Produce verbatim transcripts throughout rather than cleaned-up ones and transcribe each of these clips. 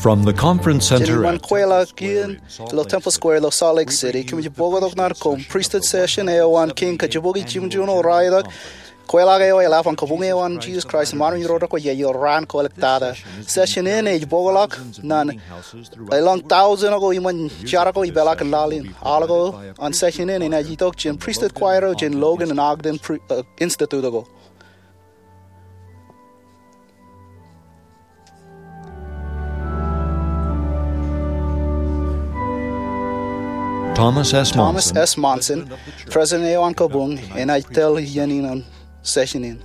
From the conference center Jān iṃaan at Temple kweilọk Square iien ilo Temple Square ilo Salt Lake City, kōmij bōktok ñan koṃ pristut session eo an kein kajibukwi jimjuon eo raelep, kweilọk eo eḷap an Kabuñ eo an Jisōs Kraist eṃṃan im irooj ko ijo raan ko āliktata. Session in ej bōkḷọk ñan elōñ tọujin ko iṃōn jar ko ipeḷaakin laḷ in. Aolep ko an session in enaaj itok jān pristut choir eo jān Logan im Ogden pri-, eh, Institute ko. Thomas S. Thomas Monson, S. Monson, president eo an Kabuñ, enaaj tōl iien in an session in.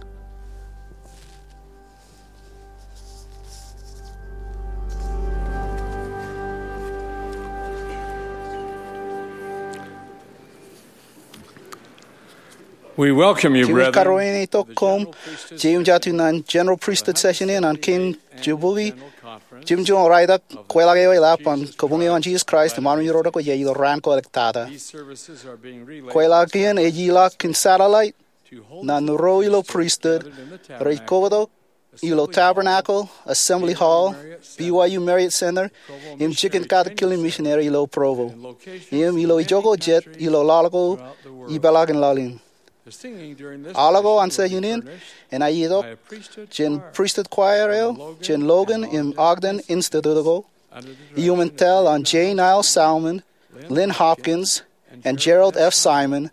We welcome you, brethren, kōm itok koṃ, to the General Priesthood Session in an kein jibukwi jimjuon eo raelep, kweilọk eo eḷap an Kabuñ eo an Jisōs Kraist eṃṃan im irooj ko ijo raan ko āliktata. These services are being relayed. Kweilọk in ej ilọk kōn satellite ñan ro ilo pristut rej kōttok ilo Tabernacle, Assembly Hall, B Y U Marriott Center, im jikin Katak Kilin Misineri ilo Provo, im ilo ijoko jet ilo laḷ ko ipeḷaakin laḷ in. Aolep ko an session in enaaj itok jān pristut choir eo jān Logan im Ogden Institute ko, iuṃwin tōl an J. Niles Salmon, Lynn Hopkins, and Gerald F. Simon,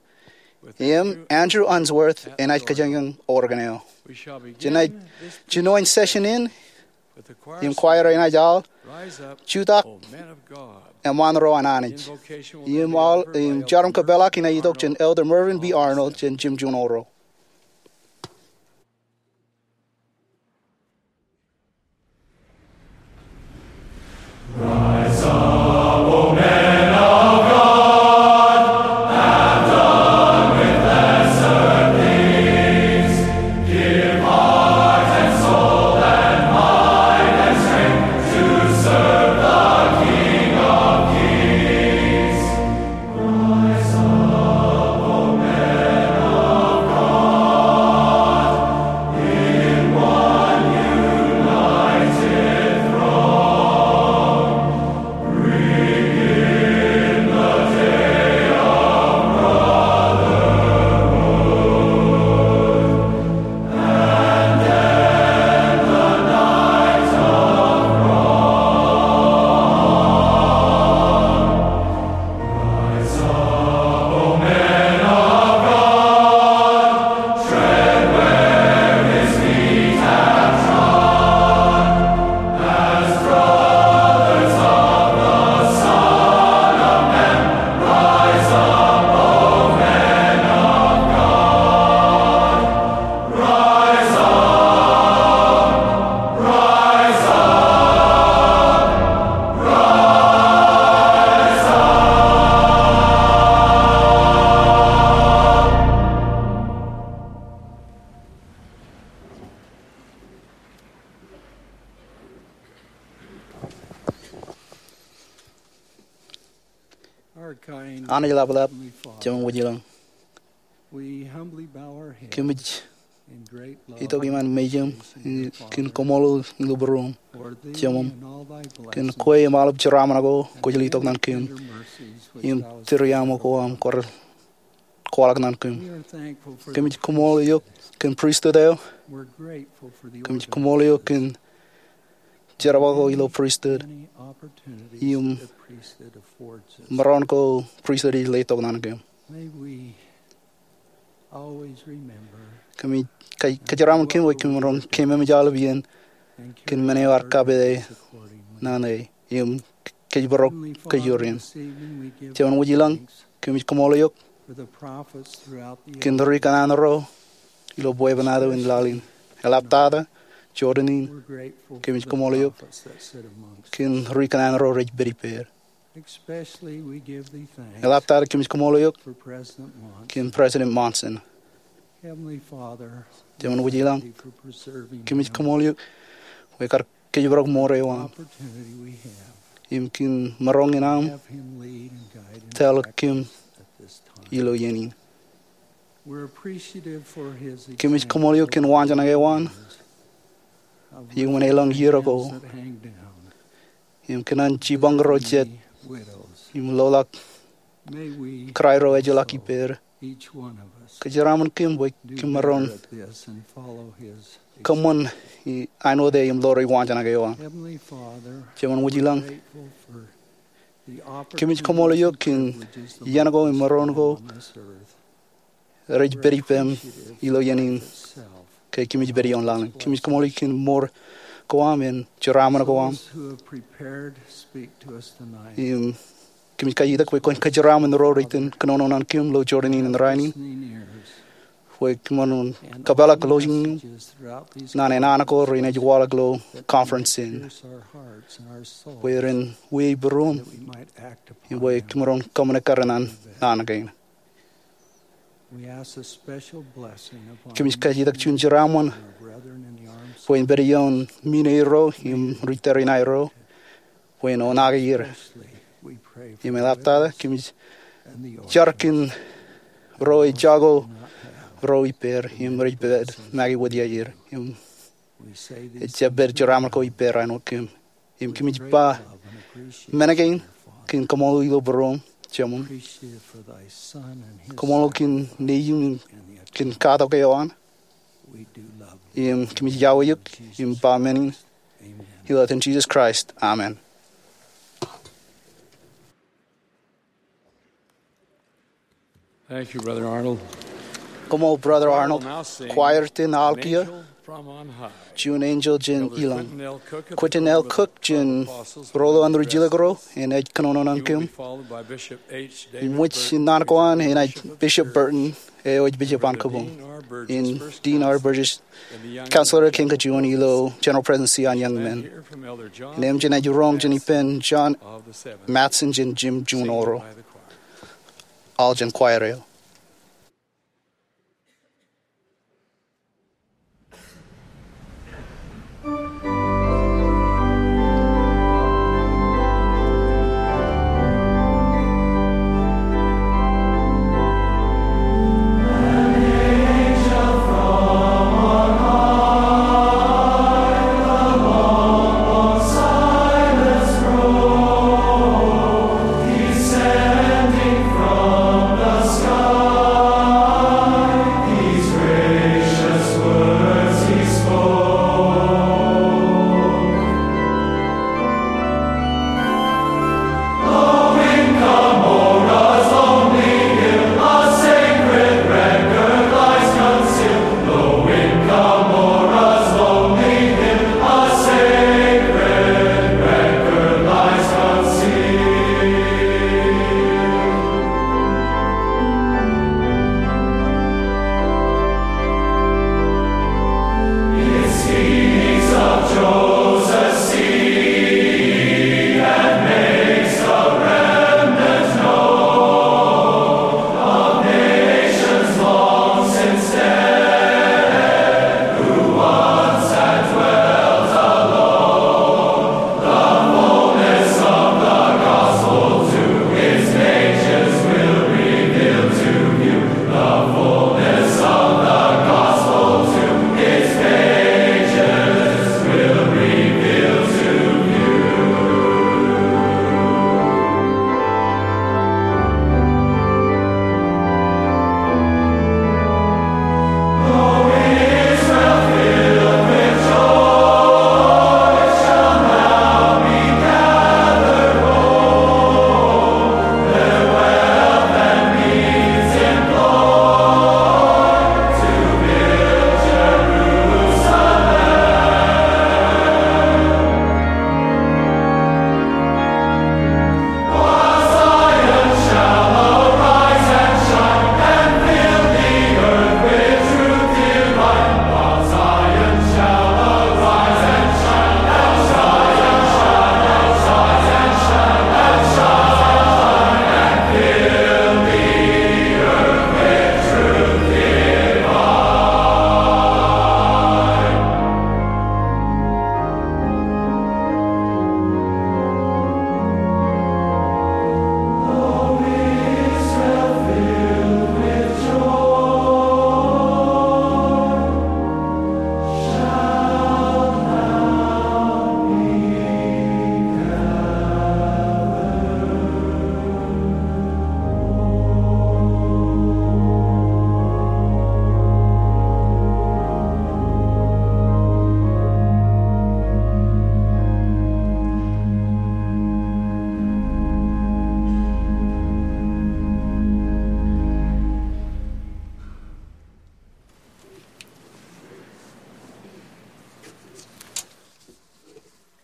im Andrew Unsworth enaaj kōjeañ organ eo. Jenaaj jinoin session in im choir enaaj aḷ, Jutak, O Men of God, eṃṃan ro an Anij. Im aḷ, im jarom kōpeḷaak enaaj itok jān Elder Mervyn B. Arnold jān jimjuon eo ro. Anij ḷapḷap, Jemem wōj ilañ. Kōmij itok iṃaan mejaṃ kōn kaṃṃoolol ilo būruōṃ, Jemem, kōn kwe im aolep jeraaṃṃan ko kwōj letok ñan kōm, im tūriaṃo ko aṃ kwaḷọk ñan kōm. Kōmij kaṃṃool eok kōn pristut eo. Kōmij kaṃṃool eok kōn jerbal ko ilo pristut im maroñ ko pristut ej letok ñan kōm. Kōmij kōj, kōjeraaṃṃan kōm bwe kōm maroñ keememej aolep iien kōn men eo ear kapede ñan e im kōjparok kōj ioon. Jemem wōj ilañ, kōmij kaṃṃool eok kōn ri kanaan ro ilo bwebwenato in laḷ in. Eḷaptata jorrāān in, kōmij kaṃṃool eok kōn ri kanaan ro rej pād ippād. Eḷaptata kōmij kaṃṃool eok kōn President Monson. Jemem wōj ilañ, kōmij kaṃṃool eok bwe kar kōjparok mour eo aṃ im kōn maroñ in aṃ tōl kōm ilo iien in. Kōmij kaṃṃool eok kōn waanjoñak eo an iuṃwin elōñ iiō ko im kōnono jipañ ro jet, im loḷọk kōrā ro ejjeḷọk ippāer. Kōjeraaṃṃan kōm bwe kōm maroñ kōṃṃan āinwōt e im ḷoor waanjoñak eo an. Jemān wōj ilañ, kōmij kaṃṃoolol eok kōn iien ko im maroñ ko rej pād ippem ilo iien in ke kōmij pād ioon laḷ in. Kōmij kaṃṃoolol eok kōn mour ko aṃ im jeraaṃṃan ko aṃ. Im kōmij kajjitōk bwe kwōn kōjeraaṃṃan ro rej itōn kōnono ñan kōm ilo jorrāān in rainin, bwe kōm maroñ kōpeḷḷọk lowaan ñan naan ko renaaj waḷọk ilo conference in, bwe ren wiaikuj būruōm, im bwe kōm maroñ kōṃṃane kōrā ñan naan kein. Kōmij kajjitōk juon jeraaṃṃan bwe en pād ioon men eo ro im ri tōre in aer ro bwe en oṇaake er. Im eḷaptata kōmij jar kōn ro ejako ro ippāer im rej pād make wōt iaer im ejjab pād jeraaṃṃan ko ippāer āinwōt kōm. Im kōmij ba men kein kōn kaṃṃoolol ilo būruōm, Jemān. Kaṃṃoolol kōn nejiṃ im kōn katak eo an. Im kōmij iọkwe eok im ba men in ilo etan Jisōs Kraist, amen. Thank you, Brother Arnold. Koṃṃool, Brother Arnold. Choir iten aḷ kiiō, Juon Enjeḷ jān Ilañ. Quentin L. Cook jān Roḷọk an Rijjilōk Ro, enaaj kōnono ñan kōm. Im ṃōj in naan ko an enaaj Bishop Burton, eo ej bishop an kōpooj, im Dean R. Burgess, counselor kein kajuon ilo General Presidency an Young Men. Im enaaj roñ jān ippān John Matson jān Jim Juon Oro. Aḷ jān choir eo.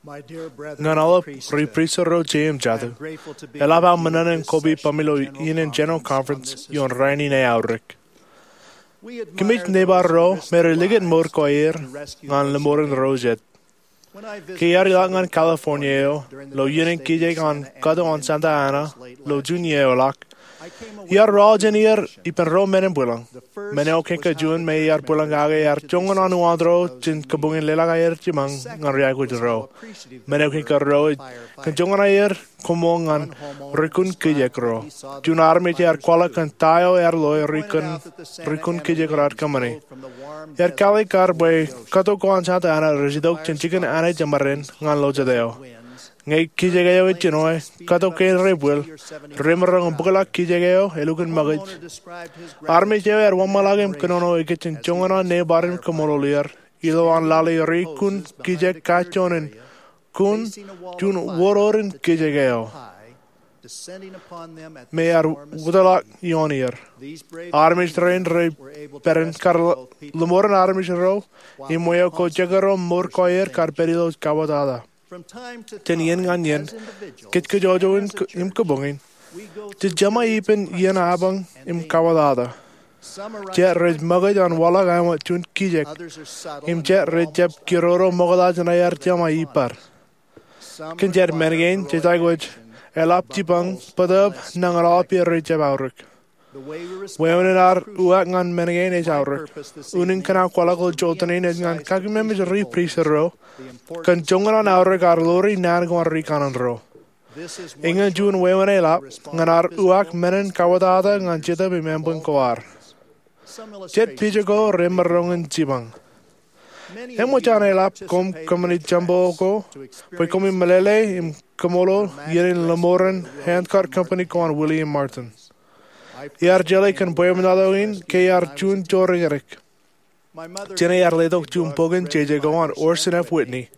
Ñan aolep ri pristut ro jeiū im jatū, eḷap aō men in kōpeeppami ilo iien in General Conference ioon rainin eaorōk. Kōmij nebar ro me rej likūt mour ko aer ñan lōṃoren ro jet. Ke iar ilọk ñan California eo ilo iien in kijek an kato an Santa Ana ilo Juñe eo eḷak, iar ruo jān er ippān ro men in bwilōñ. Men eo kōn ke juon me iar bwilōñ kake ear joñan an uwaak ro jān kabuñ in leḷọk aer jipañ ñan ri aikuj ro. Men eo kōn ke ruo ej kōn joñan aer koṃṃool ñan rikūn kijek ro. Juon armej ear kwaḷọk kōn ta eo ear loe rikūn, rikūn kijek ro aer kōṃṃani. Ear kalikkar bwe kato ko an Santa Ana rej itok jān jikin Anij eṃṃan ñan ilo jet eo. Ñe kijek eo ej jinoe, kato kein rej bwil, remaroñ in bōkḷọk kijek eo elukkuun ṃōkaj. Armej eo ear wōnṃaanḷọk im kōnono ekōjin joñan an nebar im kaṃṃoolol er, ilowaan lale rikūn kijek kajjoon in kūn juon wōror in kijek eo me ear wōtlọk ioon er. Armej rein rej pād in kar lōṃoren armej ro im weo ko jekdọọn mour ko aer kar pād ilo kabwatata. Jān iien ñan iien, kōjkōjojin im kabuñ in, jej jema ippān iien apañ im kabwatata. Jet rej ṃōkaj an waḷọk āinwōt juon kijek, im jet rej jab kiroro ṃokta jān aer jema ippād. Kōn jet men kein jej aikuj eḷap jipañ bōtōb nañinmej rej jab aorōk. Wāween in ad uwaak ñan men kein ej aorōk. Unin kōn aō kwaḷọk ilo jota in ej ñan kakeememej ri pristut ro kōn joñan an aorōk ad ḷoori naan ko an rikanaan ro. Eñin juon wāween eḷap ñan ad uwaak men in kabwatata ñan Jetōb im ānbwiñ ko ad. Jet pija ko remaroñ in jipañ. Eṃōj an eḷap koṃ kōṃṃani jempo ko bwe koṃij meḷeḷe im kaṃṃoolol iien in lōṃoren handcart company ko an William Martin. Iar jeḷā kōn bwebwenato in ke iar juon joorrekdek. Jene ear letok juon bok in jeje ko an Orson F. Whitney,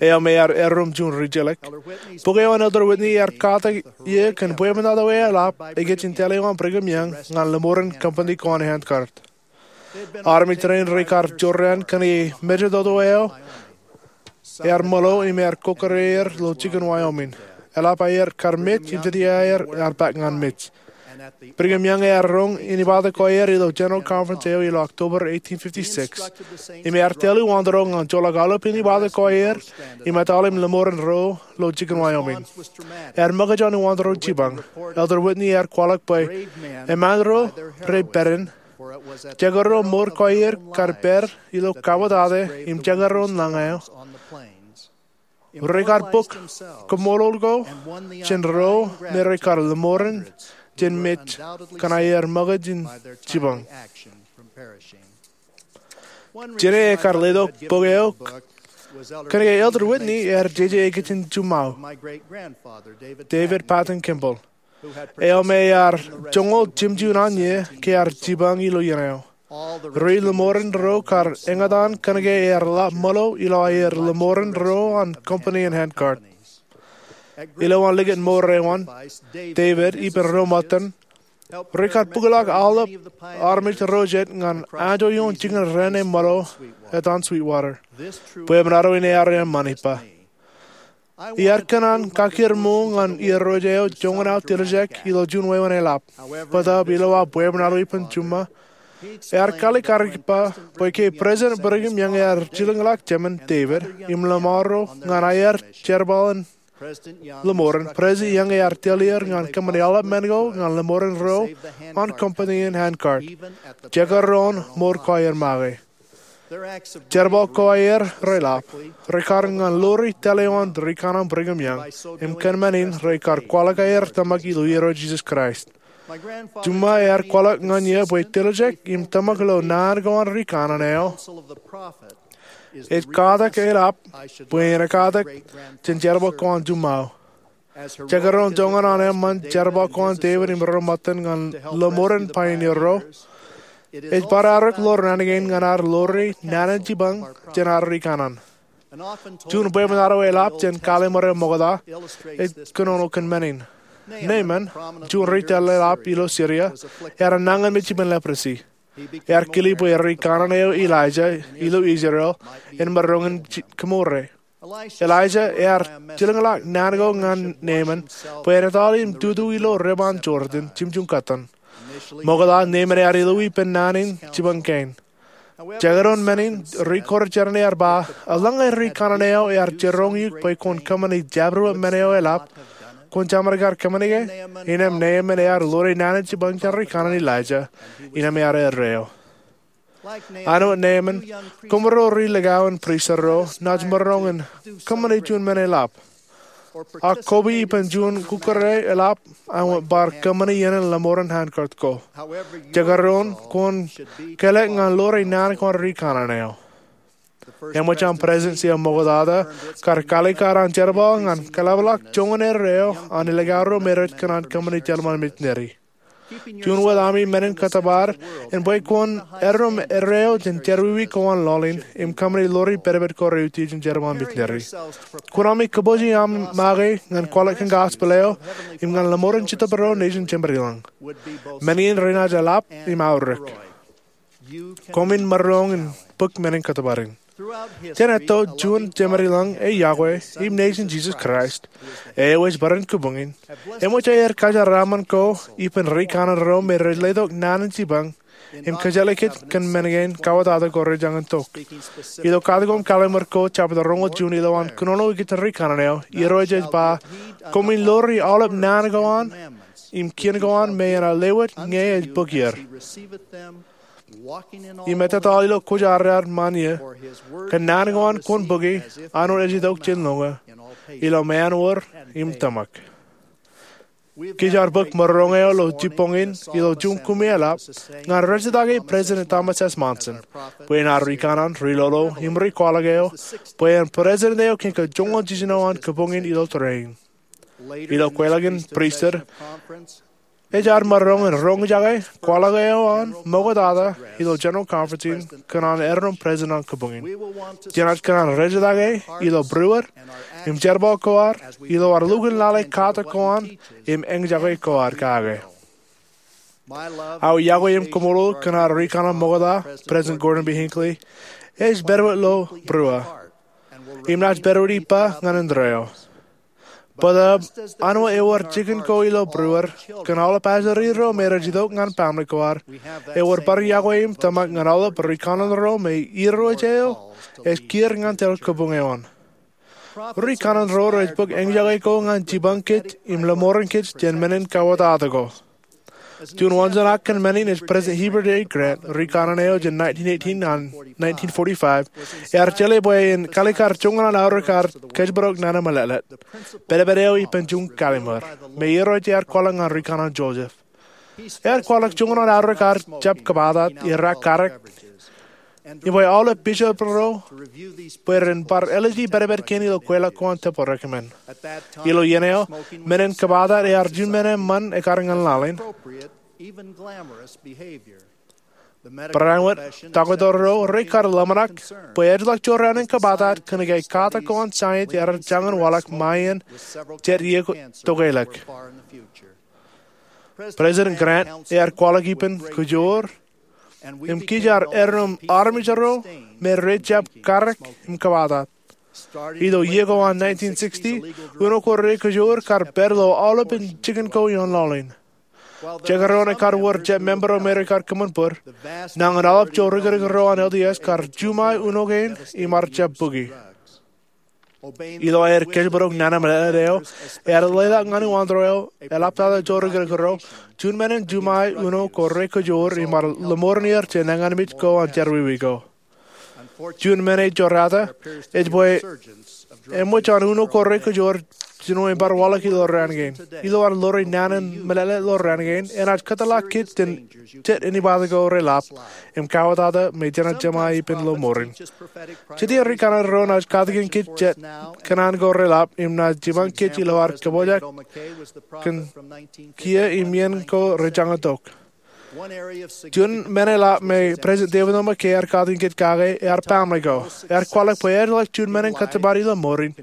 eo me ear erom juon rijjelōk. Bok eo an Elder Whitney ear katak ie kōn bwebwenato eḷap ekōjin taḷ eo an Brigham Young ñan lōṃoren company ko an handcart. Armej rein rej kar jorrāān kōnke mejatoto eo ear ṃōḷo im ear kokkure er ilo jikin Wyoming. Eḷap aer kar mej im jete aer ear bōk ñan mej. Brigham Young ear roñ inepata ko aer ilo General Conference eo ilo October eighteen fifty-six. Im ear tōl uwaak ro ñan joḷọk aolep inepata ko aer im etal im lōṃoren ro ilo jikin Wyoming. Ear ṃōkaj an uwaak ro jipañ. Elder Whitney ear kwaḷọk bwe eṃṃan ro rej pād in, jekdọọn mour ko aer kar pād ilo kabwatata im jekdọọn lañ eo. Rej kar bōk kaṃṃoolol ko jān ro me rej kar lōṃoren jān mej kōn aer ṃōkaj in jipañ. Jene ekar letok bok eo kōnke Elder Whitney ear jeje ekōjin juṃaō, David Patten Kimball, eo me ear joñoul jimjuon an iiō ke ear jipañ ilo iien eo. Ri lōṃoren ro kar eñtaan kōnke ear lap ṃōḷo ilo aer lōṃoren ro an company in handcart. Ilowaan likūt mour eo an, David ippān ro ṃōttan rej kar bōkḷọk aolep armej ro jet ñan anjọ ioon jikin raan eṃṃan ṃōḷo etan Sweetwater. Bwebwenato in ear eṃṃan ippa. Iar kōṇaan kakkir ṃool ñan irooj eo joñan aō tiljek ilo juon wāween eḷap. Bōtōb ilo aō bwebwenato ippān juṃṃa, ear kalikkar ippa bwe ke President Brigham Young ear jilkinḷọk jemān David im lōṃaro ñan aer jerbal in lōṃoren, President Young ear tōl er ñan kōṃṃani aolep men ko ñan lōṃoren ro an company in handcart, jekdọọn mour ko aer make. Jerbal ko aer reḷap, rekar ñan ḷoori taḷ eo an rikanaan Brigham Young, im kōn men in rekar kwaḷọk aer tōmak ilo irooj Jisōs Kraist. Juṃṃa ear kwaḷọk ñan iiō bwe tiljek im tōmak ilo naan ko an rikanaan eo ej katak eḷap bwe en katak jān jerbal ko an juṃṃaō. Jekdọọn joñan an eṃṃan jerbal ko an David im ro ṃōttan ñan lōṃoren pioneer ro, ej bar aorōk ḷoor naan kein ñan ad ḷoori naan in jipañ jān ad rikanaan. Juon bwebwenato eḷap jān kallim̧ur eo ṃokta ej kōnono kōn men in. Naaman, juon ri tōl eḷap ilo Syria, ear nañinmej ippān leprosy. Ear kile bwe rikanaan eo Elijah ilo Israel en maroñ in kōṃṃure. Elijah ear jilkinḷọk naan ko ñan Naaman bwe en ettoḷọk im tutu ilo River Jordan jimjuon kōttan. Ṃokta Naaman ear illu ippān naan in jipañ kein. Jekdọọn men in, ri-kōrā jeran ear ba, Eḷaññe ri kanaan eo ear jiroñ eok bwe kwōn kōṃṃani jabdewōt men eo eḷap, kwōn jeṃḷọk kōṃṃani ke? Innām Naaman ear ḷoor naan in jipañ jān ri kanaan Elijah, innām ear erreo. Āinwōt Naaman, koṃro ri likao in pristut ro naaj maroñ in kōṃṃani juon men eḷap, ak koba ippān juon kukōrā eḷap, ak bar kōṃṃani iien in lọmọọren handcart ko. Jekdọọn kwōn kelọk ñan ḷoor naan ko an ri kanaan eo. Eṃōj an President eo ṃoktata kar kaalikkar an jerbal ñan kaḷapḷọk joñan erreo an likao ro me rej kōṇaan kōṃṃani jerbal missionary. Juon wōt ami men in kōttōpar in bwe kwōn erom erreo jān jerọwiwi ko an lọlin im kōṃṃani ḷoori pedped ko reutiej in jerbal missionary. Kwōn ami kōpooje aṃ make ñan kwaḷọk kōn gospel eo im ñan lọmọọren Jetōb ro nejin jeṃaad ilañ. Men in renaaj eḷap im aorōk. Koṃwin maroñ in bōk men in kōttōpar in. Jān etto juon jeṃaad ilañ e yokwe im nejin Jesus Christ, eo ej bōran kabuñ in, eṃōj aer kajeraaṃṃan ko ippān ri kanaan ro me rej letok naan in jipañ im kōjeḷā kōj kōn men kein kawōtata ko rejañin tok. Ilo Katōk im Kalliṃur ko jepta roñoul juon ilowaan kōnono ikijjeen ri kanaan eo, Irooj ej ba, Koṃwin ḷoori aolep naan ko an im kien ko an me enaaj lewōj ñe ej bōk er. Im ettā ilo kwōjarjar ṃaan ie, kōn naan ko an kwōn bōki, āinwōt ej itok jān lọñiō, ilo ṃaanwōr im tōmak. Kōj ar bōk maroñ eo ilo jibboñ in ilo juon kumi eḷap ñan rejjitōk President Thomas S. Monson bwe en ar ri kanaan, ri lolo im ri kwaḷọk eo, bwe en President eo kōn joñan jiljino an kabuñ in ilo tōre in. Ilo kweilọk in pristut, ej ar maroñ in roñjake kwaḷọk eo an ṃoktata ilo General Conference in kōn an erom President an kabuñ in. Jenaaj kōṇaan rejjitōk e ilo būruod im jerbal ko ad ilo ad lukkuun lale katak ko an im eñjake ko ad kake. Aō iọkwe im kaṃṃoolol kōn ad ri kanaan ṃokta, President Gordon B. Hinckley, ej pād wōt ilo būruō im naaj pād wōt ippa ñan indeeo. Bōtaab, āinwōt ewōr jikin ko ilo būruod kōn aolep pastor ro me rej itok ñan baaṃle ko ad, ewōr bar iọkwe im tōmak ñan aolep ri kanaan ro me Irooj eo ej kiiō ñan tōl kabuñ eo an. Ri kanaan ro rej bōk eñjake ko ñan jipañ kōj im lọmọọren kōj jān men in kawōtata ko. Juon wōnsan aō kōn men in ej President Heber J. Grant, ri kanaan eo jān nineteen eighteen ñan nineteen forty-five, ear jeḷā bwe en kaalikkar joñan an aorōk ad kōjparok nana meḷeḷe, pedped eo ippān juon kalliṃur, me Irooj ear kwaḷọk ñan ri kanaan Joseph. Ear kwaḷọk joñan an aorōk ad jab kōbatat, rak karōk, im bwe aolep bishop ro bwe ren bar āliji pedped kein ilo kweilọk ko an tempeḷ recommend. Ilo iien eo, men in kōbatat ear juon men eṃṃan ekar ñan laḷ in. Barāinwōt, taktō ro rekar ḷōmṇak bwe ejjeḷọk jorrāān in kōbatat kōnke katak ko an science ear jañin waḷọk ṃae iien jet iiō tokeḷọk. President Grant ear kwaḷọk ippān kōjoor, im kōj ar erom armej ro me rej jab karōk im kōbatat. Ilo iiō ko an nineteen sixty, uno ko rekōjoor kar pād ilo aolepān jikin ko ioon laḷ in. Jekdọọn ekar wōr jet member ro me rekar kōṃṃan bōd, nañin aolep jorrikdik ro an L D S kar juṃae uno kein im ar jab bōki. Ilo aer kōjparok nana meḷeḷe eo, ear leḷọk ñan uwaantōr eo eḷaptata jorrikdik ro, juon men in juṃae uno ko rekōjoor im ar lọmọọren er jān eñanmej ko an jerọwiwi ko. Juon men ej jorrāān ej bwe eṃōj an uno ko rekōjoor jino im bar waḷọk ilo raan kein. Ilo ad ḷoori naan in meḷeḷe ilo raan kein, enaaj kōtḷọk kōj jān jet inepata ko reḷap im kawōtata me jenaaj jeṃae ippān lọmọọren. Jet iien ri kanaan ro enaaj katakin kōj jet kōṇaan ko reḷap im naaj jipañ kōj ilo ad kōpojak kōn kiiō im iien ko rejañin tok. Juon men eḷap me President David O. McKay ear katakin kōj kake ear baaṃle ko. Ear kwaḷọk bwe ejjeḷọk juon men in kōttōpar ilo mour in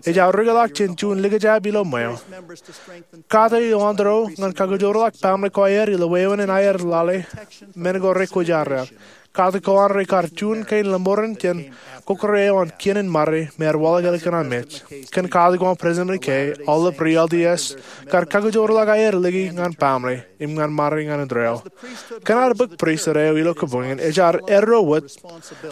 ej aorōkḷọk jān juon likjab ilo ṃweo. Kate uwaantōr eo ñan kakojoorḷọk baaṃle ko aer ilo wāween in aer lale men ko rekwōjarjar. katak ko an rekar juon kein lemoren jān kōkōrā eo an kien in mare me ear waḷọk ālikin an mej. Kōn katak ko an President McKay, aolep ri-L D S kar kakijoorḷọk aer lōke ñan baaṃle im ñan mare ñan indeeo. Kōn ad bōk pristut eo ilo kōpoñin, ej ad erro wōt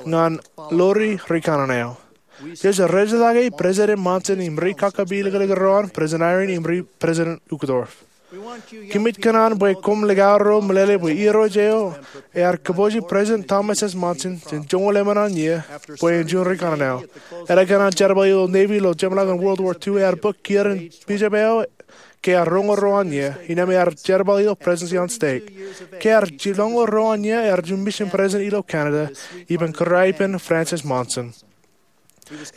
ñan lori rikaṇan eo. Jej rejjitōk President Monson im ri kakapeliklik ro an, President Eyring im ri President Uchtdorf. Koṃij kōṇaan bwe koṃ likao ro meḷeḷe bwe Irooj eo ear kōpooje President Thomas S. Monson jān joñoul emān an iiō bwe en juon rikaṇan eo. Enaaj kōṇaan jerbal ilo Navy ilo jeṃḷọkin World War Two, ear bōk kiiō in bishop eo ke ear roñoul ruo an iiō, innām ear jerbal ilo presidency an stake. Ke ear jiroñoul ruo an iiō, ear juon mission president ilo Canada, ippān kōrā ippān Francis Monson.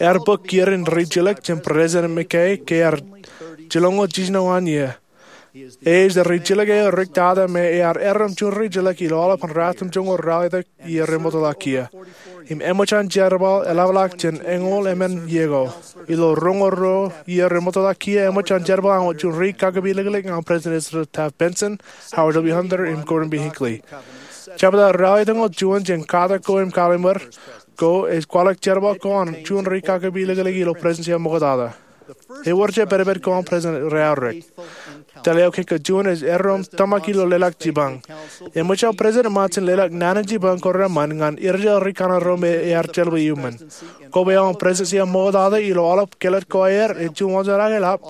Ear bōk kiiō in rijjilōk jān President McKay ke ear jiroñoul jiljino an iiō. Ej rijjilōk eo riktata me ear erom juon rijjilōk ilo aolepān ratimjuonñoul ralitōk iiō remootḷọk kiiō. Im eṃōj an jerbal eḷapḷọk jān eñoul emān iiō ko. Ilo roñoul ruo iiō remootḷọk kiiō, eṃōj an jerbal āinwōt juon ri kakapeliklik ñan President Ezra Taft Benson, Howard W. Hunter, im Gordon B. Hinckley. Jebta ralitōñoul juon jān katak ko im kallim̧ur ko ej kwaḷọk jerbal ko an juon ri kakapeliklik ilo presidency eo ṃoktata. Ewōr jab pedped ko an President reaorōk. Tōl eo kōnke juon ej erom tōmak ilo leḷọk jipañ. Eṃōj an President Monson leḷọk naan in jipañ ko reṃṃan ñan irijjel rikaṇan ro me ear jeḷā iuṃwin. Koba eo an presidency eo ṃoktata ilo aolep kellet ko aer ej juon wanjeḷā ke eḷap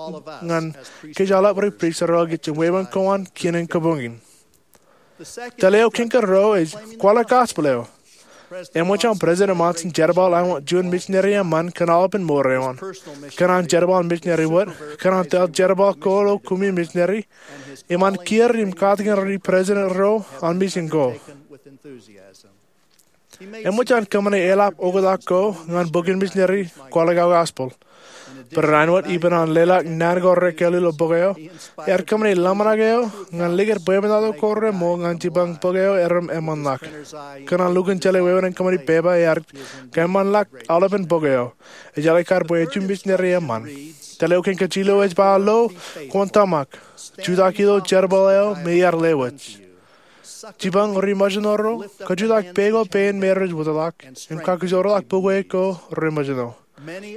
ñan kōj aolep ri pristut ro kōj im wāween ko an kien in kōpoñin. Tōl eo kōnke ruo ej kwaḷọk gospel eo. Eṃōj an President Monson jerbal āinwōt juon misineri eṃṃan kōn aolepān mour eo an. Kōn an jerbal misineri wōt, kōn an tōl jerbal ko ilo koṃwin misineri, im an kiiō im katakin ri president ro an mission ko. Eṃōj an kōṃṃane eḷap oktak ko ñan bok in misineri kwaḷọk aō gospel. Barāinwōt ippān an leḷọk naan ko rekkāāl ilo bok eo, ear kōṃṃane ḷōmṇak eo ñan likūt bwebwenato ko reṃool ñan jipañ bok eo erom eṃṃanḷọk. Kōn an lukkuun jeḷā wāween in kōṃṃani pepa, ear kōṃṃanḷọk aolepān bok eo. Ejjeḷọk kar bwe ej juon misineri eṃṃan. Tōl eo kōnke jilu eo ej ba lo, kwōn tōmak. Jutak ilo jerbal eo me iar lewōj. Jipañ ri-misineri ro, kajutak peiṃ ko pein me rej wōtlọk, im kakijoorḷọk bukwe ko re-misineri.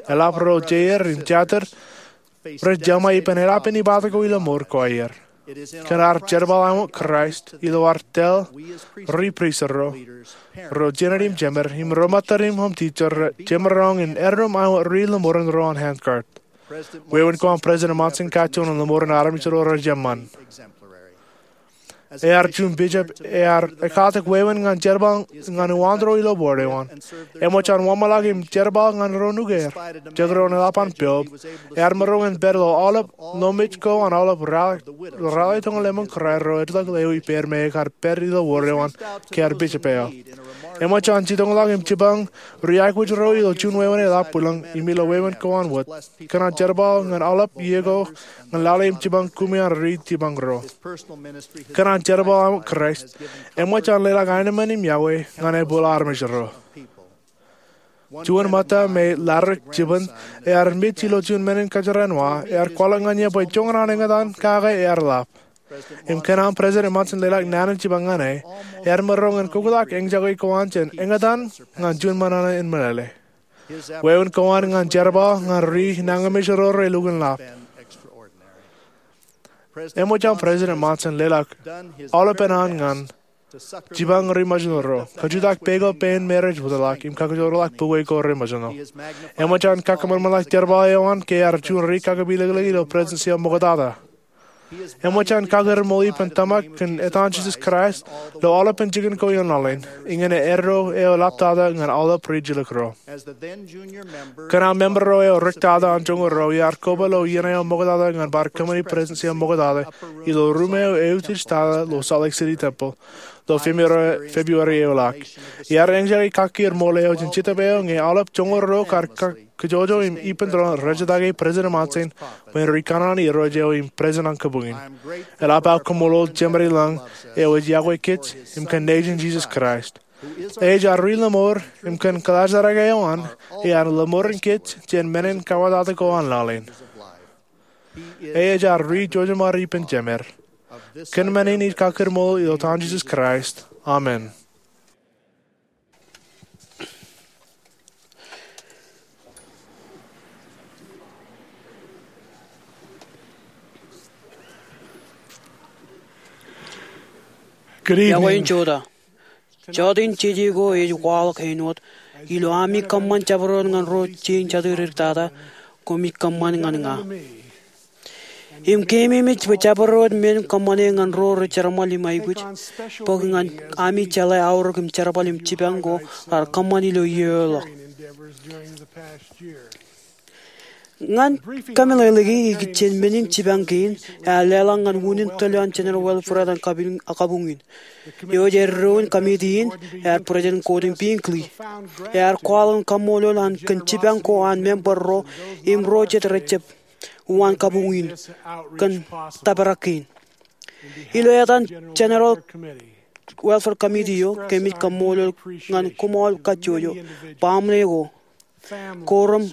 Eḷap ro jeir im jatid rej jeṃḷọk ippān eḷap in ippād ko ilo mour ko aer. Kōn ad jerbal āinwōt Kraist ilo ad tōl ri-pristut ro, ro jened im jemed, im ro ṃōttan im home teacher, jemaroñ in erom āinwōt ri lōṃoor in ro an handcart. Wāween ko an President Monson kajjojo in lōṃoor in armej ro rej eṃṃan. Ear juon bishop ear ekkatak wāween ñan jerbal ñan uwaantō ro ilo board eo an. Eṃōj an wōnṃaanḷọk im jerbal ñan ro nuke er. Jekdọọn eḷap an piob, ear maroñ in pād ilo aolep lọmej ko an aolep ralitōñoul emān kōrā ro ej lọk lewōj ippāer me ekar pād ilo wōr eo an ke ear bishop eo. Eṃōj an jitōñḷọk im jipañ ri-aikuj ro ilo juon wāween eḷap bwilōñ im ilo wāween ko an wōt. Kōn an jerbal ñan aolep iiō ko ñan lale im jipañ koṃi an ri jipañ ro. Kōn an jerbal eo an Kraist, eṃōj an leḷọk aenōṃṃan im iọkwe ñan ebōl armej ro. Juon ṃōtta me ladik jipañ ear mej ilo juon men in kōjeraaṃṃan, ear kwaḷọk ñan iiō bwe joñan an eñtaan kake ear ḷap. Im kōn an President Monson leḷọk naan in jipañ ñan e, ear maroñ in koktak eñjake ko an jān eñtaan ñan juon ṃōṇōṇō in meḷeḷe. Wāween ko an ñan jerbal ñan ri-nañinmej ro relukkuun ḷap. Eṃōj an President Monson leḷọk aolepān an ñan jipañ ri-misineri ro, kajutak peiṃ ko pein me rej wōtlọk, im kakijoorḷọk bukwe ko re-misineri. Eṃōj an kakōṃanṃanḷọk jerbal eo an ke ear juon ri-kakapeliklik ilo presidency eo ṃoktata. Eṃōj an kakūrṃool ippān tōmak kōn etan Jisōs Kraist ilo aolepān jikin ko iien laḷ in, iñin erro eo ḷaptata ñan aolep rijjilōk ro. Kōn an member ro eo riktata an joñoul ruo, iar koba ilo iien eo ṃoktata ñan bar kōṃṃani presidency eo ṃoktata ilo ruṃ eo eutiej tata ilo Salt Lake City Temple ilo February eoḷọk. Iar eñjake kakūrṃool eo jān Jetōb eo ñe aolep joñoul ruo kar kajjojo im ippān doon rejjitōk President Monson bwe en ri kōṇaan an Irooj eo im President an kōpoñin. Eḷap aō kaṃṃoolol Jemedilōñ eo ej iọkwe kōj im kōn nejin Jisōs Kraist. Ej ad ri-lōṃoor im kōn kaḷajrak eo an, ear lōṃoor in kōj jān men in kawattata ko an laḷ in. Ej ad ri-jeṃṃaad ippān Jemed. Kōn men in ij kakūrṃool ilo etan Jisōs Kraist. Amen. Iọkwe in jota. Jọteen jeje ko ej waḷọk āinwōt, ilo ami kōṃṃan jabdewōt ñan ro jein jatū dik tata, koṃij kōṃṃan ñan ña. Im keememej bwe jabdewōt men kōṃṃane ñan ro rej jerbal im aikuj, bōk ñan ami jeḷā aorōk im jerbal im jipañ ko raar kōṃṃan ilo iiō ḷọk. Ñan kameḷeḷeiki ikijjien men in jipañ kein, ear leḷọk ñan unin tōl eo an General Welfare eo an kabuñ in. Eo ej eddoin committee in, ear President Gordon B. Hinckley. Ear kwaḷọk in kaṃṃoolol an kōn jipañ ko an member ro, im ro jet rejjab, uwaan kabuñ in, kōn tōprak kein. Ilo etan General Welfare Committee eo, kōmij kaṃṃoolol ñan koṃ aolep kajjojo, baaṃle ko, korom,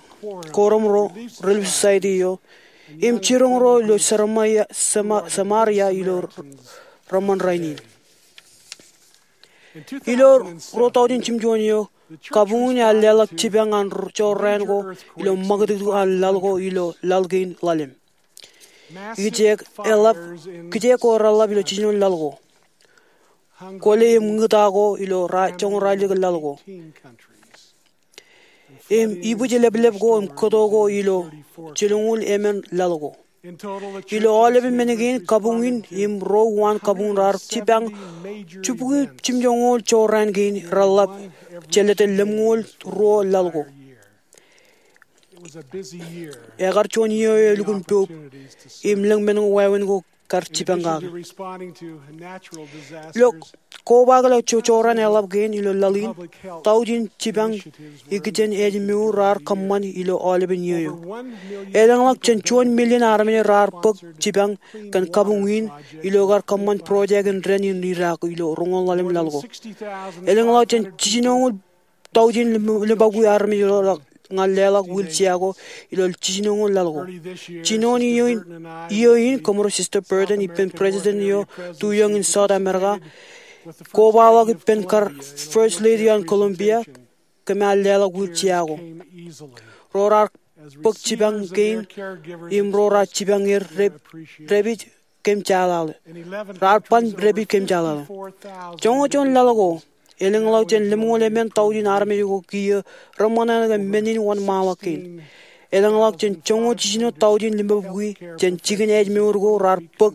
korom ro, Relief Society eo, im jiroñ ro ilo Samaria, Sama-, Samaria ilo reṃṃan rainin. Ilo ruo taujin jimjuon eo, kabuñ in ear leḷọk jipañ an jorrāān ko ilo ṃakūtkūt an laḷ ko ilo laḷ kein ḷalem. Ikijjien eḷap, ikijjien ko reḷap ilo jiljino laḷ ko. Kwōle im ñūta ko ilo ra-, joñoul ralitōk laḷ ko. Im ibwijleplep ko im kōto ko ilo jilñuul emān laḷ ko. Ilo aolepen men kein kabuñ in im ro uwaan kabuñ raar jipañ jibukwi jimjoñoul jorrāān kein reḷap jelōt lemñoul ruo laḷ ko. Ekar juon iiō eo elukkuun poub im lōñ men ko wāween ko kar jipañ kake. Ilo kobaakḷọk jorrāān eḷap kein ilo laḷ in, taujin jipañ ikijjien ājmour raar kōṃṃan ilo aolepen iiō eo. Elōñḷọk jān juon million armej raar bōk jipañ kōn kabuñ in ilo kar kōṃṃan project in dān in Iraq ilo roñoul ḷalem laḷ ko. Elōñḷọk jān jiljinoñoul taujin lim-, limbabukwi armej ro raar ñan leḷọk wheelchair ko ilo jiljinoñoul laḷ ko. Jinoin iiō in, iiō in kōmro Sister Burton ippān President eo tuiōñ in South America, kobaḷọk ippān kar First Lady an Colombia, kōm ar leḷọk wheelchair ko. Ro raar bōk jipañ kein im ro raar jipañ er dep-, depij kōm jaḷaḷe. Raar ban depij kōm jaḷaḷe. Joñoul juon laḷ ko, elōñḷọk jān lemñoul emān taujin armej ko kiiō reṃōṇōṇō kōn men in wōnṃaanḷọk kein. Elōñḷọk jān joñoul jiljino taujin limabukwi jān jikin ājmour ko raar bōk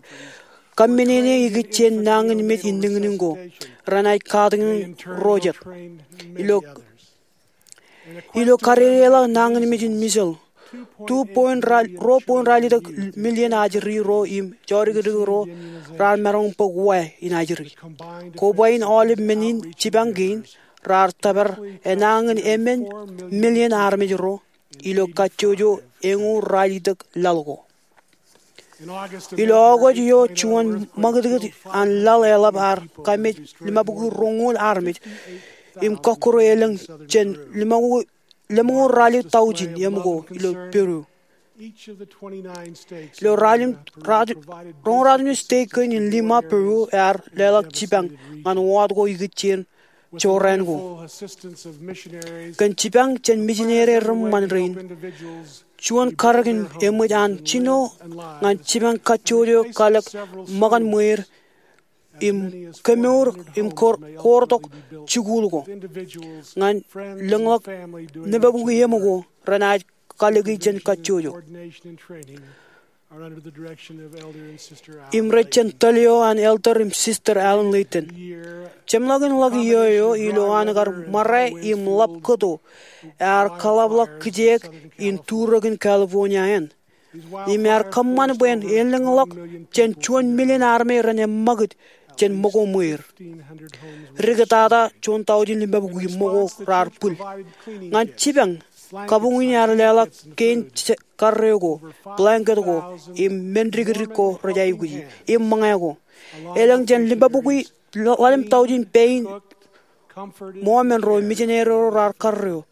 kamminene ikijjien nañinmej in niñniñ ko renaaj katakin ro jet. Ilo Ilo kadedeḷọk nañinmej in missile, two point ra-, ruo point ralitōk million ajri ro im jodikdik ro raar maroñ bōk wa in ajri. Koba in aolep men in jipañ kein raar tōpar enañin emān million armej ro ilo kajjojo eñoul ralitōk laḷ ko. Ilo August eo, juon ṃakūtkūt an laḷ eḷap ear kamej limabukwi roñoul armej im kọkkure elōñ jān lemñoul ralitōk taujin eṃko ilo Peru. Ilo ralitōk, roñoul ralitōk state kein in Lima, Peru ear leḷọk jipañ ñan wōt ko ikijjien jorrāān ko. Kōn jipañ jān mijinere reṃṃan rein, juon karōk in eṃōj an jino ñan jipañ kajjojo kalōk ṃōkan ṃweer im kemour im kor-, koortok jikuuḷ ko ñan lōñḷọk limabukwi eṃko renaaj kalōki jān kajjojo. Im rej jān tōl eo an Elder im Sister Allen Layton. Jeṃḷọkin ḷọk iiō eo ilo an kar ṃare im ḷap kōto, ear kaḷapḷọk kijeek in turōkin California eṇ. Im ear kōṃṃan bwe en lōñḷọk jān juon million armej ren eṃṃakūt jān ṃōko ṃweer. Dik tata juon taujin limabukwi ṃōko raar bwil. Ñan jipañ, kabuñ in ear leḷọk kein karreo ko, blanket ko, im men dikdik ko rej aikuji, im ṃōñā ko. Elōñ jān limabukwi ḷalem taujin pein ṃōmen ro, mijinere ro raar karreo,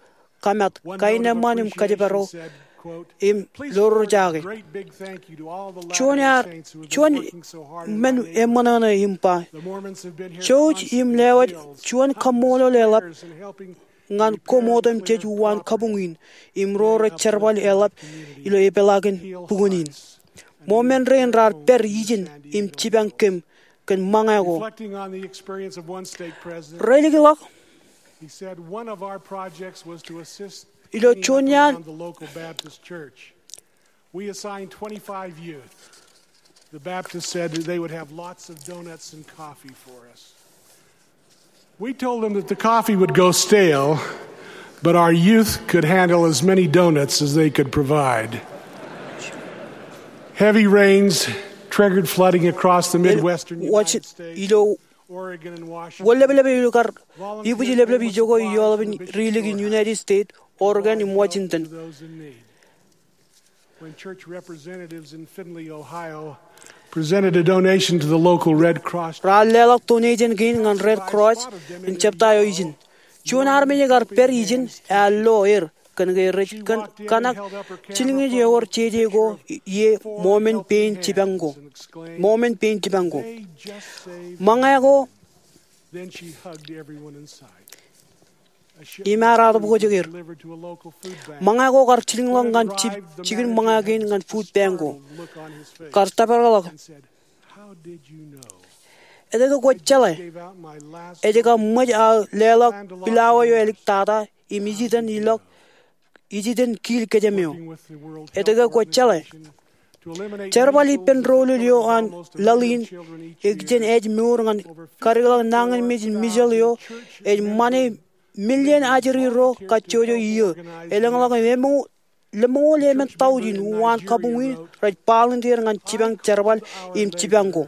kamat, kain eṃṃan im kōjparok, im lorjake. Juon ear, juon men eṃōṇōṇō im ba, jouj im lewōj juon kaṃṃoolol eḷap ñan koṃ otemjej uwaan kabuñ in im ro rej jerbal eḷap ilo epeḷaakin bukwōn in. Ṃōmen rein raar pād ijin im jipañ kōm kōn ṃōñā ko. Reflecting on the experience of one stake president, reilikḷọk, he said, "One of our projects was to assist ilo cleaning up juon iaan around the local Baptist church. We assigned twenty-five youth. The Baptists said they would have lots of donuts and coffee for us. We told them that the coffee would go stale, but our youth could handle as many donuts as they could provide." Heavy rains triggered flooding across the Midwestern United States, ilo Oregon and Washington. Wōn ḷapḷap eo kar ibwij ḷapḷap ijoko ioḷapen ri-ilikin United States, Oregon im Washington. When church representatives in Findlay, Ohio, presented a donation to the local Red Cross, raar leḷọk donation kein ñan Red Cross in jebta eo ijin. Juon armej ekar pād ijin ear lo er kōn ke rej kōn kanak jilñiej ewōr jeje ko ie ṃomen pein jipañ ko. Ṃomen pein jipañ ko. Ṃōñā ko Then she hugged everyone in sight. Im ear ato bōk ijoko er. Ṃōñā ko kar jilkinḷọk ñan jikin ṃōñā kein ñan food bank ko. Kar tōparḷọk. Etke kwō jeḷā? Ej kab ṃōj aō leḷọk pilawa eo āliktata im ijiten ilọk ijiten kiil kōjām eo. Etke kwō jeḷā? Jerbal ippān doulul eo an laḷ in ikijjien ājmour ñan kadikḷọk nañinmej in measles eo ej ṃane million ajri ro kajjojo iiō. Elōñḷọk im lemñoul emān taujin uwaan kabuñ in rej volunteer ñan jipañ jerbal im jipañ ko.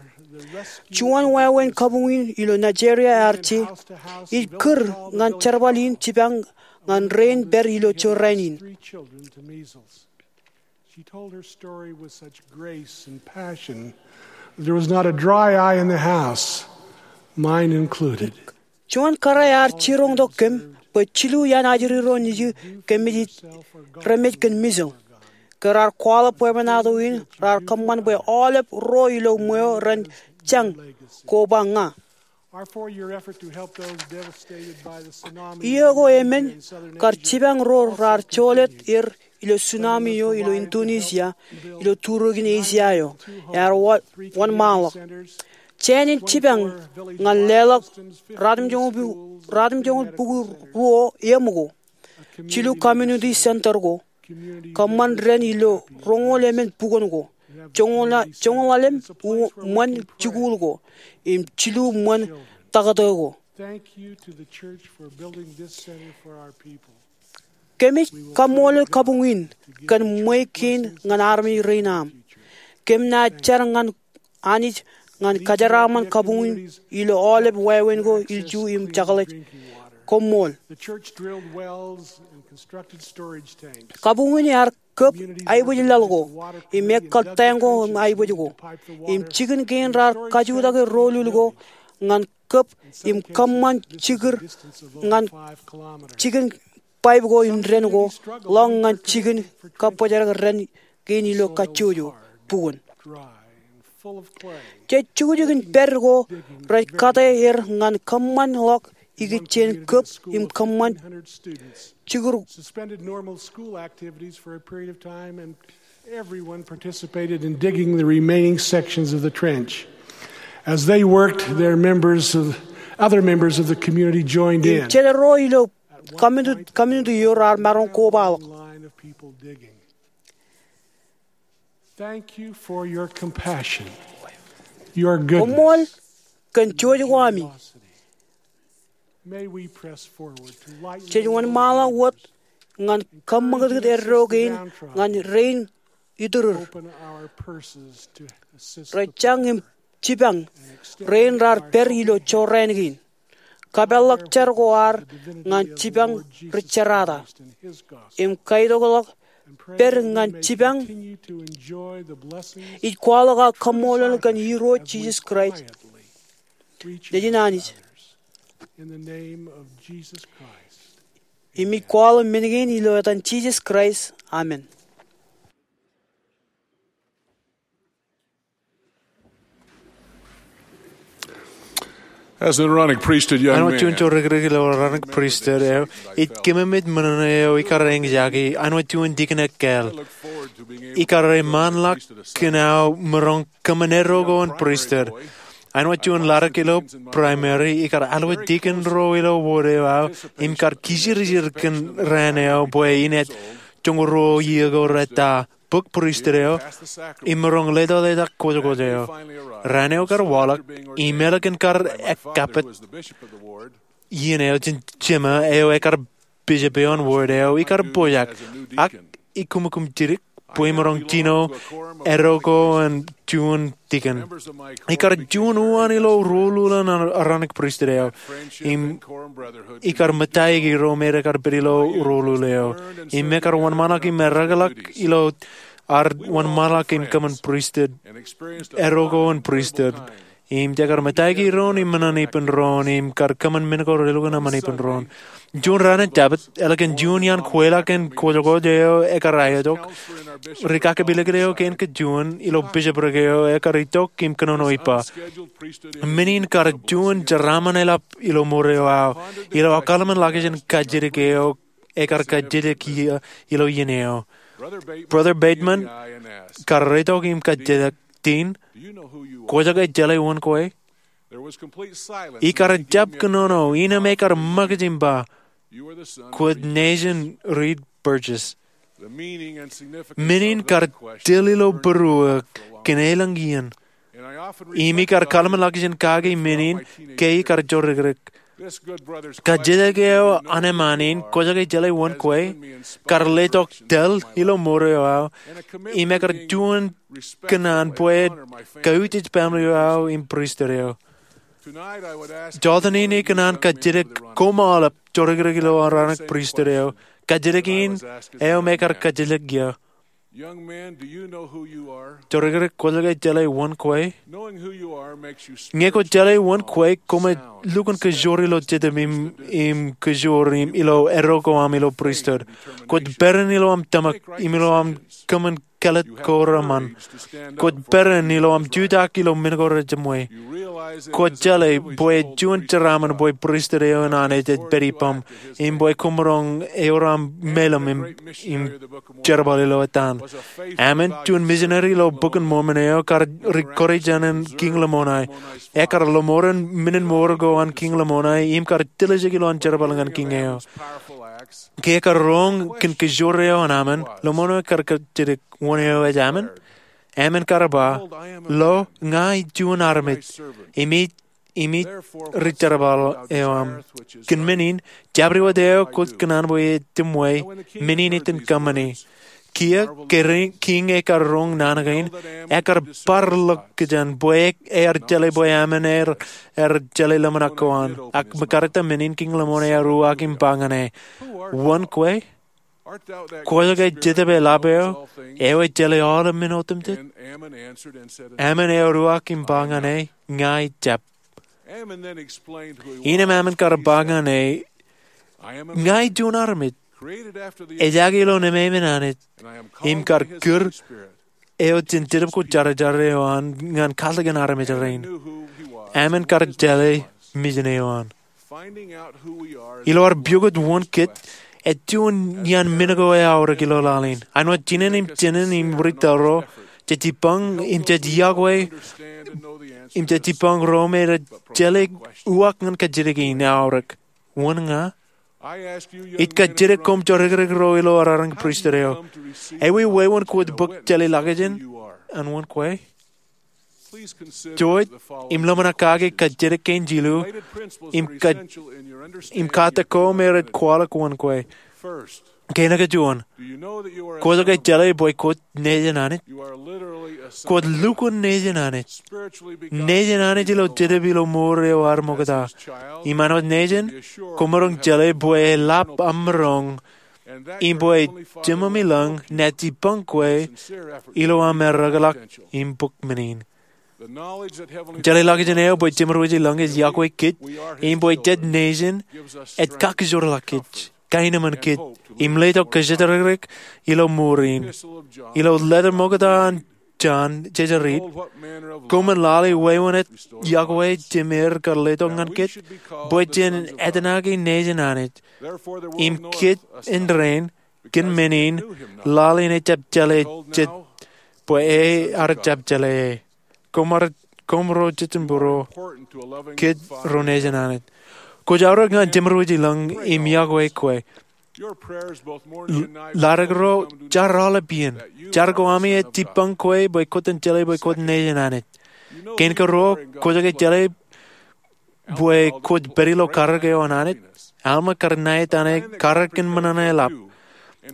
Juon wāween kabuñ in ilo Nigeria ear je ij kūr ñan jerbal in jipañ ñan rein pād ilo jorrāān in. She told her story with such grace and passion that there was not a dry eye in the house, mine included. Juon kōrā ear jiroñtok kōm bwe jilu iaan ajri ro nejū kōmij remej kōn measles. Ke raar kwaḷọk bwebwenato in, raar kōṃṃan bwe aolep ro ilo ṃweo ren jañ koba ña. Our four-year effort to help those devastated by the tsunami. Iiō ko emān kar jipañ ro raar jolōt er ilo tsunami eo ilo Indonesia, ilo turukin Asia eo, ear wōnṃaanḷọk. Jān in jipañ ñan leḷọk ratimjuonñoul puku ruo eṃ ko, jilu community center ko, kōṃṃan dān ilo roñoul emān bukwōn ko, joñoul ḷalem ṃōn jikuuḷ ko, im jilu ṃōn taktō ko. Thank you to the church for building this center for our people. Kōmij kaṃṃoolol kabuñ in kōn ṃwe kein ñan armej rein aṃ. Kōm naaj jar ñan Anij ñan kōjeraaṃṃan kabuñ in ilo aolep wāween ko ilju im jekḷaj. Koṃṃool. The church drilled wells and constructed storage tanks. Kabuñ in ear kōb aibōj laḷ ko im ekkal tank ko im aibōj ko. Im jikin kein raar kajutake doulul ko ñan kōb im kōṃṃan jikūr ñan jikin pipe ko im dān ko ḷọk ñan jikin kabbōjrak dān kein ilo kajjojo bukwōn. Jej jukjuk in pād ko rej kate er ñan kōṃṃan ḷọk ikijjien kōb im kōṃṃan jikūr. Suspended normal school activities for a period of time, and everyone participated in digging the remaining sections of the trench. As they worked, their members of, other members of the community joined in. Im jeḷā ro ilo community, community eo raar maroñ kobaḷọk. Line of people digging. Thank you for your compassion, your goodness, koṃṃool kōn jouj ko ami. May we press forward to lighten the load. Jej wōnṃaanḷọk wōt ñan kōṃṃakūtkūt eddo kein ñan rein itūrūr. Open our purses to assist the poor. Rej jañ im jipañ rein raar pād ilo jorrāān kein. Kapeḷḷọk jar ko ad ñan jipañ ri-jerata im kaitokḷọk pād ñan jipañ. Ij kwaḷọk aō kaṃṃoolol kōn Irooj Jisōs Kraist. Nejin Anij. Im ij kwaḷọk men kein ilo etan Jisōs Kraist, amen. As an Aaronic priesthood young man, āinwōt juon jorrāān ilo Aaronic priesthood eo, ij kōmemej men eo ikar eñjake āinwōt juon dikon ekkāāl. Ikar eṃṃanḷọk kōn aō maroñ kōṃṃan eddo ko an priesthood. Āinwōt juon ḷaddik ilo Primary, ikar alwōj tikōn ro ilo wōd eo aō im kar kijirjir kōn raan eo bwe inaaj joñoul ruo iiō ko rōta bōk pristut eo im maroñ leḷọk kwōjkwōj eo. Raan eo kar waḷọk im ālikin kar ekkapit iien eo jān Jema eo ekar bishop eo an wōd eo, ikar pojak ak ikūmkūm jidik bwe imaroñ jino eddo ko an juon tikōn. Ikar juon uwaan ilo ruo ḷuḷ an Aaronic pristut eo im ikar ṃōttaiyōki ro me ekar pād ilo ruo ḷuḷ eo im ekar wōnṃaanḷọk im erreḷọk ilo ad wōnṃaanḷọk im kōṃṃan pristut, eddo ko an pristut. Im jekar ṃōttaiyōki doon im ṃōṇōṇō ippān doon im kar kōṃṃan men ko relukkuun ṃōṇōṇō ippān doon. Juon raan in Jabōt, ālikin juon iaan kweilọk in kwōjkwōj eo ekar aetok, ri kakapelikūn eo kein kajjioñ ilo bishopric eo ekar itok im kōnono ippa, men in kar juon jeraaṃṃan eḷap ilo mour eo aō ilo aō kōḷmānḷọkjeṇ kajjitōk eo ekar kajjitōk ilo iien eo. Brother Bateman kar itok im kajjitōk, Dean, kwōjake jeḷā wōn kwe? Ikar jab kōnono, innām ekar ṃōkaj im ba, kwōj nejin Reed Burgess. Men in kar tōl ilo būruō kōn elōñ iien. Im ikar kōḷmānḷọkjeṇ kake men in ke ikar jorikrek. Kajjitōk eo an eṃṃan in, kwōjake jeḷā wōn kwe, kar letok tōl ilo mour eo aō im ekar juon kōṇaan bwe ej kautiej baaṃle eo aō im pristut eo. Jota in ikōṇaan kajjitōk koṃ aolep jorikrek ilo Aaronic pristut eo. Kajjitōk in eo me ekar kajjitōk ia. Jorikrek, kwōjake jeḷā wōn kwe? Ñe kwōj jeḷā wōn kwe, koṃij lukkuun kōjor ilo jetōb im, im kōjor im ilo eddo ko aṃ ilo pristut. Kwōj peran ilo aṃ tōmak im ilo aṃ kōṃṃan kāālōt ko reṃṃan. Kwōj peran ilo aṃ jutak ilo men ko rejiṃwe. Kwōj jeḷā bwe juon jeraaṃṃan bwe pristut eo an Anij ej pād ippaṃ im bwe koṃ maroñ ewōr aṃ meḷeḷe im, im jerbal ilo ettaan. Ammon, juon misineri ilo Bok in Mormon eo, kar ri kōrejān in Kiiñ Lamoni. Ekar lọmọọren men in mour ko an Kiiñ Lamoni im kar tiljek ilowaan jerbal ñan kiiñ eo. Ke ekar roñ kōn kōjor eo an Ammon, lọmọọren kar kajjitōk, wōn eo ej Ammon? Ammon kar ba, lo, ña ij juon armej, im ij, im ij ri jerbal eo aṃ. Kōn men in, jabdewōt eo kwōj kōṇaan bwe e jiṃwe, men in iten kōṃṃani. Kiiō, ke ri-, kiiñ ekar roñ naan kein, ekar bar ḷọk kōjān bwe e, ear jeḷā bwe Ammon ear, ear jeḷā ḷōmṇak ko an. Ak ṃōkaj ta men in Kiiñ Lamoni ear uwaak im ba ñan e, wōn kwe? Kwōjake Jetōb eḷap eo, eo ej jeḷā aolep men otemjej? Ammon ear uwaak im ba ñan e, ña ij jab. Innām Ammon kar ba ñan e, ña ij juon armej, ejaake ilo ememān Anij, im kar kūr eo jān Jetōb ko Jārjar eo an ñan kaḷtak in armej rein. Ammon kar jeḷā mijin eo an. Ilo ad pukot wōn kōj, ej juon iaan men ko eaorōk ilo laḷ in. Āinwōt jinen im jinen im ri tōro, jej jibboñ im jej iọkwe, im jej jibboñ ro me rej jeḷā uwaak ñan kajjitōk in eaorōk. Wōn ña? Ij kajjitōk koṃ jorikrek ro ilo Aaronic pristut eo. Ewi wāween kwōj bōk jeḷā ḷọkjeṇ an wōn kwe? Jouj im ḷōmṇak kake kajjitōk kein jilu im ka-, im katak ko me rej kwaḷọk wōn kwe. Kein kajuon, kwōjake jeḷā bwe kwōj nejin Anij? Kwōj lukkuun nejin Anij. Nejin Anij ilo Jetōb ilo mour eo ad ṃokta. Im āinwōt nejin, kwōmaroñ jeḷā bwe eḷap aṃ maroñ im bwe Jemem ilōñ enaaj jibboñ kwe ilo aṃ ereḷọk im bōk men in. Jeḷā ḷọkjeṇ eo bwe Jemem ilōñ ej iọkwe kōj im bwe jej nejin ej kakijoorḷọk kōj, kaenōṃṃan kōj, im letok kōjatdikdik ilo mour in. Ilo letter ṃokta an John, jej riit, koṃwin lale wāween ej iọkwe Jemem kar letok ñan kōj, bwe jen etnaki nejin Anij. Im kōj indein, kōn men in, lale ej jab jeḷā jej, bwe ear jab jeḷā e. Koṃ ar, koṃro jejin būruo, kōj ro nejin Anij. Kwōj aorōk ñan Jemedwōj Ilōñ im iọkwe kwe. Ḷaddik ro jar aolep iien. Jar ko ami ej jibboñ kwe bwe kwōj jeḷā bwe kwōj nejin Anij. Kein ke ruo, kwōj ke jeḷā bwe kwōj pād ilo karōk eo an Anij? Alma kar ṇa etaṇe karōk in ṃōṇōṇō eḷap.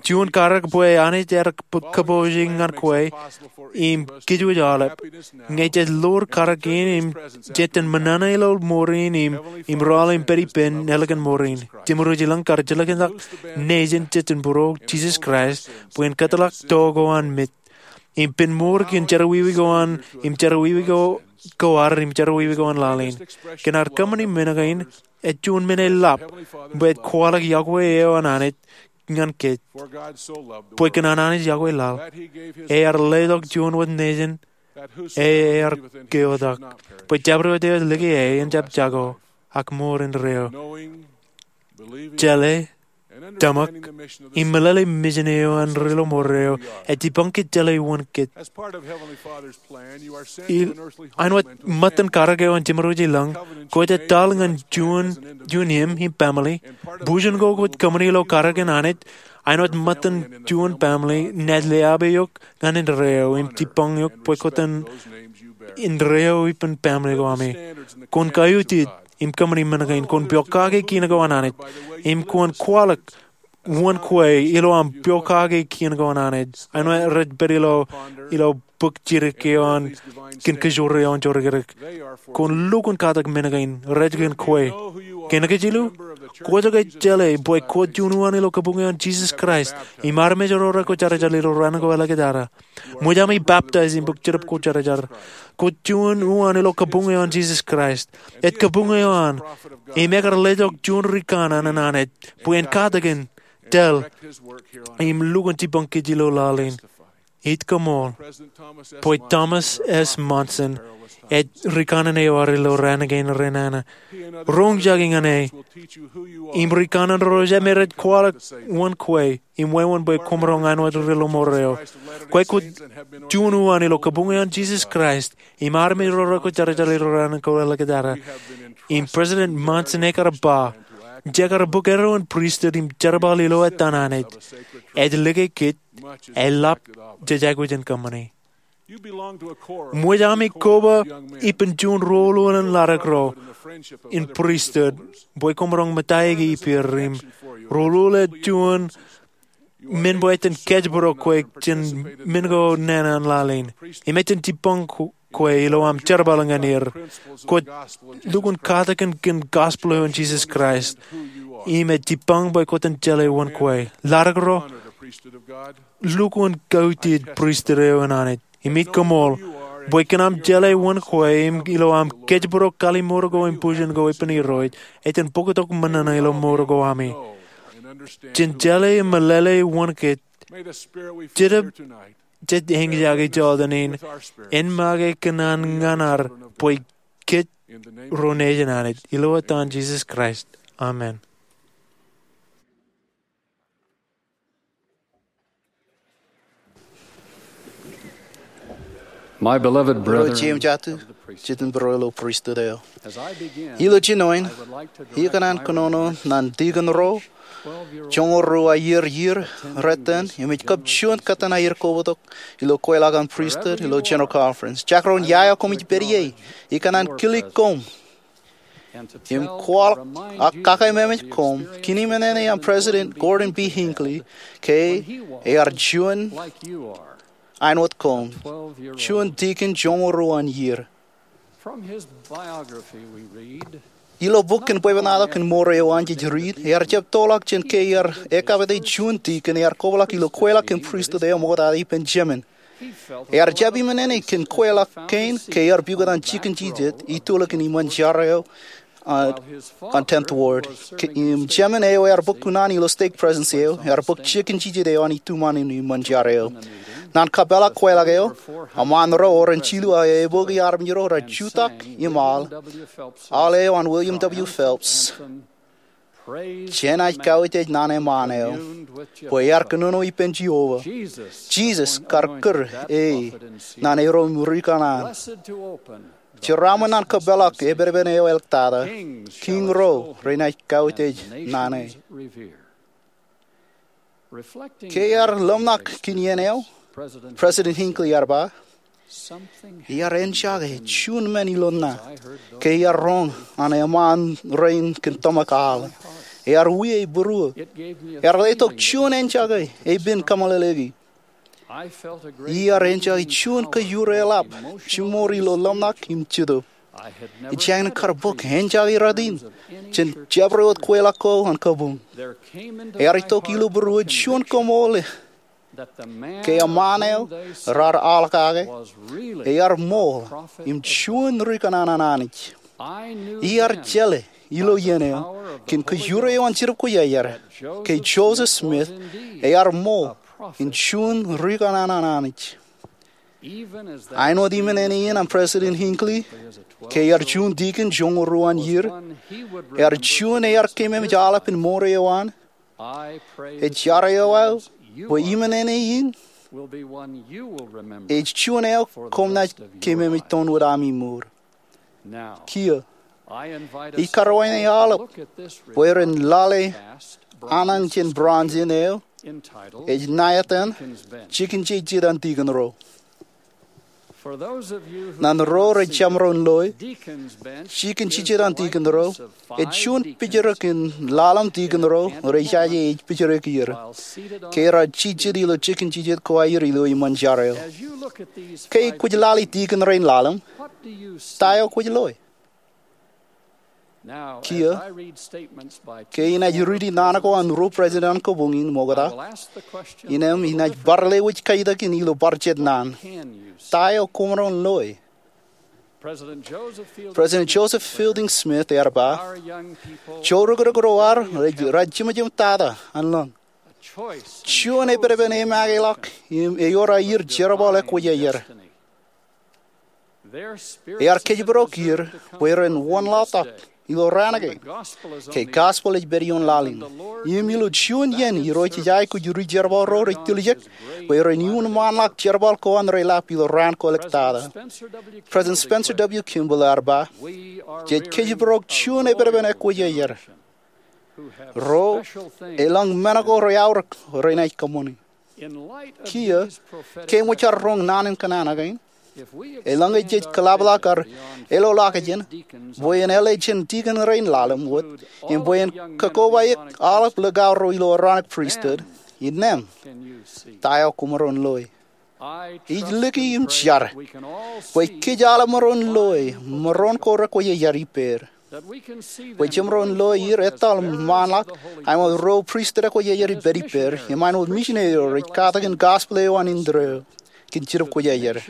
Juon karōk bwe Anij ear kōpooje ñan kwe im kōjwōj aolep. Ñe jej ḷoor karōk in im jej ṃōṇōṇō ilo mour in im, im rọọl im pād ippān ālikin mour in. Jemedwōj Ilōñ kar jilkinḷọk nejin jejin būruo Jisōs Kraist bwe en kōtḷọk to ko an mej im pen mour kōn jerọwiwi ko an, im jerọwiwi ko, ko ad, im jerọwiwi ko an laḷ in. Kōn ad kōṃṃani men kein, ej juon men eḷap bwe ej kwaḷọk iọkwe eo an Anij ñan kōj. Bwe kōn an Anij iọkwe laḷ, ear letok juon wōt nejin, ear keotak, bwe jabdewōt eo ej lōke e en jab jako, ak mour indeeo. Jeḷā, tōmak, im meḷeḷe mijin eo an Ri Lọmọọr eo ej jibboñ kōj jeḷā wōn kōj. Āinwōt ṃōttan karōk eo an Jemedwōj Ilōñ, kwōj etal ñan juon, juon im, im baaṃle. Bujen ko kwōj kōṃṃani ilo karōk in Anij, āinwōt ṃōttan juon baaṃle, naaj leabe eok ñan indeeo im jibboñ eok bwe kwōj indeeo ippān baaṃle ko ami. Kwōn kaiutiej im kōṃṃani men kein, kwōn pokake kien ko an Anij, im kwōn kwaḷọk wōn kwe ilo aṃ pokake kien ko an Anij. Āinwōt rej pād ilo, ilo bok jidik eo an kōn kōjro eo an jorikidik. Kwōn lukkuun katak men kein, rej kōn kwe. Kōn ke jilu, kwōj ke jeḷā bwe kwōj juon uwaan ilo kabuñ eo an Jisōs Kraist, im armej ro rekwojarjar ilo raan ko āliktata. Ṃōj ami baptize im bōk Jetōb Kwōjarjar. Kwōj juon uwaan ilo kabuñ eo an Jisōs Kraist. Ej kabuñ eo an, im ekar letok juon rikanaan an Anij bwe en katakin, tōl, im lukkuun jibboñ kōj ilo laḷ in. Ij koṃṃool bwe Thomas S. Monson ej rikanaan eo ad ilo raan kein renana. Roñjake ñan e im rikanaan ro jemād rej kwaḷọk wōn kwe im wāween bwe koṃ roñ āinwōt Ri Lọmọọr eo. Kwe kwōj juon uwaan ilo kabuñ eo an Jisōs Kraist, im armej ro rekwojarjar ilo raan ko āliktata. Im President Monson ekar ba, jekar bōk erro in pristut im jerbal ilo etan Anij, ej lōke kōj eḷap jej aikuj in kōṃṃani. Ṃōj ami koba ippān juon ruo ḷọk in ḷadik ro in pristut bwe koṃ roñ ṃōttan ippāer im ruo ḷọk ej juon men bwe ejjab kōjparok kwe jān men ko nana an laḷ in. Im ejjab jibboñ kwe ilo aṃ jerbal ñan er. Kwōj lukkuun katakin kōn gospel eo an Jisōs Kraist. Im ej jibboñ bwe kwōj jeḷā wōn kwe. Ḷadik ro, lukkuun kautiej pristut eo an Anij. Im ij koṃṃool bwe kōn aṃ jeḷā wōn kwe im ilo aṃ kōjparok kallim̧ur ko im bujen ko ippān Irooj, ej jen bōktok ṃōṇōṇō ilo mour ko ami. Jen jeḷā im meḷeḷe wōn kōj. Jetōb jej eñjake jota in, en make kōn an ñan ad bwe kōj ro nejin Anij. Ilo etan Jisōs Kraist, amen. My beloved brethren, ro jeiū im jatū, jitōnbōro ilo pristut eo. Ilo jinoin, ikōṇaan kōnono ñan tikōn ro joñoul ruo iiō iiō reiten, im ej kab juon kōttan aer kobatok ilo kweilọk an pristut ilo General Conference. Jakro in ia eo koṃij pād ie, ikōṇaan kilik koṃ im kwaḷọk ak kakememej koṃ kōn iṃōṇōṇō an President Gordon B. Hinckley ke ear juon āinwōt koṃ, juon tikōn joñoul ruo iiō. Ilo bok in Bwebwenato kōn Mour eo an jej riit, ear jab tōlḷọk jān ke ear ekapete juon tikōn ear kobaḷọk ilo kweilọk kōn pristut eo ṃoktata ippān Jemān. Ear jab iṃōṇōṇō kōn kweilọk kein ke ear pukot an jikin jijet itulōk in iṃōn jar eo an Tenth Ward. Im Jemān eo ear bōk kuṇaan ilo stake presidency eo, ear bōk jikin jijet eo an itumwan in iṃōn jar eo. Ñan kapeḷḷọk kweilọk eo, eṃṃaan ro oren jilu aō eboki armej ro rej jutak im al, al eo an William W. Phelps. Jenaaj kautiej ñan eṃṃaan eo bwe ear kōnono ippān Jeova. Jisōs kar kūr e ñan ro im rikanaan Jeraaṃṃan an kōpeḷḷọk epedepen eo eḷōktata, kiiñ ro renaaj kautiej naan e. Ke iar ḷōmṇak kōn iien eo, President Hinckley ear ba, iar enjake juon men ilo ṇa ke iar roñ an eṃṃaan rein kōn tōmak aḷ. Ear wie ibūruō. Ear letok juon enjake epen kōmeḷeḷeiki. Iar enjake juon kōjureḷap jiṃor ilo ḷōmṇak im jitōb. Ij jañin kar bōk enjake rot in jān jabdewōt kweilọk ko an kabuñ. Ear itok ilo būruō juon koṃṃool ke eṃṃaan eo raar aḷ kake ear ṃool im juon ri kōṇaan an Anij. Iar jeḷā ilo iien eo kōn kōjure eo an Jetōb Kwōjarjar ke Joseph Smith ear ṃool im juon ri kōṇaan an Anij. Āinwōt iṃōṇōṇō in an President Hinckley ke ear juon dikon joñoul ruo an iiō, ear juon ear keememej aolep in mour eo an. Ej jar eo aō bwe iṃōṇōṇō in ej juon eo koṃ naaj keememej tounwōt ami mour. Kiiō, ij karuwainene aolep bwe ren lale anan jān bronze in eo ej ṇa etan Jikin Jejet an Dikon Ro. Ñan ro rej jab maroñ loe, Jikin Jejet an Dikon Ro ej juon pijrōk in ḷalem dikon ro rej jaje ej pijrōk er ke raar jijet ilo jikin jejet ko aer ilo iṃōn jar eo. Ke kwōj lale dikon rein ḷalem, ta eo kwōj loe? Kiiō, ke inaaj riiti naan ko an ruo president an kabuñ in ṃokta, innem inaaj bar lewōj kaitōk in ilo bar jet naan: Ta eo koṃ maroñ loe? President Joseph Fielding Smith ear ba, joorōkrōk ro ad raar jemjem tata an lōñ. Juon epedepen emakeḷọk im ewōr aer jerbal ekwōjarjar. Ear kōjparok er bwe ren wōnlaḷtak ilo raan kein ke gospel ej pād ioon laḷ in. Im ilo juon iien Irooj ej aikuj ri jerbal ro rej tiljek bwe ren iuṃwin ṃaanḷọk jerbal ko an reḷap ilo raan ko ḷọk tata. President Spencer W. Kimball ear ba, jej kōjparok juon epedepen ekwōjarjar ro elōñ men ko reaorōk renaaj kōṃṃani. Kiiō, ke eṃōj aer roñ naan in kōṇaan kein, eḷaññe jej kōḷapḷọk aer eḷoḷọkjeṇ bwe en āle jān dikon rein ḷalem wōt im bwe en kakobaik aolep likao ro ilo Aaronic Priesthood, innem, ta eo koṃ maroñ loe? Ij liki im jar bwe kōj aolep maroñ loe maroñ ko rekwōjarjar ippāer, bwe jemaroñ loe er etal ṃaanḷọk āinwōt ro pristut ekwōjarjar ipād ippāer im āinwōt misineri ro rej katak in gospel eo an indeeo kōn Jetōb Kwōjarjar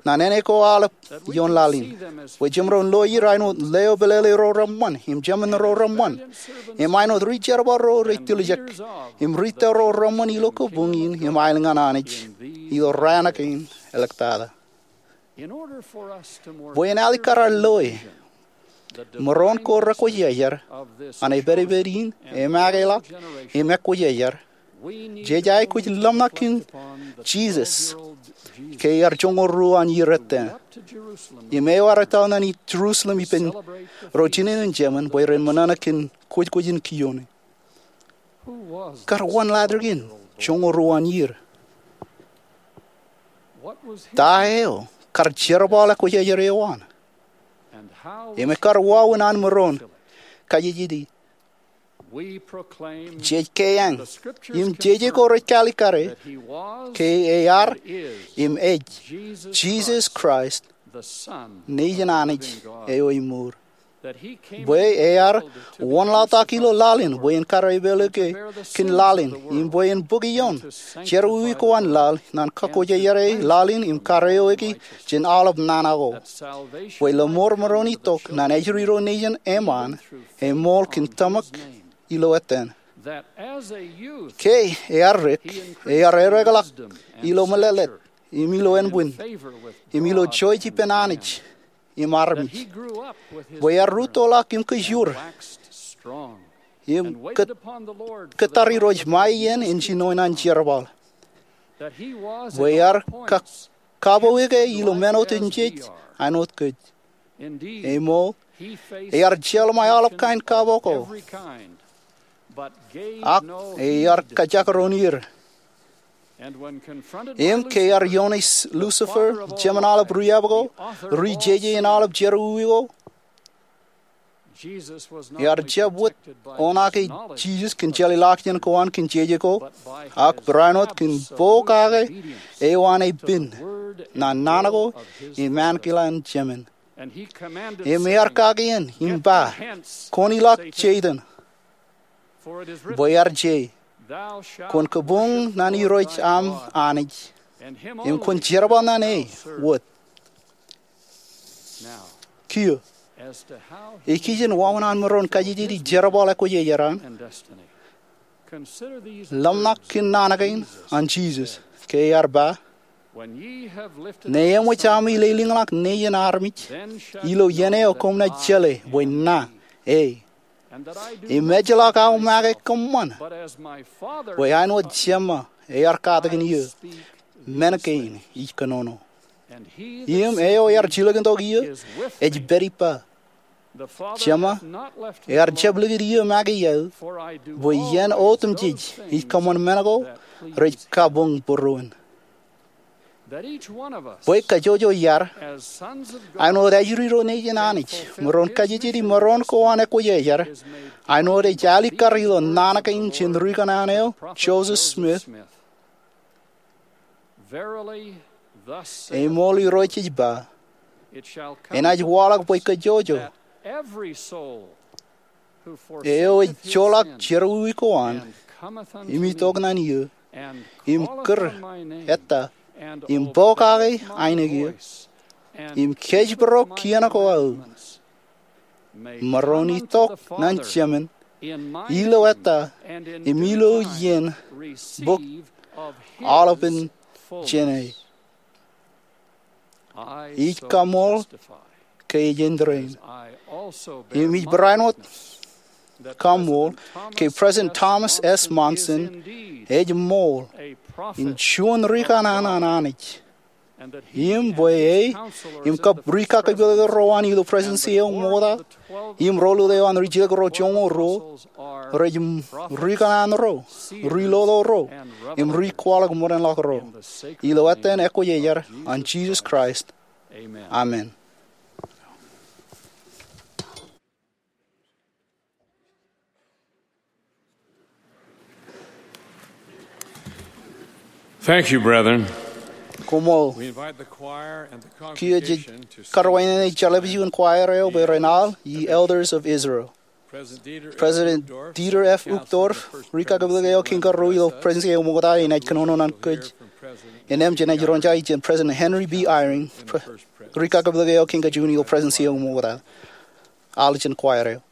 ñan āne ko aolep ioon laḷ in, bwe jemaroñ loe er āinwōt leo pālele ro reṃṃan im jemān ro reṃṃan im āinwōt ri jerbal ro rej tiljek im ri tōl ro reṃṃan ilo kabuñ in im aelōñ an Anij ilo raan kein ḷọk tata. Bwe en alikkar aer loe maroñ ko rekwōjarjar an epedepen in emakeḷọk im ekwōjarjar, jej aikuj ḷōmṇak kōn Jisōs ke ear joñoul ruo an iiō ettā im eo ear etal ñan Jerusalem ippān ro jinen in jemān bwe ren ṃōṇōṇō kōn kwōjkwōj in kioon e. Kar wōnlaḷtak in joñoul ruo an iiō? Ta eo kar jerbal ekwōjarjar eo an? Im ekar wāween an maroñ kajejeti? Jej keeañ im jeje ko rej kalikkare ke ear im ej Jisōs Kraist, Nejin Anij eo emour, bwe ear wōnlaḷtak ilo laḷ in bwe en kar epeḷḷọke kōn laḷ in im bwe en bōk ioon jerọwiwi ko an laḷ ñan kakwōjarjare laḷ in im kar eoiki jān aolep nana ko, bwe lọmọọr maroñ itok ñan ājri ro nejin eṃṃaan eṃool kōn tōmak ilo etan. Ke ear dik, ear erekḷọk ilo mālōtlōt im ilo ānbwin im ilo jouj ippān Anij im armej, bwe ear rūttoḷọk im kōjur im kōttar Irooj ṃae iien en jinoin an jerbal, bwe ear ka- kapoke ilo men otemjej āinwōt kōj. Eṃool, ear jeḷā ṃae aolep kain kapo ko, ak ear kajekdọọn er. Im ke ear ioone Lucifer, jemān aolep ri-epako, ri-jeje in aolep jerọwiwi ko, ear jab wōt oṇaake Jisōs kōn jeḷā ḷọkjeṇ ko an kōn jeje ko, ak barāinwōt kōn pokake eo an epen naan ko im ankilaan Jemān. Im ear kake en im ba, "Kwōn ilọk Setan, bwe ear je, 'Kwōn kabuñ naan Irooj aṃ Anij, im kwōn jerbal naan e wōt.'" Kiiō, ikijjien wāween an maroñ kajejjet ij jerbal ekwōjarjar an, ḷōmṇak kōn naan kein an Jisōs, ke ear ba, "Ñe eṃōj ami lelōñḷọk Nejian armej, ilo iien eo koṃ naaj jeḷā bwe ña e, im ejjeḷọk aō make kōṃṃan, bwe āinwōt Jema ear katakin eō, men kein ij kōnono." Im eo ear jilkintok eō ej pād ippa. Jema ear jab likūt eō make iaō, bwe iien otemjej ij kōṃṃan men ko rej kabuñ būruon. Bwe kajjojo iar, āinwōt ājuri ro Nejian Anij, maroñ kajejjet im maroñ ko an ekwōjarjar, āinwōt ej alikkar ilo naan kein jān ri kanaan eo, Joseph Smith, eṃool Irooj ej ba, enaaj waḷọk bwe kajjojo eo ej joḷọk jerọwiwi ko an, im itok naan eō, im kūr ettā, im pokake ainikien, im kōjparok kien ko aō, maroñ itok naan Jemān ilo ettā im ilo iien bōk aolepān jāne. Ij kaṃṃoolol ke ej āindein. Im ij barāinwōt kaṃṃoolol ke President Thomas S. Monson ej ṃool in juon ri kanaan an Anij. Im bwe e im kab ri kakōpooḷ ro an ilo Presidency eo ṃokta, im ro lule eo an ri jilkintok ro joñoul ruo, rej ri kanaan ro, ri lolo ro, im ri kwaḷọk ṃōdenḷọk ro. Ilo etan ekwōjarjar an Jisōs Kraist. Amen. Thank you, brethren. Koṃṃool. We invite the choir and the congregation to sing. Kiiō jej karwaineneik jeḷā eo im choir eo bwe ren al, Ye Elders of Israel. President Dieter F. Uchtdorf, ri kakōpooḷ eo kein karuo ilo Presidency eo ṃokta, enaaj kōnono ñan kōj. Innām jenaaj roñjake jān President Henry B. Eyring, pre-, ri kakōpooḷ eo kein kajuon ilo Presidency eo ṃokta. Al jān choir eo.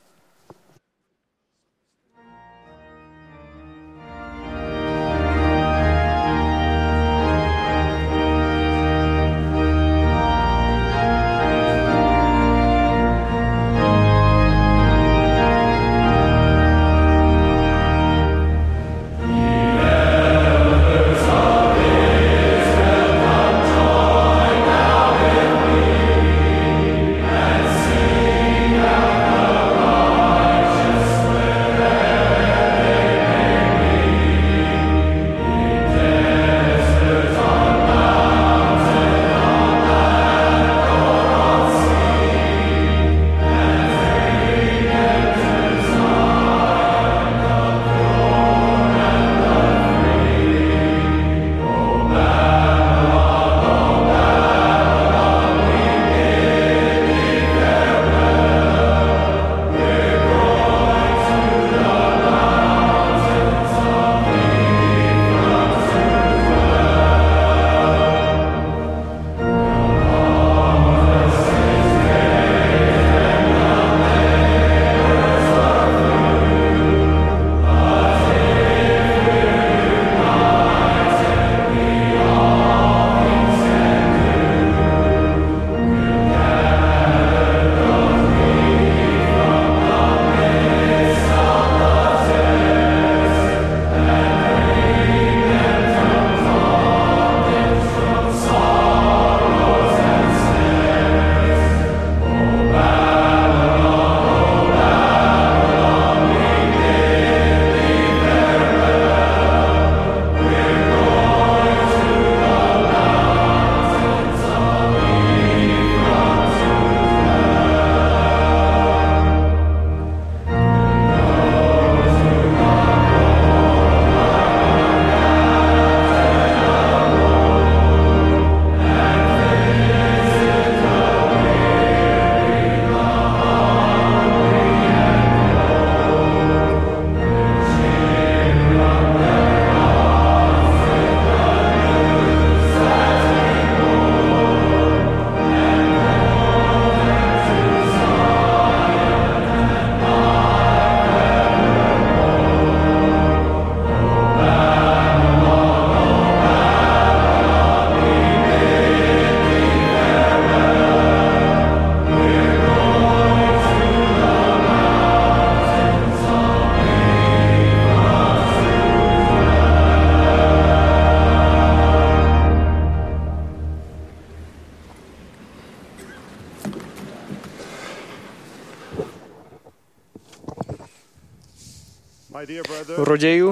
Ro jeiū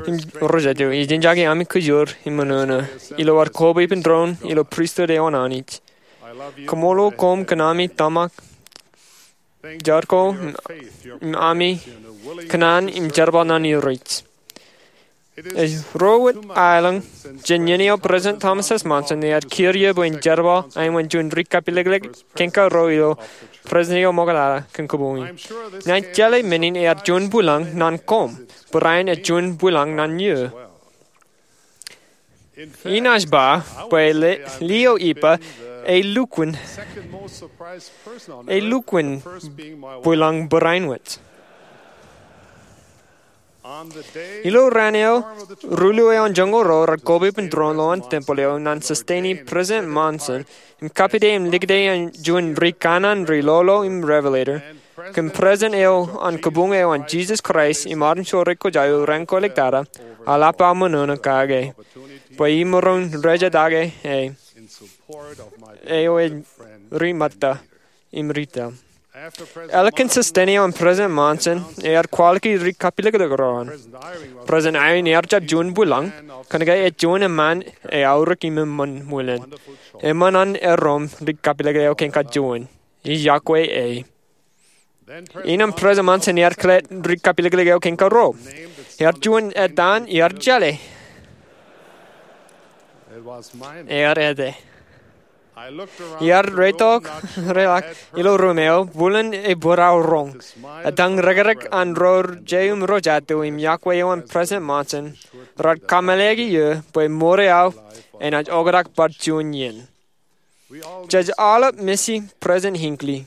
im ro jatū, ij enjake ami kōjro im ṃōṇōṇō ilo ad koba ippān doon ilo pristut eo an Anij. Kaṃṃoolol koṃ kōn ami tōmak jar ko im ami kōṇaan im jerbal ñan Irooj. Ej ruo wōt aelōñ jān iien eo President Thomas S. Monson ear kūr ie bwe en jerbal aemān juon ri kapilōklōk kein ka ruo ilo President eo Ṃoktata kōn kabuñ in. Ña ij jeḷā men in ear juon bwilōñ ñan koṃ, barāinwōt ej juon bwilōñ ñan eō. Inaaj ba bwe lio ippa, ej lukkuun, ej lukkuun bwilōñ barāinwōt. Ilo raan eo ruḷu eo an joñoul ruo raar koba ippān doon lowaan tempeḷ eo ñan susteni President Monson im kapite im likūti juon ri kanaan ri lolo im Revelator kōn President eo an Kabuñ eo an Jesus Christ im Armej ro Ri Kōjā eo Raṇ Kōliktata, eḷap aō ṃōṇōṇō kake bwe imaroñ rejetaake e eo ej ri ṃōtta im ri tōl. Ālikin susteni eo an President Monson, ear kwaḷọk ri kapilōklōk ro an. President Eyring ear jab juon bwilōñ, kōnke ej juon eṃṃaan eaorōk im eṃṃan ṃwilen. Eṃṃan an erom ri kapilōklōk eo kein ka juon. Ij yokwe e. Innām President Monson ear kile ri kapilōklōk eo kein ka ruo. Ear juon etan ear jeḷā. Ear ete. Iar reitok reḷak ilo ruum eo, bwilōn ebōd aō roñ. Etañ rōkrōk an ro jeiū im ro jatū im yokwe eo an President Monson raar kōmeḷeḷeiki eō bwe ṃour eo enaaj oktak bar juon iien. Jej aolep missing President Hinckley.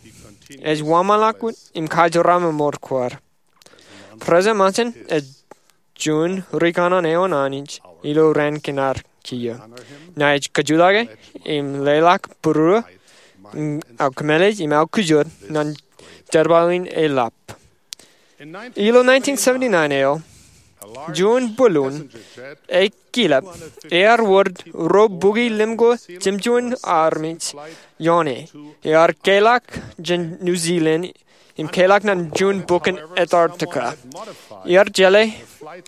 Ej wōnṃaanḷọk wōt im kajeraṃṃan ṃour ko ad. President Monson ej juon ri kanaan eo an Anij ilo raan kein ad kiiō. Ña ij kajutake im leḷọk būruō, aō kōmālij im aō kujot ñan jerbal in eḷap. Ilo nineteen seventy-nine eo, juon bōlun ekilep ear wōr ro bukwi limko jemjuon armej ioon e. Ear keḷọk jān New Zealand im keḷọk ñan juon bukwi in Antarctica. Ear jeḷā,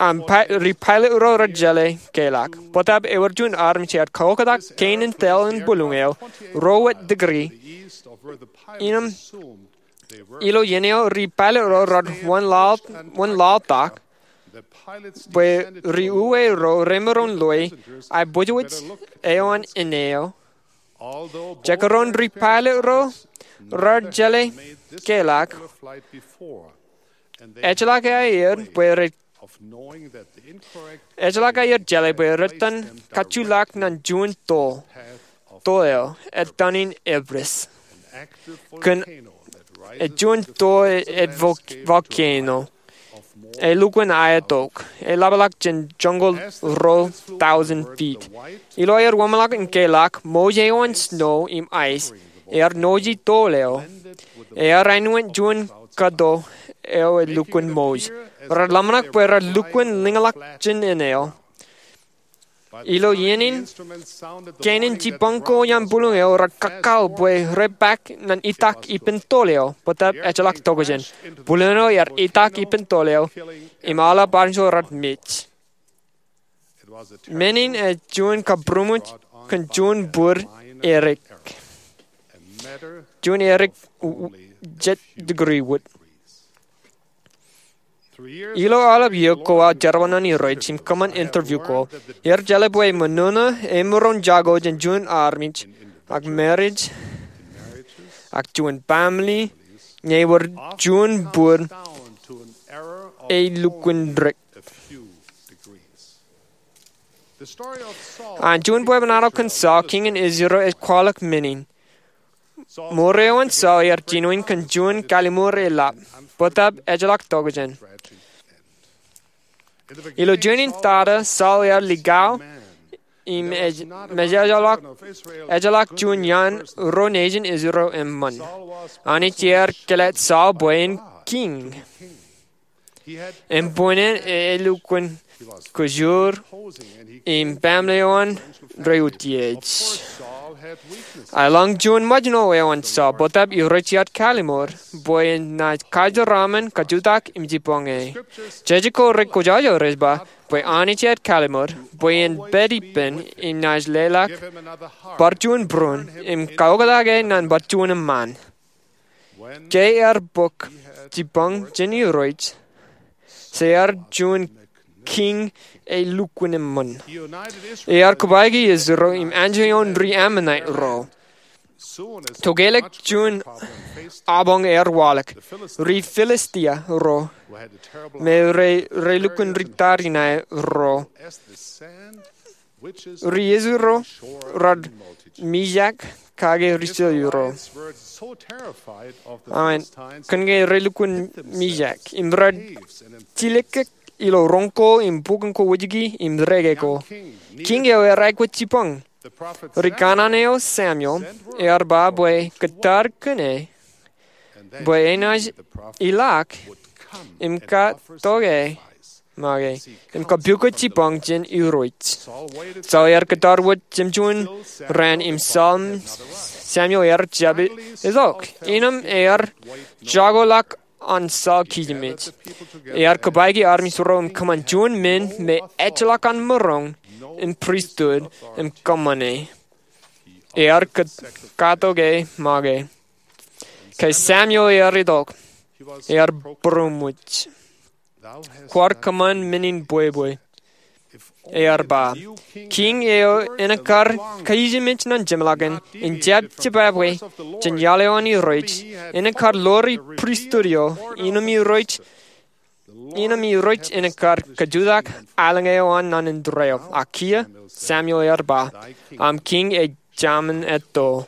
im ri pilot ro rej jeḷā keḷọk. Bōtab ewōr juon armej ear kaoktak kein in tōl in bōlun eo ruo wōt degree. Innām ilo iien eo ri pilot ro raar wōnlaḷtak bwe ri uwe ro remaroñ loe aiboojoj eo an ine eo. Jekdọọn ri pilot ro raar jeḷā keḷọk, ejjeḷọk aer bwe rej, ejjeḷọk aer jeḷā bwe rej itōn kajjitōk ñan juon toḷ, toḷ eo, etan in Everest. Kōn ej juon toḷ ej volcano. Elukkuun aetok. Eḷapḷọk jān joñoul ruo thousand feet. Ilo aer wōnṃaanḷọk in keḷọk, mouj eo an snow im ice ear noji toḷ eo. Ear āinwōt juon kōto eo elukkuun mouj. Raar ḷōmṇak bwe raar lukkuun liñḷọk jān ine eo. Ilo iien in, kein in jipañ ko iaan bōlun eo raar kakkao bwe repaak ñan itak ippān toḷ eo, bōtab ejjeḷọk tokjān. Bōlun eo ear itak ippān toḷ eo, im aolep armej ro raar mej. Men in ej juon kabūrmej kōn juon bōd erik. Juon erik jet degree wōt. Ilo aolep iiō ko aō jerbal ñan Irooj im kōṃṃan interview ko, ear jeḷā bwe ṃōṇōṇō emaroñ jako jān juon armej, ak marriage, ak juon family, ñe ewōr juon bōd elukkuun dik. An juon bwebwenato kōn Saul, kiiñ in Israel, ej kwaḷọk men in. Ṃour eo an Saul ear jinoin kōn juon kalliṃur eḷap, bōtab ejjeḷọk tokjān. Ilo juon in tata, Saul ear likao im ej, im ejjeḷọk, ejjeḷọk juon iaan ro nejin Israel eṃṃan. Anij ear kōlōt Saul bwe en kiiñ. Im bwe en, e, elukkuun kōjro im baaṃle eo an reutiej. Eḷaññe juon ṃōjṇo eo an Saul, bōtab Irooj ej kallimur bwe en naaj kajeraṃṃan, kajutak im jibboñe. Jejjet ko rekwōjarjar ej ba bwe Anij ej kallimur bwe en pād ippān im naaj leḷọk bar juon būruon im kaoktak e ñan bar juon eṃṃaan. Ke ear bōk jibboñ jān Irooj, Saul ear juon kiiñ elukkuun eṃṃan. Ear kōbaiki Israel im anjọ ioon ri-Amonait ro. Tokelọk juon apañ ear waḷọk, ri-Filistia ro, me rej lukkuun ri tariṇae ro. Ri Israel ro rar mijak kake ri-Silia ro. Amen. Kōn ke rej lukkuun mijak im rar jilkinḷọk ilo roñ ko im bukun ko wōjke im reke ko. Kiiñ eo ear aikuj jibboñ. Ri kanaan eo Samuel ear ba bwe kōttar kōn e bwe enaaj ilọk im katoke make im kapiuke jibboñ jān Irooj. Saul ear kōttar wōt jān juon raan im Samuel ear jab itok. Innām ear jakoḷọk an Saul kijimej. Ear kōbaiki armej ro im kōṃṃan juon men me ejjeḷọk an maroñ in pristut im kōṃṃane. Ear katoke make. Ke Samuel ear itok, ear būroṃōj. Kwaar kōṃṃan men in bwebwe, ear ba. Kiiñ eo enaaj kar kijimej ñan jeṃḷọkin, en jab jibabwe jān iaḷ eo an Irooj, enaaj kar ḷoori pristut eo, innām Irooj, innām Irooj enaaj kar kajutak aelōñ eo an ñan indeeo. Ak kiiō, Samuel ear ba, aṃ kiiñ ej jaṃin etto.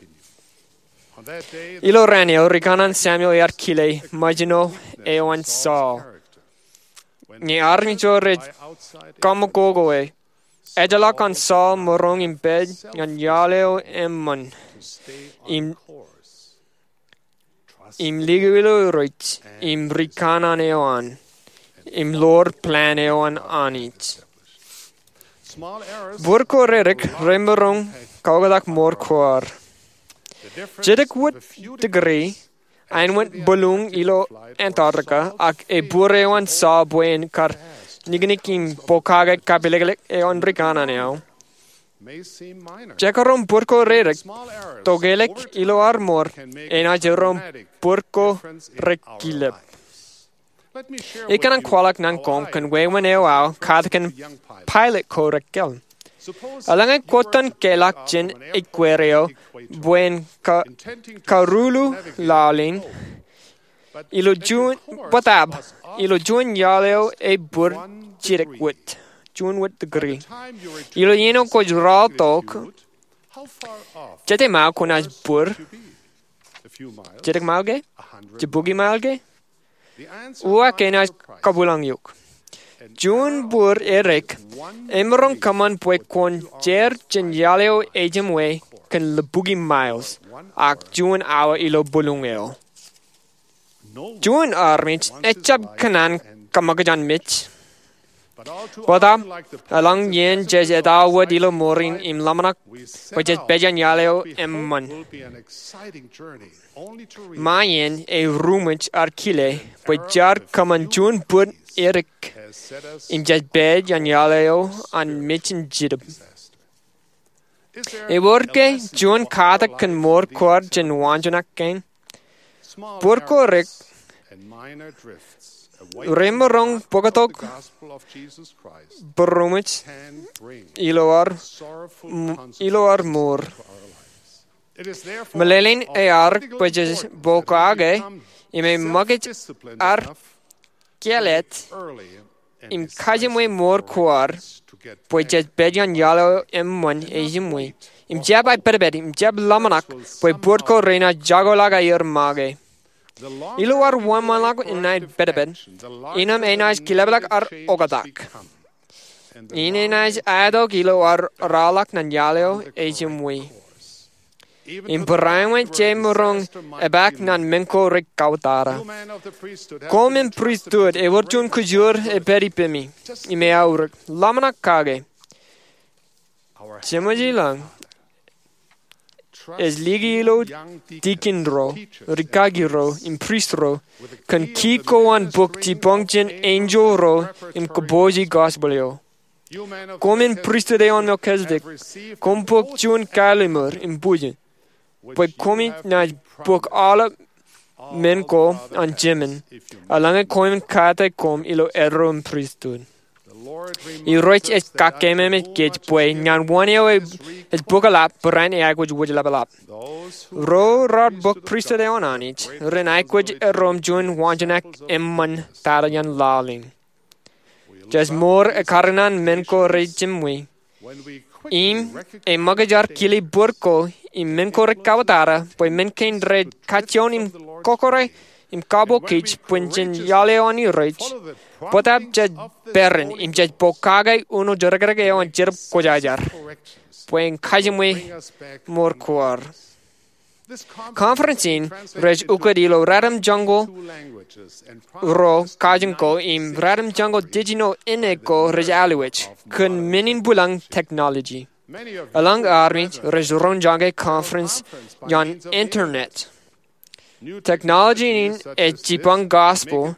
Ilo raan eo ri kanaan Samuel ear kile ṃōjṇo eo an Saul. Ñe armej ro rej kaṃakoko e, ejjeḷọk an Saul maroñ im pād ñan iaḷ eo eṃṃan im, im likūt ilo Irooj im ri kanaan eo an im ḷoor plan eo an Anij. Bōd ko redik remaroñ kaoktak mour ko ad. Jidik wōt degree āinwōt bōluuñ ilo Antarctica, ak ebōd eo an Saul bwe en kar niknik im pokake kapilōklōk eo an ri kanaan eo. Jekdọọn bōd ko redik, tokelōk ilo ad mour, enaaj erom bōd ko rekilep. Ikōṇaan kwaḷọk ñan koṃ kōn wāween eo aō katakin pilot ko rekkāāl. Eḷaññe kwōj tōn keḷọk jān ekwe eo bwe en ka, karuḷu laḷ in, ilo juon, bōtab, ilo juon iaḷ eo ebōd jidik wōt, juon wōt degree. Ilo iien eo kwōj raorōk, jete mile kwōnaaj bōd? Jidik mile ke? Jibukwi mile ke? Uwaak enaaj kabwilōñ eok. Juon bōd edik emaroñ kōṃṃan bwe kwōn jeid jān iaḷ eo ejiṃwe kōn libukwi miles, ak juon awa ilo bōluuñ eo. Juon armej ejjab kōṇaan kōṃakūt an mej. Bōtab, eḷaññe jej ettoḷọk wōt ilo mour in im ḷōmṇak bwe jej pād iaan iaḷ eo eṃṃan, ṃae in eruṃwij ad kile bwe jaar kōṃṃan juon bōd edik im jej pād iaan iaḷ eo an mej in jitōb. Ewōr ke juon katak kōn mour ko ad jān waanjoñak kein? Bōd ko edik remaroñ bōktok būroṃōj ilo ad, ilo ad mour. Meḷeḷein eaorōk bwe jej pokake im eṃōkaj ad kāālōt im kajiṃwe mour ko ad bwe jej pād iaan iaḷ eo eṃṃan ejiṃwe. Im jab aipedped, im jab ḷōmṇak bwe bōd ko renaaj jakoḷọk aer make. Ilo ad wōnṃaanḷọk in aipedped, innām enaaj kilepḷọk ad oktak. Im enaaj aetok ilo ad raorōk ñan iaḷ eo ejiṃwe. Im barāinwōt jemaroñ epaak ñan men ko rekauttara. Koṃ im pristut, ewōr juon kōjoor epād ippemi im eaorōk, ḷōmṇak kake. Jeṃōj ilañ ej likūti ilo tikin ro, rikaki ro, im prist ro, kōn ki ko an bōk jipañ jān enjeḷ ro im kōpooje gospel eo. Koṃ in pristut eo an Melchizedek, koṃ bōk juon kalimur im bujen, bwe koṃij naaj bōk aolep men ko an jemān, eḷaññe koṃwin kate koṃ ilo erro im pristut. Irooj ej kakememej kōj bwe ñan wōn eo ej bōklap barāinwōt aikuj wōjlaplap. Ro raar bōk pristut eo an Anij ren aikuj erro im juon waanjoñak eṃṃan tata jān laḷ in. Jej mour ekkar ñan men ko rejiṃwe im eṃōkaj ar kile bōd ko im men ko rekabwitata bwe men kein rej kajjioñ im kọkkure im kabokij bwe jen iaḷ eo an Irooj. Bōtab jej peran im jej pokake uno jidikdik eo an Jetōb Kwōjarjar bwe en kajiṃwe mour ko ad. Conference in rej ukōt ilo ratimjuonñoul ruo kajin ko im ratimjuonñoul jiljino ṇe ko rej aolep kōn men in bwilōñ technology. Eḷaññe armej rej roñjake conference jān internet. Technology in ej jipañ gospel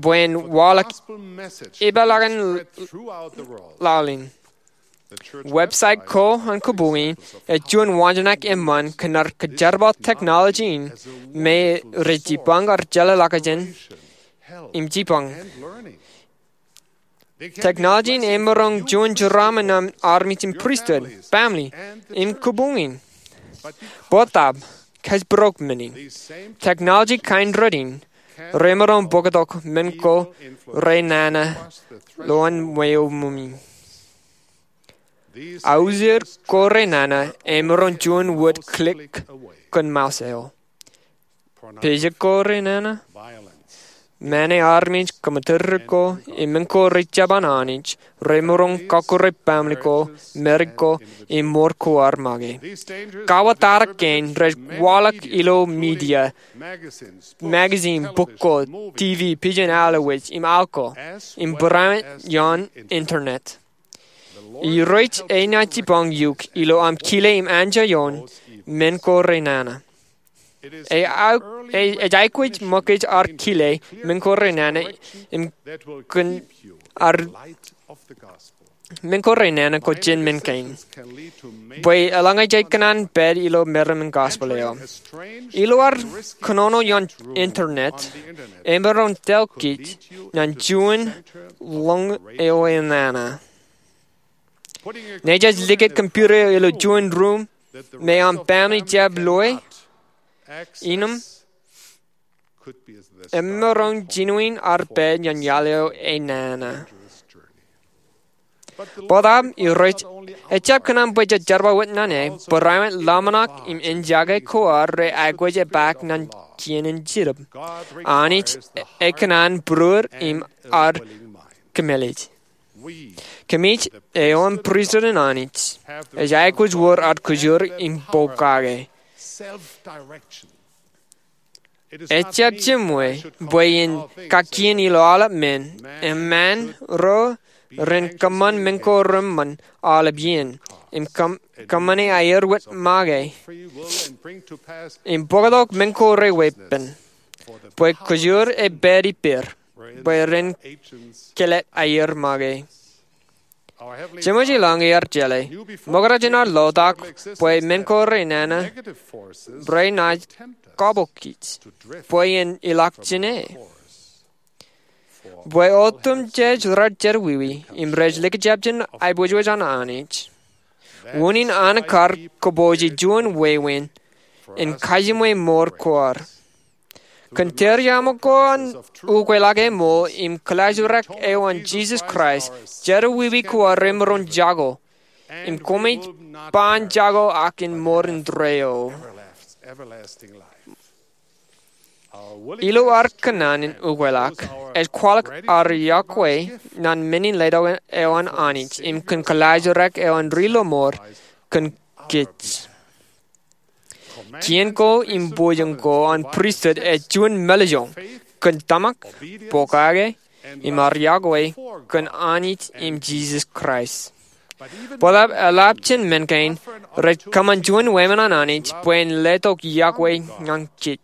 bwe en waḷọk epeḷaakin laḷ in. Website ko an kōpooj in ej juon waanjoñak eṃṃan kōn ad kajerbal technology in me rej jipañ ad jeḷāḷọkjeṇ im jipañ. Technology in emaroñ juon jeraṃṃan ñan armej in pristut, family, im kōpooj in. Bōtab kōjparok men in. Technology kain rot in remaroñ bōktok men ko renana lowaan ṃweo ṃōmi. Aujir ko renana emaroñ juon wōt click kōn mouse eo. Pejek ko renana, mane armej, kōṃṃan tōre ko, im men ko rejjab an Anij remaroñ kọkkure family ko, marriage ko, im mour ko ad make. Kabwitōk kein rej waḷọk ilo media, magazine, bok ko, TV, pijen aolep, im aolep ko, im barāinwōt ioon internet. Irooj enaaj jipañ eok ilo aṃ kile im anjọ ioon men ko renana. Ej aikuj ṃōkaj ad kile men ko renana im kōn ad men ko renana ko jān men kein. Bwe eḷaññe jej kōṇaan pād ilo meram in gospel eo. Ilo ad kōnono ioon internet, emaroñ tōl kōj ñan juon lōñ eo enana. Ñe jej likūt computer eo ilo juon ruum me aṃ family jab loe, innem emaroñ jinoin ad pād ñan iaḷ eo enana. Bōtab Irooj ejjab kōṇaan bwe jej jerbal wōt ñan e, barāinwōt ḷōmṇak im enjake ko ad rej aikuj epaak ñan kien in Jetōb. Anij ekōṇaan būruod im ad kōmālij. Kōmij eo an pristut in Anij, ej aikuj wōr ad kōjoor im pokake. Ejjab jiṃwe bwe en kakkien ilo aolep men, eṃṃan ro ren kōṃṃan men ko reṃṃan aolep iien, im kōṃ- kōṃṃane aier wōt make, im bōktok men ko reweeppān, bwe kōjoor ej pād ippāer, bwe ren kōḷḷā aier make. Jeṃwōj ilañ ear jeḷā, ṃokta jān ad lotak bwe men ko renana renaaj kabokij bwe en ilọk jān e. Bwe otemjej rej jerọwiwi im rej likjab jān aiboojoj an Anij, unin an kar kōpooje juon wāween in kajiṃwe mour ko ad. Kōn tariaṃo ko an ukweḷọk eo ṃool im kōḷaajrak eo an Jisōs Kraist, jerọwiwi ko ad remaroñ jako, im koṃij ban jako ak in mour indeeo. Ilo ad kōṇaan in ukweḷọk, ej kwaḷọk ad yokwe ñan men in letok eo an Anij im kōn kōḷaajrak eo an ri lọmọọr kōn kōj. Kien ko im boojoj ko an pristut ej juon mālejjoñ kōn tōmak, pokake, im ad yokwe kōn Anij im Jisōs Kraist. Bōtaab eḷap jān men kein, rej kōṃṃan juon wāween an Anij bwe en letok yokwe ñan kōj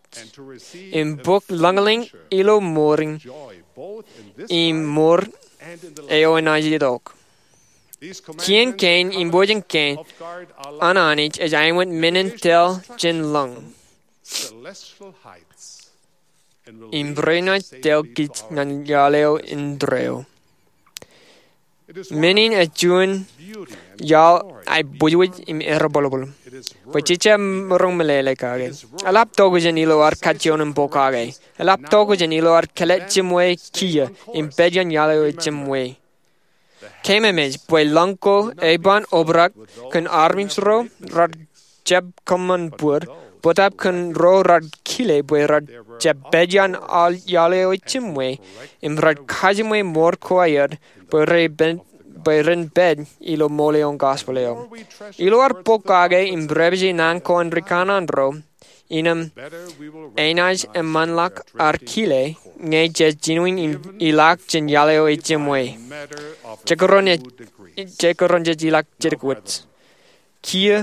im bōk lōñḷọk ilo mour in im mour eo enaaj itok. Kien kein im bōjin kein an Anij ej āinwōt men in tōl jān lōñ im renaaj tōl kōj ñan iaḷ eo indeeo. Men in ej juon iaḷ aebwejwej im erbōlbōl bwe jej jab roñ meḷeḷe kake. Eḷap tokjān ilo ad kajjioñ in pokake. Eḷap tokjān ilo ad kōlejjimwe kiiō im pād iaan iaḷ eo ejjimwe. Keememej bwe lōñ ko eban obrak kōn armej ro rej jab kōṃṃan bōd, bōtaab kōn ro rej kile bwe rej jab pād iaan iaḷ eo ejjimwe im rej kajjimwe mour ko aer bwe ren pād ilo ṃool eo an gospel eo. Ilo ad pokake im repeje naan ko an rikanaan ro, innām enaaj eṃṃanḷọk ad kile ñe jej jinoin ilọk jān iaḷ eo ejjimwe. Jej kōrā jej ilọk jidik wōt. Kiiō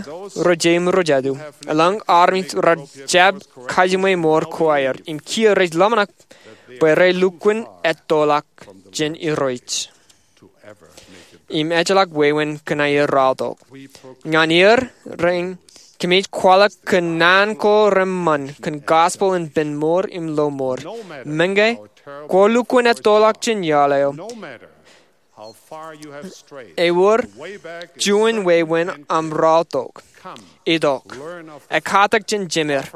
ro jeiū im ro jatū, eḷaññe armej rej jab kajjimwe mour ko aer im kiiō rej ḷōmṇak bwe rej lukkuun ettoḷọk jān Irooj im ejjeḷọk wāween kōn aer raotok. Ñan er rein, kōmij kwaḷọk kōn naan ko reṃṃan kōn gospel in pen mour im lo mour. Meñe kwō lukkuun ettoḷọk jān iaḷ eo, ewōr juon wāween aṃ raotok. Itok, ekkatak jān jemed,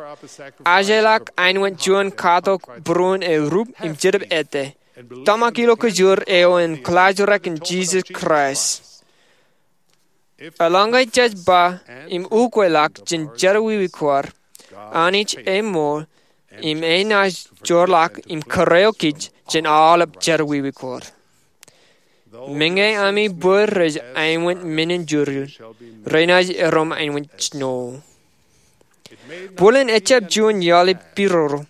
ajjeḷọk āinwōt juon katok būruon erup im jetōb ettā, tōmak ilo kōjoor eo an klaajrōk in Jisōs Kraist. Eḷaññe jej ba im ukweḷọk jān jerọwiwi ko ad, Anij eṃool im enaaj joorḷọk im kōrā eo kōj jān aolep jerọwiwi ko ad. Meñe ami bōd rej āinwōt men in jurjur, renaaj erom āinwōt snow. Bōlen ejjab juon iaḷ ipiroro,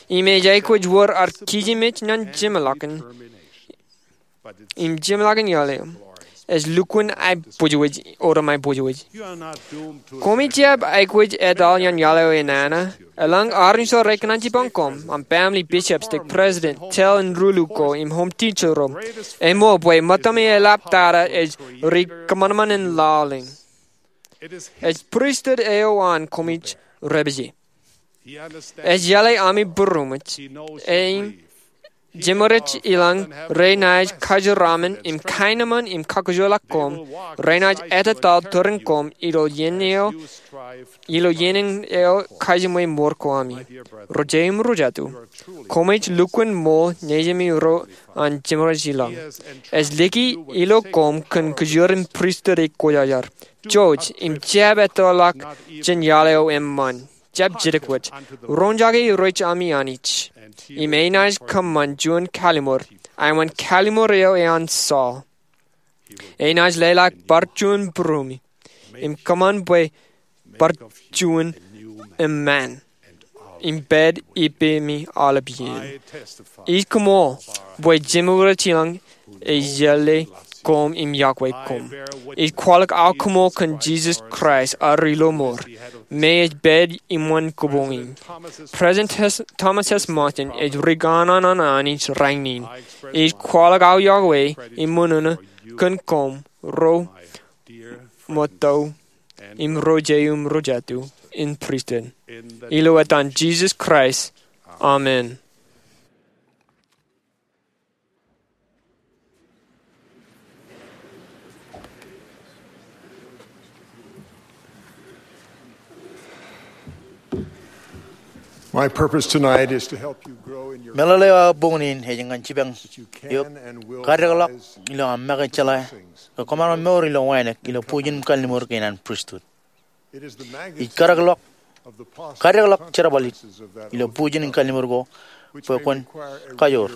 im ej aikuj wōr ad kijenmej ñan jeṃḷọkin im jeṃḷọkin iaḷ eo. Ej lukkuun aebwejwej, otem aebwejwej. Koṃij jab aikuj etal iaan iaḷ eo enana. Eḷaññe armej ro rekōṇaan jipañ koṃ, aṃ family, bishop, stake president, tōl in rūlu ko, im home teacher ro, eṃool bwe ṃōttami eḷaptata ej ri kōṃanṃan in lale. Ej pristut eo an koṃij repeje. Ej iale ami būroṃōj. Im jeṃorij ilañ renaaj kajeraṃṃan im kaenōṃṃan im kakujelaak koṃ, renaaj ettōtaḷ tūrin koṃ ilo iien eo, ilo iien eo kajjimwe mour ko ami. Ro jeiū im ro jatū, koṃij lukkuun ṃool nejimi ro an jeṃorij ilañ. Ej liki ilo koṃ kōn kōjwōr in pristut eo kwōjajar. Jouj im jab ettoḷọk jān iaḷ eo eṃṃan. Jab jidik wōt. Roñjake Irooj ami Anij, im enaaj kōṃṃan juon kallimur, āinwōt kallimur eo an Saul. Enaaj leḷọk bar juon būruemi, im kōṃṃan bwe bar juon eṃṃan, im pād ippemi aolep iien. Ij koṃṃool bwe jeṃorij ilañ ej iale koṃ im yokwe koṃ. Ij kwaḷọk aō koṃṃool kōn Jisōs Kraist, ad ri lo mour, me ej pād iṃōn kōpoñ in. President Thomas S. Monson ej ri kanaan an Anij rainin. Ij kwaḷọk aō yokwe im ṃōṇōṇō kōn koṃ ro ṃōtto im ro jeiū im ro jatū in pristut. Ilo etan Jisōs Kraist, amen. My purpose tonight is to help you grow in your Meḷeḷe eo aō boñin in ej ñan jipañ eok kadekḷọk ilo aṃ make jeḷā ke kwōmaroñ mour ilo wānōk ilo bujen im kalliṃur kein an pristut. Ij kadekḷọk, kadekḷọk jerbal ilo bujen im kalliṃur ko bwe kwōn kajoor.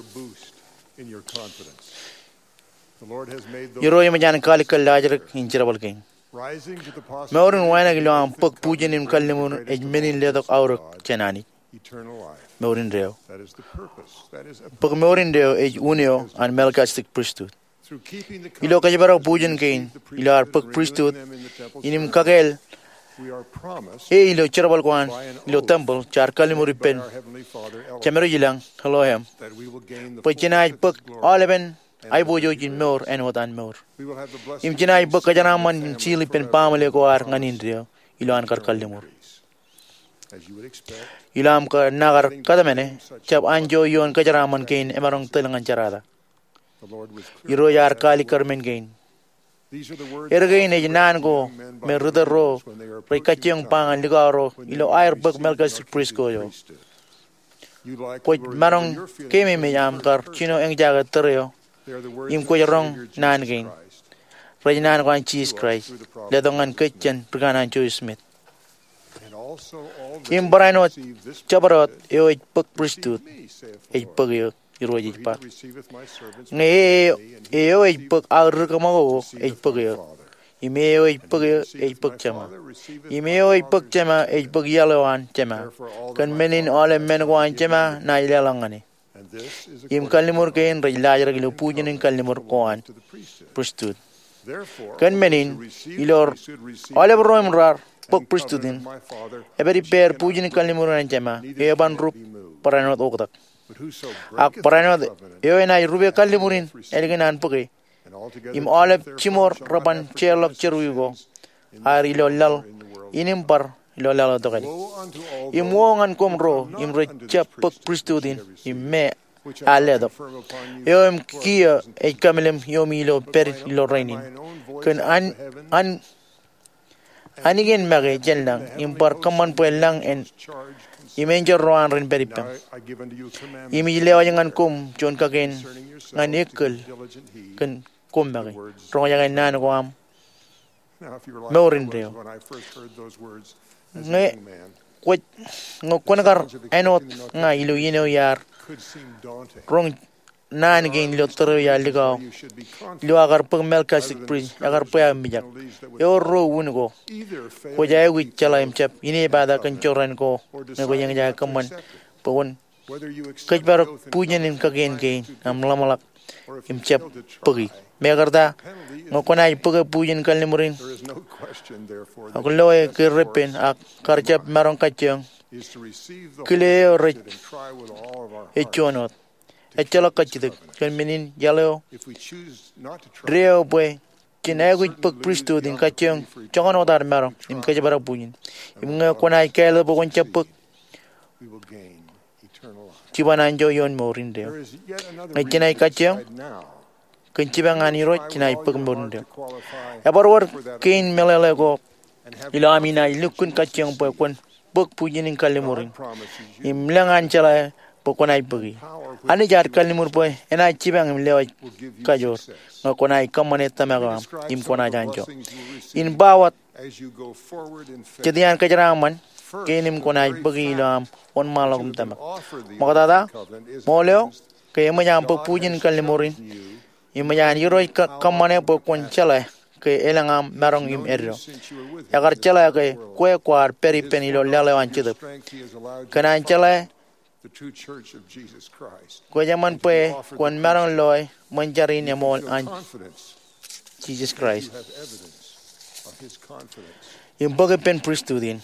Irooj eṃōj an kaalikkar laajrak in jerbal kein. Mour in wānōk ilo aṃ bōk bujen im kalliṃur ej men in letok aorōk jān Anij. Mour indeeo. Bōk mour indeeo ej un eo an Melchizedek pristut. Ilo kōjparok bujen kein ilo ad bōk pristut in im kakāāl e ilo jerbal ko an ilo tempel, jaar kalliṃur ippān Jemedwōj ilañ, Elohim, bwe jenaaj bōk aolepen aiboojoj in mour āinwōt an mour. Im jenaaj bōk kōjeraaṃṃan in sil ippān baaṃle ko ad ñan indeeo ilo an kar kalliṃur. Ilo aṃ kar, na kar kōtmāne, jab anjọ ioon kōjeraaṃṃan kein emaroñ tōl ñan jerata. Irooj ear kaalikkar men kein. Erkein ej naan ko me ri tōl ro rej kajjioñ ba ñan likao ro ilo aer bōk Melkisedek priesthood eo. Kwōj maroñ keememej aṃ kar jino eñjake tōl eo im kwōj roñ naan kein. Rej naan ko an Jisōs Kraist, letok ñan kōj jān rikanaan Joseph Smith. Im barāinwōt jabdewōt eo ej bōk pristut, ej bōk eō, Irooj ej ba. Ñe e, eo ej bōk aō ri kōṃakoko ej bōk eō. Im eo ej bōk eō ej bōk Jema. Im eo ej bōk Jema ej bōk iaḷ eo an Jema. Kōn men in aolep men ko an Jema naaj leḷọk ñan e. Im kalliṃur kein rej laajrak ilo bujen in kalliṃur ko an pristut. Kōn men in, ilo aolep ro im raar bōk pristut in, epād ippāer bujen in kalliṃur an Jema, eo eban rup barāinwōt oktak. Ak barāinwōt eo enaaj rupe kalliṃur in ālikin an bōke, im aolep jiṃor reban jeorḷọk jerọwiwi ko, aer ilo laḷ in im bar ilo laḷ eo tokālik. Im wowo ñan koṃ ro im rej jab bōk pristut in, im me ear letok, eo im kiiō ej kōmālim iiomi ilo pād ilo rainin, kōn an, an anij in make jān lañ im bar kōṃṃan bwe lañ en im enjeḷ ro an ren pād ippem. Im ij lewōj ñan koṃ juon kakien ñan ekkōl kōn koṃ make. Roñjake naan ko aṃ mour indeeo. Ñe kwōj, ñe kwōn kar āinwōt ña ilo iien eo iar roñ naan kein ilo tōl eo iar likao, ilo aō kar bōk Melkisedek priest, ekar bwe aō mijak. Ewōr ruo wūn ko. Kwōj aikuj jeḷā im jab inepata kōn jorrāān ko ñe kwōj eñjake kōṃṃan bwe kwōn kōjparok bujen in kakien kein aṃ ḷōmṇak im jab bōki. Mekarta, ñe kwōnaaj bōke bujen kalliṃur in ak loe ke repen ak kar jab maroñ kajjioñ kile eo rej ej juon wōt. Ejjeḷọk kajjitōk kōn men in iaḷ eo deeo bwe jen aikuj bōk pristut in kajjioñ joñan wōt ad maroñ im kōjparok bujen. Im ñe kwōnaaj kāālōt bwe kwōn jab bōk, jiban anjọ ioon mour indeeo. Ñe jenaaj kajjioñ kōn jipañ an Irooj, jenaaj bōk mour indeeo. Ebar wōr kein meḷeḷe ko ilo ami naaj lukkuun kajjioñ bwe kwōn bōk bujen in kalliṃur in im lōñ an jeḷā bwe kwōnaaj bōki. Anij ear kalliṃur bwe enaaj jipañ im lewōj kajoor ñe kwōnaaj kōṃṃane tōmak eo aṃ im kwōnaaj anjọ. In ba wōt jet iaan kōjeraaṃṃan kein im kwōnaaj bōki ilo aṃ wōnṃaanḷọk im tōmak. Ṃoktata, ṃool eo ke eṃōj aṃ bōk bujen in kalliṃur in, eṃōj an Irooj kō-, kōṃṃane bwe kwōn jeḷā ke elōñ aṃ maroñ im eddo. Ekar jeḷā ke kwe kwaar pād ippān ilo laḷ eo an Jetōb. Kōn an jeḷā kwōj eṃṃan bwe kwōn maroñ loe ṃōn jar in eṃool an Jisōs Kraist im bōk ippān pristut in.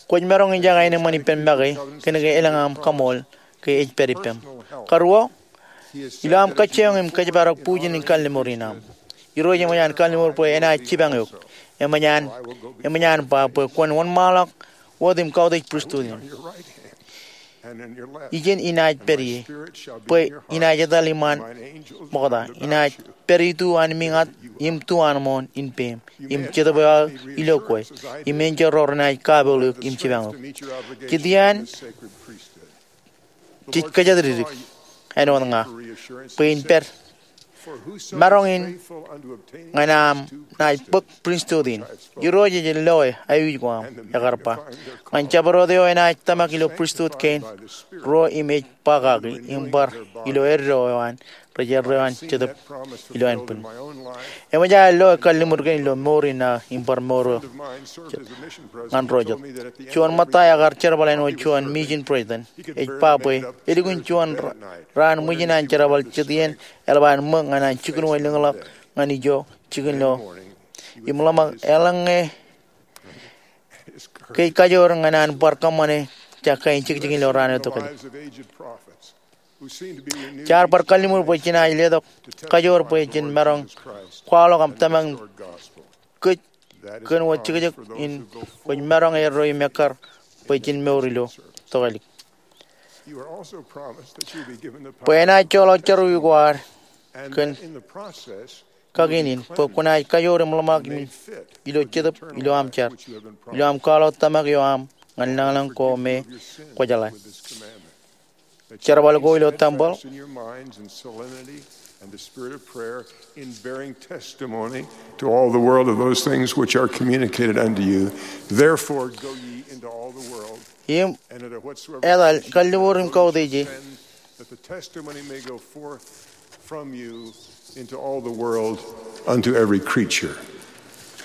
Kwōj maroñ ijoko aenōṃṃan ippān make kōnke elōñ aṃ kaṃool ke ej pād ippem. Karuo, ilo aṃ kajjioñ im kōjparok bujen in kalliṃur in aṃ, Irooj eṃōj an kalliṃur bwe enaaj jipañ eok. Eṃōj an, eṃōj an ba bwe kwōn wōnṃaanḷọk wōt im kautiej pristut in. Ijen inaaj pād ie, bwe inaaj etal iṃaan ṃokta, inaaj pād itu an miñat im tu an ṃoon in peim, im Jetōb eo aō ilo kwe, im enjeḷ ro renaaj kapool eok im jipañ eok. Jet iaan jej kōjatdikdik āinwōt ña bwe in pād maroñ in ñan aṃ naaj bōk pristut in. Irooj ej loe aikuj ko aṃ, ekar ba. Ñan jabdewōt eo enaaj tōmak ilo pristut kein, ruo im ej ba kaki im bar ilo eddo eo an rej erreo an Jetōb ilo ānbwin. Eṃōj aō lo kalliṃur kein ilo mour in aō im bar mour eo ñan ro jet. Juon ṃōtta ekar jerbal āinwōt juon mission president ej ba bwe elukkuun juon raan ṃwijin an jerbal jet iien eḷap an ṃōk ñan an jikin wōt lōñḷọk ñan ijo jikin ḷọk im ḷōmṇak eḷaññe ke ej kajoor ñan an bar kōṃṃane ja kain jekjekin ilo raan eo tokālik. Jaar bar kalliṃur bwe jenaaj letok kajoor bwe jen maroñ kwaḷọk tōmak kōj kōn wōt jekjek in kwōj maroñ erreo im ekkar bwe jen mour ilo tokālik. Bwe enaaj joḷọk jerọwiwi ko ad kōn kakin in bwe kwōnaaj kajoor im ḷōmṇak ilo Jetōb ilo aṃ jar ilo aṃ kwaḷọk tōmak eo aṃ ñan lañlōñ ko me kwō jeḷā. Jerbal ko ilo tempeḷ and the spirit of prayer in bearing testimony to all the world of those things which are communicated unto you. Therefore, go ye into all the world im and into whatsoever etal kalliṃur im kautiej e. That the testimony may go forth from you into all the world unto every creature.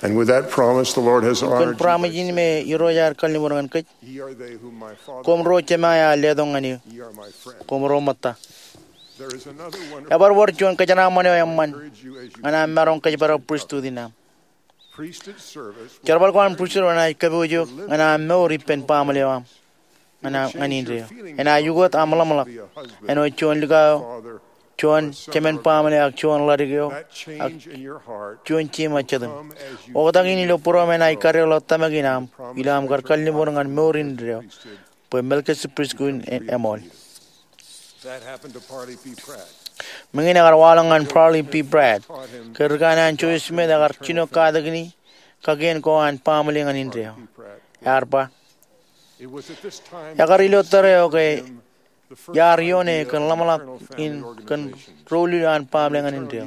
And with that promise, the Lord has Kōn honored promise in me Irooj ear kalliṃur ñan kōj. Ye are they whom my Father, Koṃ ro Jema eo letok ñan eō. ye are my friend. Koṃ ro ṃōtta. There is another wonderful Ebar wōr juon kōjeraaṃṃan eo eṃṃan encourage you as you ñan aṃ maroñ kōjparok pristut in aṃ. Priesthood service Jerbal ko an pristut eo enaaj kōpooje eok ñan aṃ mour ippān baaṃle eo aṃ ñan aṃ ñan indeeo. Enaaj ukōt aṃ ḷōmṇak āinwōt juon likao eo, juon jemān baaṃle ak juon ḷadik eo ak juon jema jitōñ. Oktak in ilo būruōṃ enaaj kaddekḷọk tōmak in aṃ ilo aṃ kar kalliṃur ñan mour in indeeo bwe Melkisedek Pristut in eṃool. That happened to Parley P. Pratt. Meñe in ekar waḷọk ñan Parley P. Pratt ke ri kanaan Joseph Smith ekar jino katakin kakien ko an baaṃle ñan indeeo. Ear ba, It was at this time ekar ilo tōre eo ke the first iar idea ioone of kōn an ḷōmṇak eternal family in kōn organization. ro lulu an baaṃle ñan indeeo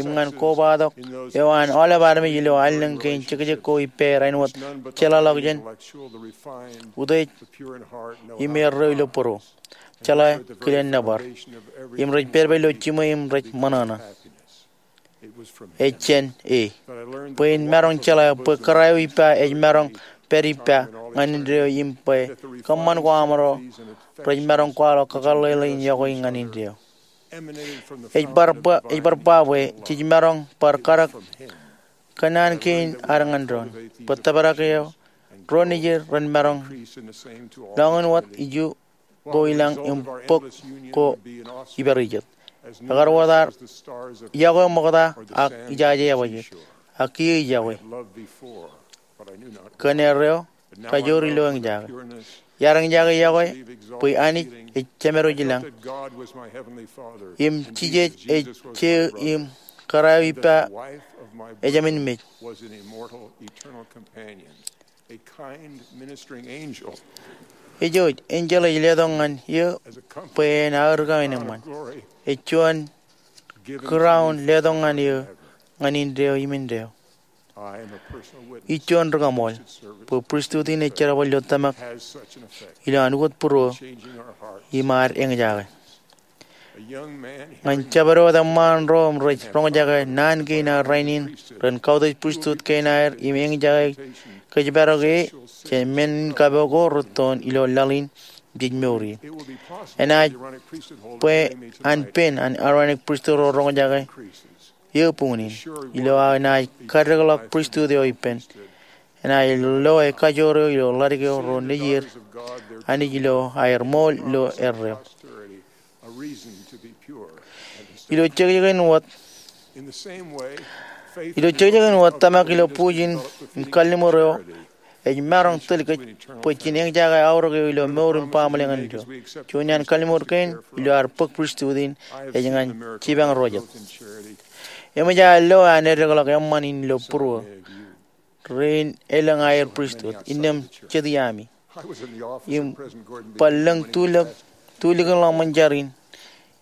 im ñan kobatok eo an aolep armej ilo allōñ kein jekjek ko ippāer āinwōt jeḷāḷọkjeṇ, Intellectual, the refined, utiej, the pure in heart, know im how erreo ilo būruō. Jeḷā kilen nōbar. Im rej pād ilo jiṃwe im rej ṃōṇōṇō. happiness. It was from Ej jān e bwe in maroñ jeḷā bwe kōrā eo ippa ej maroñ pād ippa ñan indeeo im bwe kōṃṃan ko aṃro rej maroñ kwaḷọk kakōḷḷe in yokwe ñan indeeo. emanating from the Ej bar ba, ej bar ba bwe jej maroñ bar kadek kōnnaan kein ad ñan doon bwe tōprak eo ro nejier ren maroñ priest in the same to all lọñiin wōt iju ko i lañ im bōk ko ippāer ijet. Ekar wōt ad the stars of yokwe ṃokta ak ijaje ebajek. Ak kiiō ij yokwe. Love before, but I knew not. Kōn erreo kajoor ilo eñjake. Iar eñjake yokwe bwe Anij ej Jemedwōj i lañ. That God was my heavenly Father. Im Jisōs ej je im kōrā eo ippa Wife of my ejāmin mej. Was an immortal, eternal companion, a kind ministering angel Ej eo enjeḷ ej letok ñan eō bwe en aō rūkaki eṃṃan. Ej juon crown letok ñan eō ñan indeeo im indeeo. I am a personal witness Ij juon ri-kaṃool bwe pristut in ej jerbal ilo tōmak has such an effect. Ilo an ukōt būruō Changing our hearts. im ad eñjake. A young man Ñan jabdewōt eṃṃaan ro im rej roñjake naan kein aer rainin ren kautiej pristut kein aer im eñjake kōjparok e jān men in kapo ko rūttoon ilo laḷ in jej mour ie. It will be possible Enaaj Aaronic priesthood holder bwe join me an tonight. pen an Aaronic pristut ro roñjake Increases. eō buñūn in ilo aō naaj kaddekḷọk pristut eo ippān. Enaaj loe kajoor eo ilo ḷadik eo ro nejier Anij ilo aer ṃool ilo erreo. Posterity, a reason to be pure. Ilo jekjekin wōt In the same way, faith ilo jekjekin wōt tōmak ilo bujen in kalliṃur eo ej maroñ tōl kōj bwe jen eñjake aorōk eō ilo mour in baaṃle ñan indeeo. Juon iaan kalliṃur kein ilo ad bōk pristut in ej ñan jipañ ro jet. Eṃōj aō lo an edekḷọk eṃṃan in ilo būruō rein elōñ aer pristut innām jet iaami. I was in the office Im of President Gordon B. Bar lōñ tulik, tulik in ḷōṃōn jar in.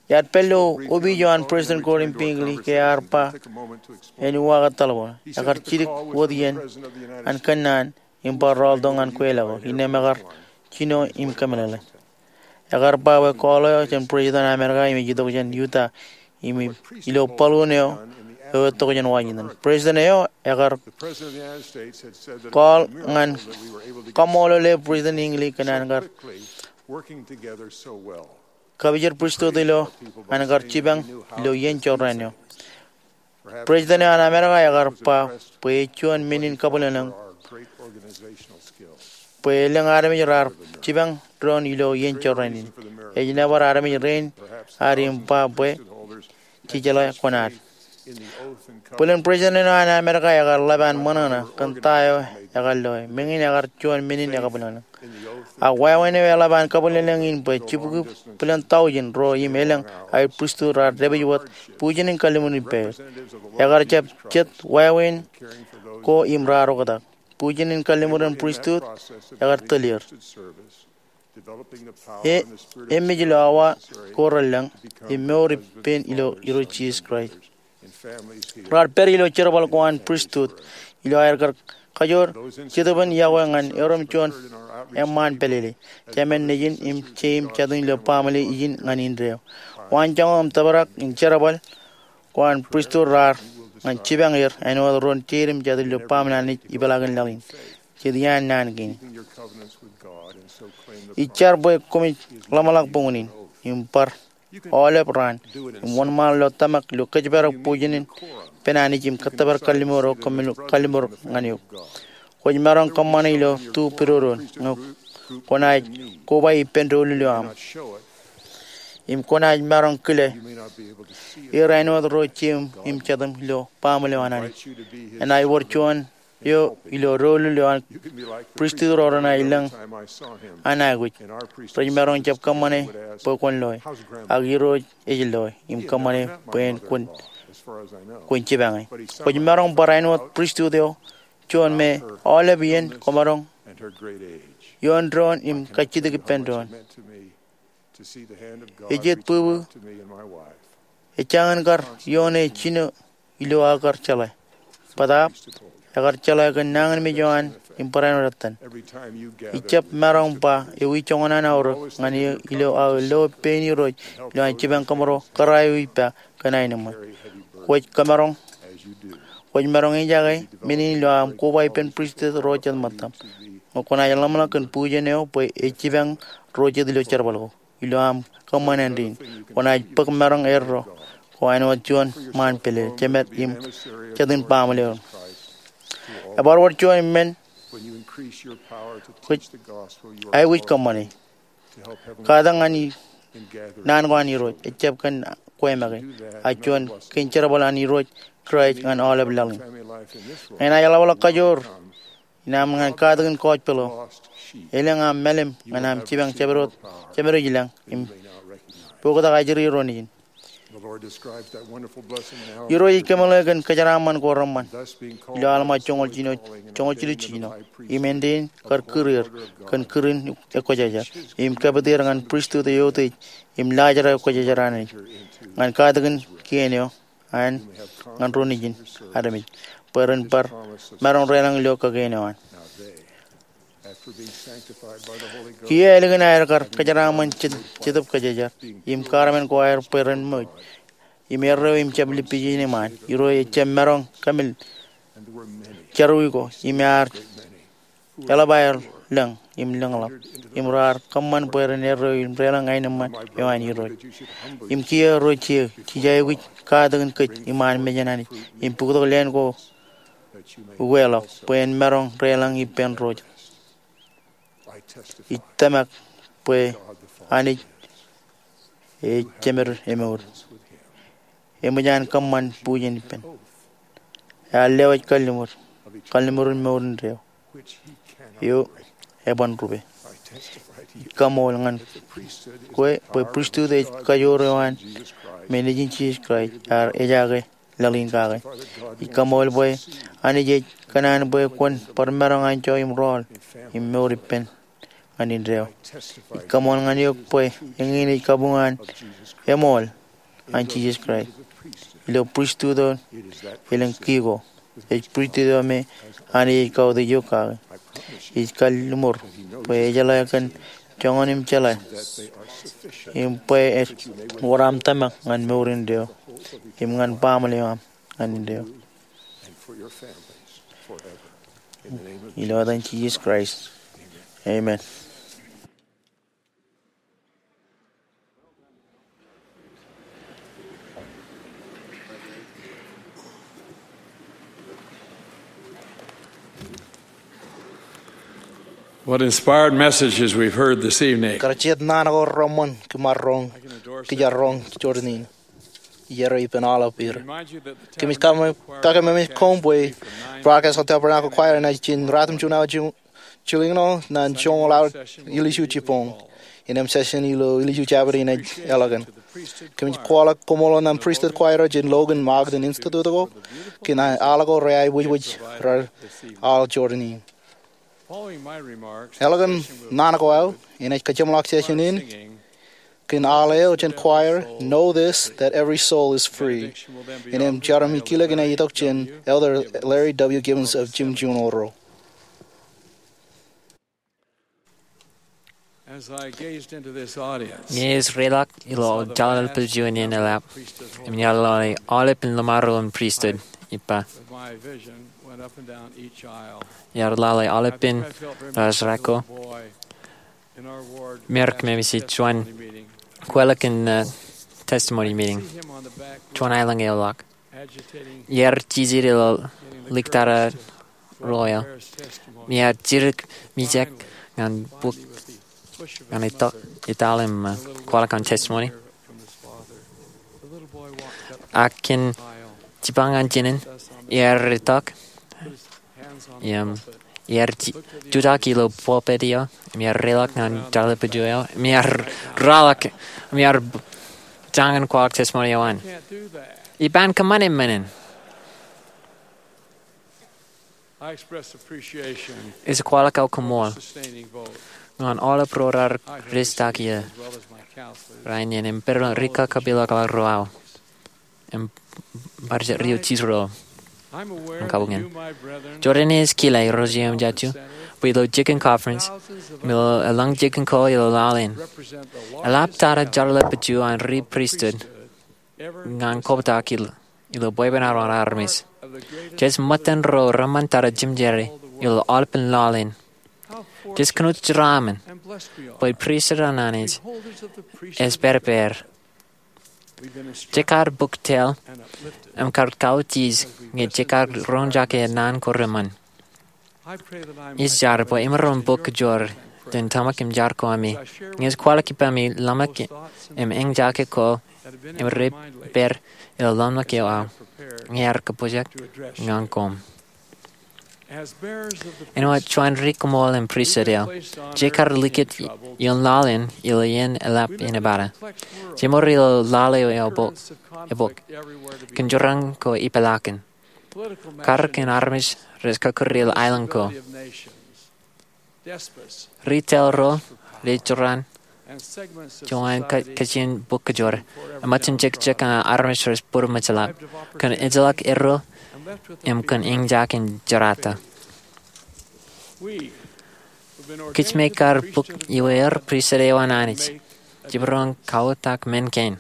Iar pād ilo opiij eo an President Gordon B. Hinckley ke ear ba en uwaak etal bwe ekar jidik wōt iien an kōnnaan im bar rọọltok ñan kweilọk eo innām ekar jino im kōmeḷeḷe. Ekar ba bwe call eo jān President Amerika im ej itok jān Utah im ilo balloon eo eo etokjān Washington. President eo ekar call ñan kaṃṃoolole President Hinckley kōn an kar kapijor pristut ilo an kar jipañ ilo iien jorrāān eo. President eo an Amerika ekar ba bwe ej juon men in kabwilōñlōñ bwe elōñ armej raar jipañ doon ilo iien jorrāān in. Ej nōbar armej rein ad im ba bwe jejeḷā kuṇaad. Bōlen President eo an Amerika ekar ḷap an ṃōṇōṇō kōn ta eo ekar loe. Meñe in ekar juon men in ekabwilōñlōñ. Ak wāween eo eḷap an kabwilōñlōñ in bwe jibukwi bwilōn tọujin ro im elōñ aer pristut raar dāpij wōt bujen in kalliṃur in pād. Ekar jab jet wāween ko im raar oktak. Bujen in kalliṃur in pristut ekar tōl er. E, e mej ilo awa ko relōñ im mour ippān ilo Irooj Jisōs Kraist. Raar pād ilo jerbal ko an pristut ilo aer kar kajoor jetōb in yokwe ñan erom juon eṃṃaan pālele. Jemen nejin im jeim jatūñ ilo baaṃle ijin ñan indeeo. Waanjoñak im tōprak in jerbal ko an pristut raar ñan jipañ er āinwōt ro jeid im jatū ilo baaṃle Anij ipeḷaakin laḷ in. Jet iaan naan kein. Ij jar bwe koṃij ḷōmṇak buñūn in im bar aolep raan im wōnṃaanḷọk tōmak ilo kōjparok bujen in ippān Anij im kōttōpar kalliṃur eo koṃ kalliṃur ñan eok. Kwōj maroñ kōṃṃane ilo tu pedodoon ñe kwōnaaj koba ippān doulul eo aṃ im kwōnaaj maroñ kile er āinwōt ro jeim im jatūṃ ilo baaṃle eo an Anij. Enaaj wōr juon eo ilo doulul eo an pristut ro renaaj lōñ an aikuj. Rej maroñ jab kōṃṃane bwe kwōn loe, ak Irooj ej loe im kōṃṃane bwe en kwōn jipañe. Kwōj maroñ bar āinwōt pristut eo juon me aolep iien kwōmaroñ ioon doon im kajjitōk ippān doon. Ej jet bwibwi ejjañin kar ioone jino ilo aō kar jeḷā. Bōtaab ekar jeḷā kōn nañinmej eo an im barāinwōt ettan. Ij jab maroñ ba ewi joñan an aorōk ñan eō ilo aō lo pein Irooj ilo an jipañ kōṃro kōrā eo ippa kōn aenōṃṃan. Kwōj kōmaroñ, kwōj maroñ ejaake men in ilo aṃ koba ippān pristut ro jet ṃōttaṃ. Ñe kwōnaaj ḷōmṇak kōn bujen eo bwe ej jipañ ro jet ilo jerbal ko ilo aṃ kōṃṃan āindein, kwōnaaj bōk maroñ eddo ko āinwōt juon ṃaan pālele, jemed im jatūn baaṃle eo. Ebar wōr juon men kwōj aikuj kōṃṃane. Katak ñan naan ko an Irooj ejjab kōn kwe make, ak juon kein jerbal an Irooj Kraist ñan aolep laḷ in. Ñe enaaj ḷapḷọk kajoor in aṃ ñan katakin gospel eo, elōñ aṃ mālim ñan aṃ jipañ jemedwōj, jemedwōj lañ im pokatak ajri ro nejin. Irooj ej kōmeḷeḷe kōn kōjeraaṃṃan ko reṃṃan ilo Alma joñoul jilu, joñoul jilu jiljino. Im āindein kar kūr er kōn kūr in ekwōjarjar im kapit er ñan pristut eo eutiej im laajrak ekwōjarjar an Anij ñan katakin kien eo an ñan ro nejin armej bwe ren bar maroñ deḷọñ ilo kōkeen eo an. Kiiō ālikin aer kar kōjeraaṃṃan Jet, Jetōb Kwōjarjar im kaarmen ko aer bwe ren ṃōj im erreo im jab lippijen iṃaan, Irooj ejjab maroñ kōmil jerọwiwi ko im ear eḷap aer lōñ im lōñḷọk im raar kōṃṃan bwe ren erreo im deḷọñ aenōṃṃan eo an Irooj. Im kiiō ro jeiū, jej aikuj katakin kōj iṃaan mejān Anij im bōktok leen ko ukeḷọk bwe en maroñ deḷọñ ippān ro jet. Ij tōmak bwe Anij ej jemed emour. Eṃōj an kōṃṃan bujen ippān. Ear lewōj kalliṃur, kalliṃur in mour indeeo eo eban rupe. Ij kaṃool ñan kwe bwe pristut ej kajoor eo an men nejin Jisōs Kraist ear ejaake laḷ in kake. Ij kaṃool bwe Anij ej kōṇaan bwe kwōn bar maroñ anjọ im rọọl im mour ippān ñan indeeo. Ij kaṃool ñan eok bwe eñin ej kabuñ an eṃool an Jisōs Kraist ilo pristut eo elōñ kiiō ko. Ej pristut eo me Anij ej kautiej eok kake. Ij kalliṃur bwe ejeḷā kōn joñan im jeḷā im bwe ej wōr aṃ tōmak ñan mour indeeo im ñan baaṃle eo aṃ ñan indeeo. Ilo etan Jisōs Kraist, amen. What inspired messages we've heard this evening. Kar jet naan ko reṃṃan kōm ar roñ, kōj ar roñ jọteen in. Iar ippān aolep er. Kōmij kakememej koṃ bwe broadcast eo Tabernacle Choir enaaj jān ratimjuon awa jilñoul ñan joñoul awa ilju jibboñ. Innām session ilo ilju jabdewōt enaaj eḷọk in. Kōmij kwaḷọk koṃṃool ñan Pristut Choir jān Logan Ogden Institute ko kōn aolep ko reaikuj raar aḷ jọteen in. Eḷọk naan ko aō, enaaj kajeṃḷọk session in kōn aḷ eo jān choir, Know This, That Every Soul Is Free. Innām jar im kilōk enaaj itok jān Elder Larry W. Gibbons of Jim Juno Ro. Ñe ij reiḷọk ilo jōḷāḷọkjeṇ in eḷap im iaḷ lale aolepān lōṃaro in pristut, ij ba, iar lale aolepān ḷōḷḷap ko, im ij kōmij juon kweilọk in testimony meeting, juon aelōñ eoḷọk. Iar jijet ilo likatata ro eo im iar jidik mijak ñan bōk ñan itok, itok im kwaḷọk an testimony. Ak kōn jipañ ñan jinen, iar itok im iar jutak ilo pulpit eo im iar reiḷọk ñan jōḷāḷọkjeṇ eo im iar rōḷḷap im iar jañin kwaḷọk testimony eo an. Ij pād kōṃṃane men in. Ij kwaḷọk aō koṃṃool ñan aolep ro raar rijetak ie rainin im pād ilo ri kakapeḷḷọk ro aō im bar jet ri eo jijet ro. Im kabuñ in, jọteen in ej kile, irooj im jajjo, bwe ilo jikin conference im ilo eḷaññe jikin ko ilo laḷ in, eḷaptata jōḷāḷọkjeṇ an ri pristut ñan kobtak ilo bwebwenato an armej. Jej ṃōttan ro reṃṃantata jimjere ilo aolepān laḷ in. Jej kōnono jeraaṃṃan bwe pristut an Anij ej pād ippāer. Jej kar bōk tōl im kar kautiej ñe jej kar roñjake naan ko reṃṃan. Ij jar bwe imaroñ bōk kōjro jān tōmak im jar ko ami ñe ij kwaḷọk ippaṃ ḷōmṇak im eñjake ko im reippāer ilo ḷōmṇak eo aō ñe ear kōpojak ñan koṃ. Āinwōt juon ri koṃṃool im pristut eo, jej kar likūt ioon laḷ in ilo iien eḷap in epada. Jemour ilo laḷ eo ebok kōn joraṇ ko ipeḷaakin. Karōk in armej rej kọkkure ilo aelōñ ko. Ri tōl ro rej joraṇ joñan kajin bōk kōjro im ṃōttan jekjek ñan armej rej bōd ṃōjḷap kōn ejjeḷọk erro im kōn eñjake in jerata. Kōj me kar bōk iweer pristut eo an Anij, jemaroñ kawōtak men kein.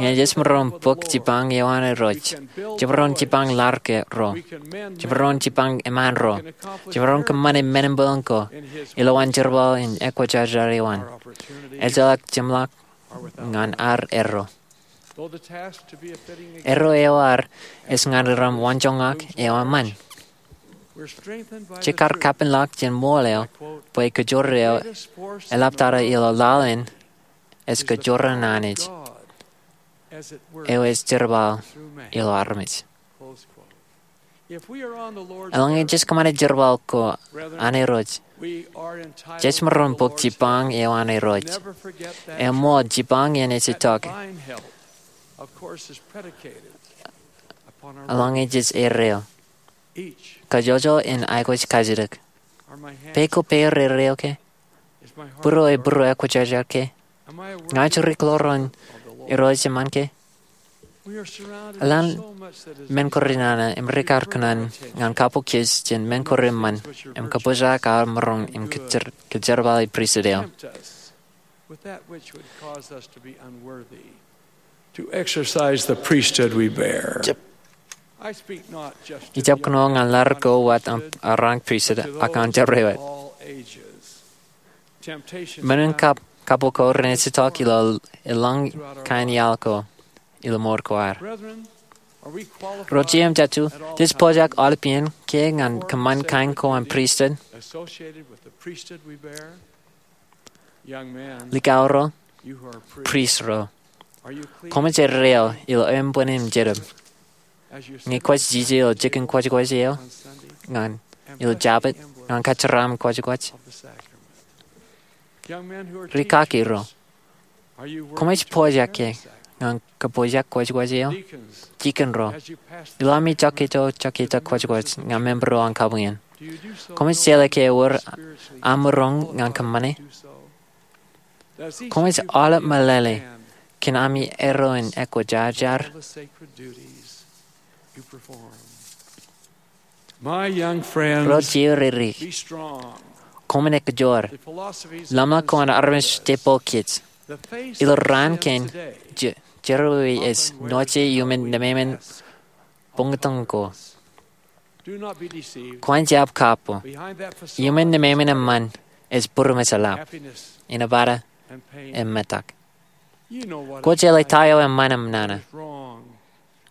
Ñe jej maroñ bōk jipañ eo an Irooj, jemaroñ jipañ laḷ ro, jemaroñ jipañ eṃṃaan ro, jemaroñ kōṃṃane men in bōlen ko ilowaan jerbal in ekwōjarjar eo an, ejjeḷọk jeṃḷọk ñan ad erro. Erro eo ad ej ñan ram waanjoñak eo eṃṃan. Jej kar kapenḷọk jān ṃool eo bwe kōjro eo eḷaptata ilo laḷ in ej kōjro an Anij eo ej jerbal ilo armej. Eḷaññe jej kōṃṃane jerbal ko an Irooj, jej maroñ bōk jipañ eo an Irooj. Eṃṃool, jipañ in ej itok eḷaññe jej erreo. Kajjojo en aikuj kajjitōk. Peiṃ ko peiṃ erreo ke? Būruō e būruō ekwōjarjar ke? Ña ij ri kōḷoor an Irooj eṃṃan ke? Eḷaññe men ko renana im rikaki kōṇaan ñan kabukwōj jān men ko reṃṃan im kōpojak aō maroñ im kōjerbale pristut eo. to exercise the priesthood we bear. Ijab kōnono ñan ḷadik ko wōt aṃ aorōk pristut ak aṃ jerọwiwi. Men in kab kabuñ ko renaaj itok ilo eḷaññe kain iaḷ ko ilo mour ko ad. Ro jeiū im jatū, jej pojak aolep iien ke ñan kōṃṃan kain ko an pristut? Likao ro, prist ro, koṃij erreo ilo eṃṃan im jerbal ñe kwōj jijet ilo jikin kwōjkwōj eo ñan ilo Jabōt ñan kōjeraaṃṃan kwōjkwōj? Rikaki ro, koṃij pojak ke ñan kōpojak kwōjkwōj eo? Dikon ro, ilo ami jokketo jokketo kwōjkwōj ñan member ro an kabuñ in, koṃij jeḷā ke ewōr aṃ maroñ ñan kōṃṃane? Koṃij aolep meḷeḷe kōn ami erro in ekwōjarjar? Ro jeiū ri ri, koṃwin ekōjwōr. Ḷōmṇak ko an armej jepokej ilo raan kein, jerọwiwi ej noje iuṃwin nemāmein buñtōñ ko. Kwōn jab kapo. Iuṃwin nemāmein eṃṃan ej būruṃ ejeḷā, inepata im metak. Kwōj jeḷā ta eo eṃṃan im nana.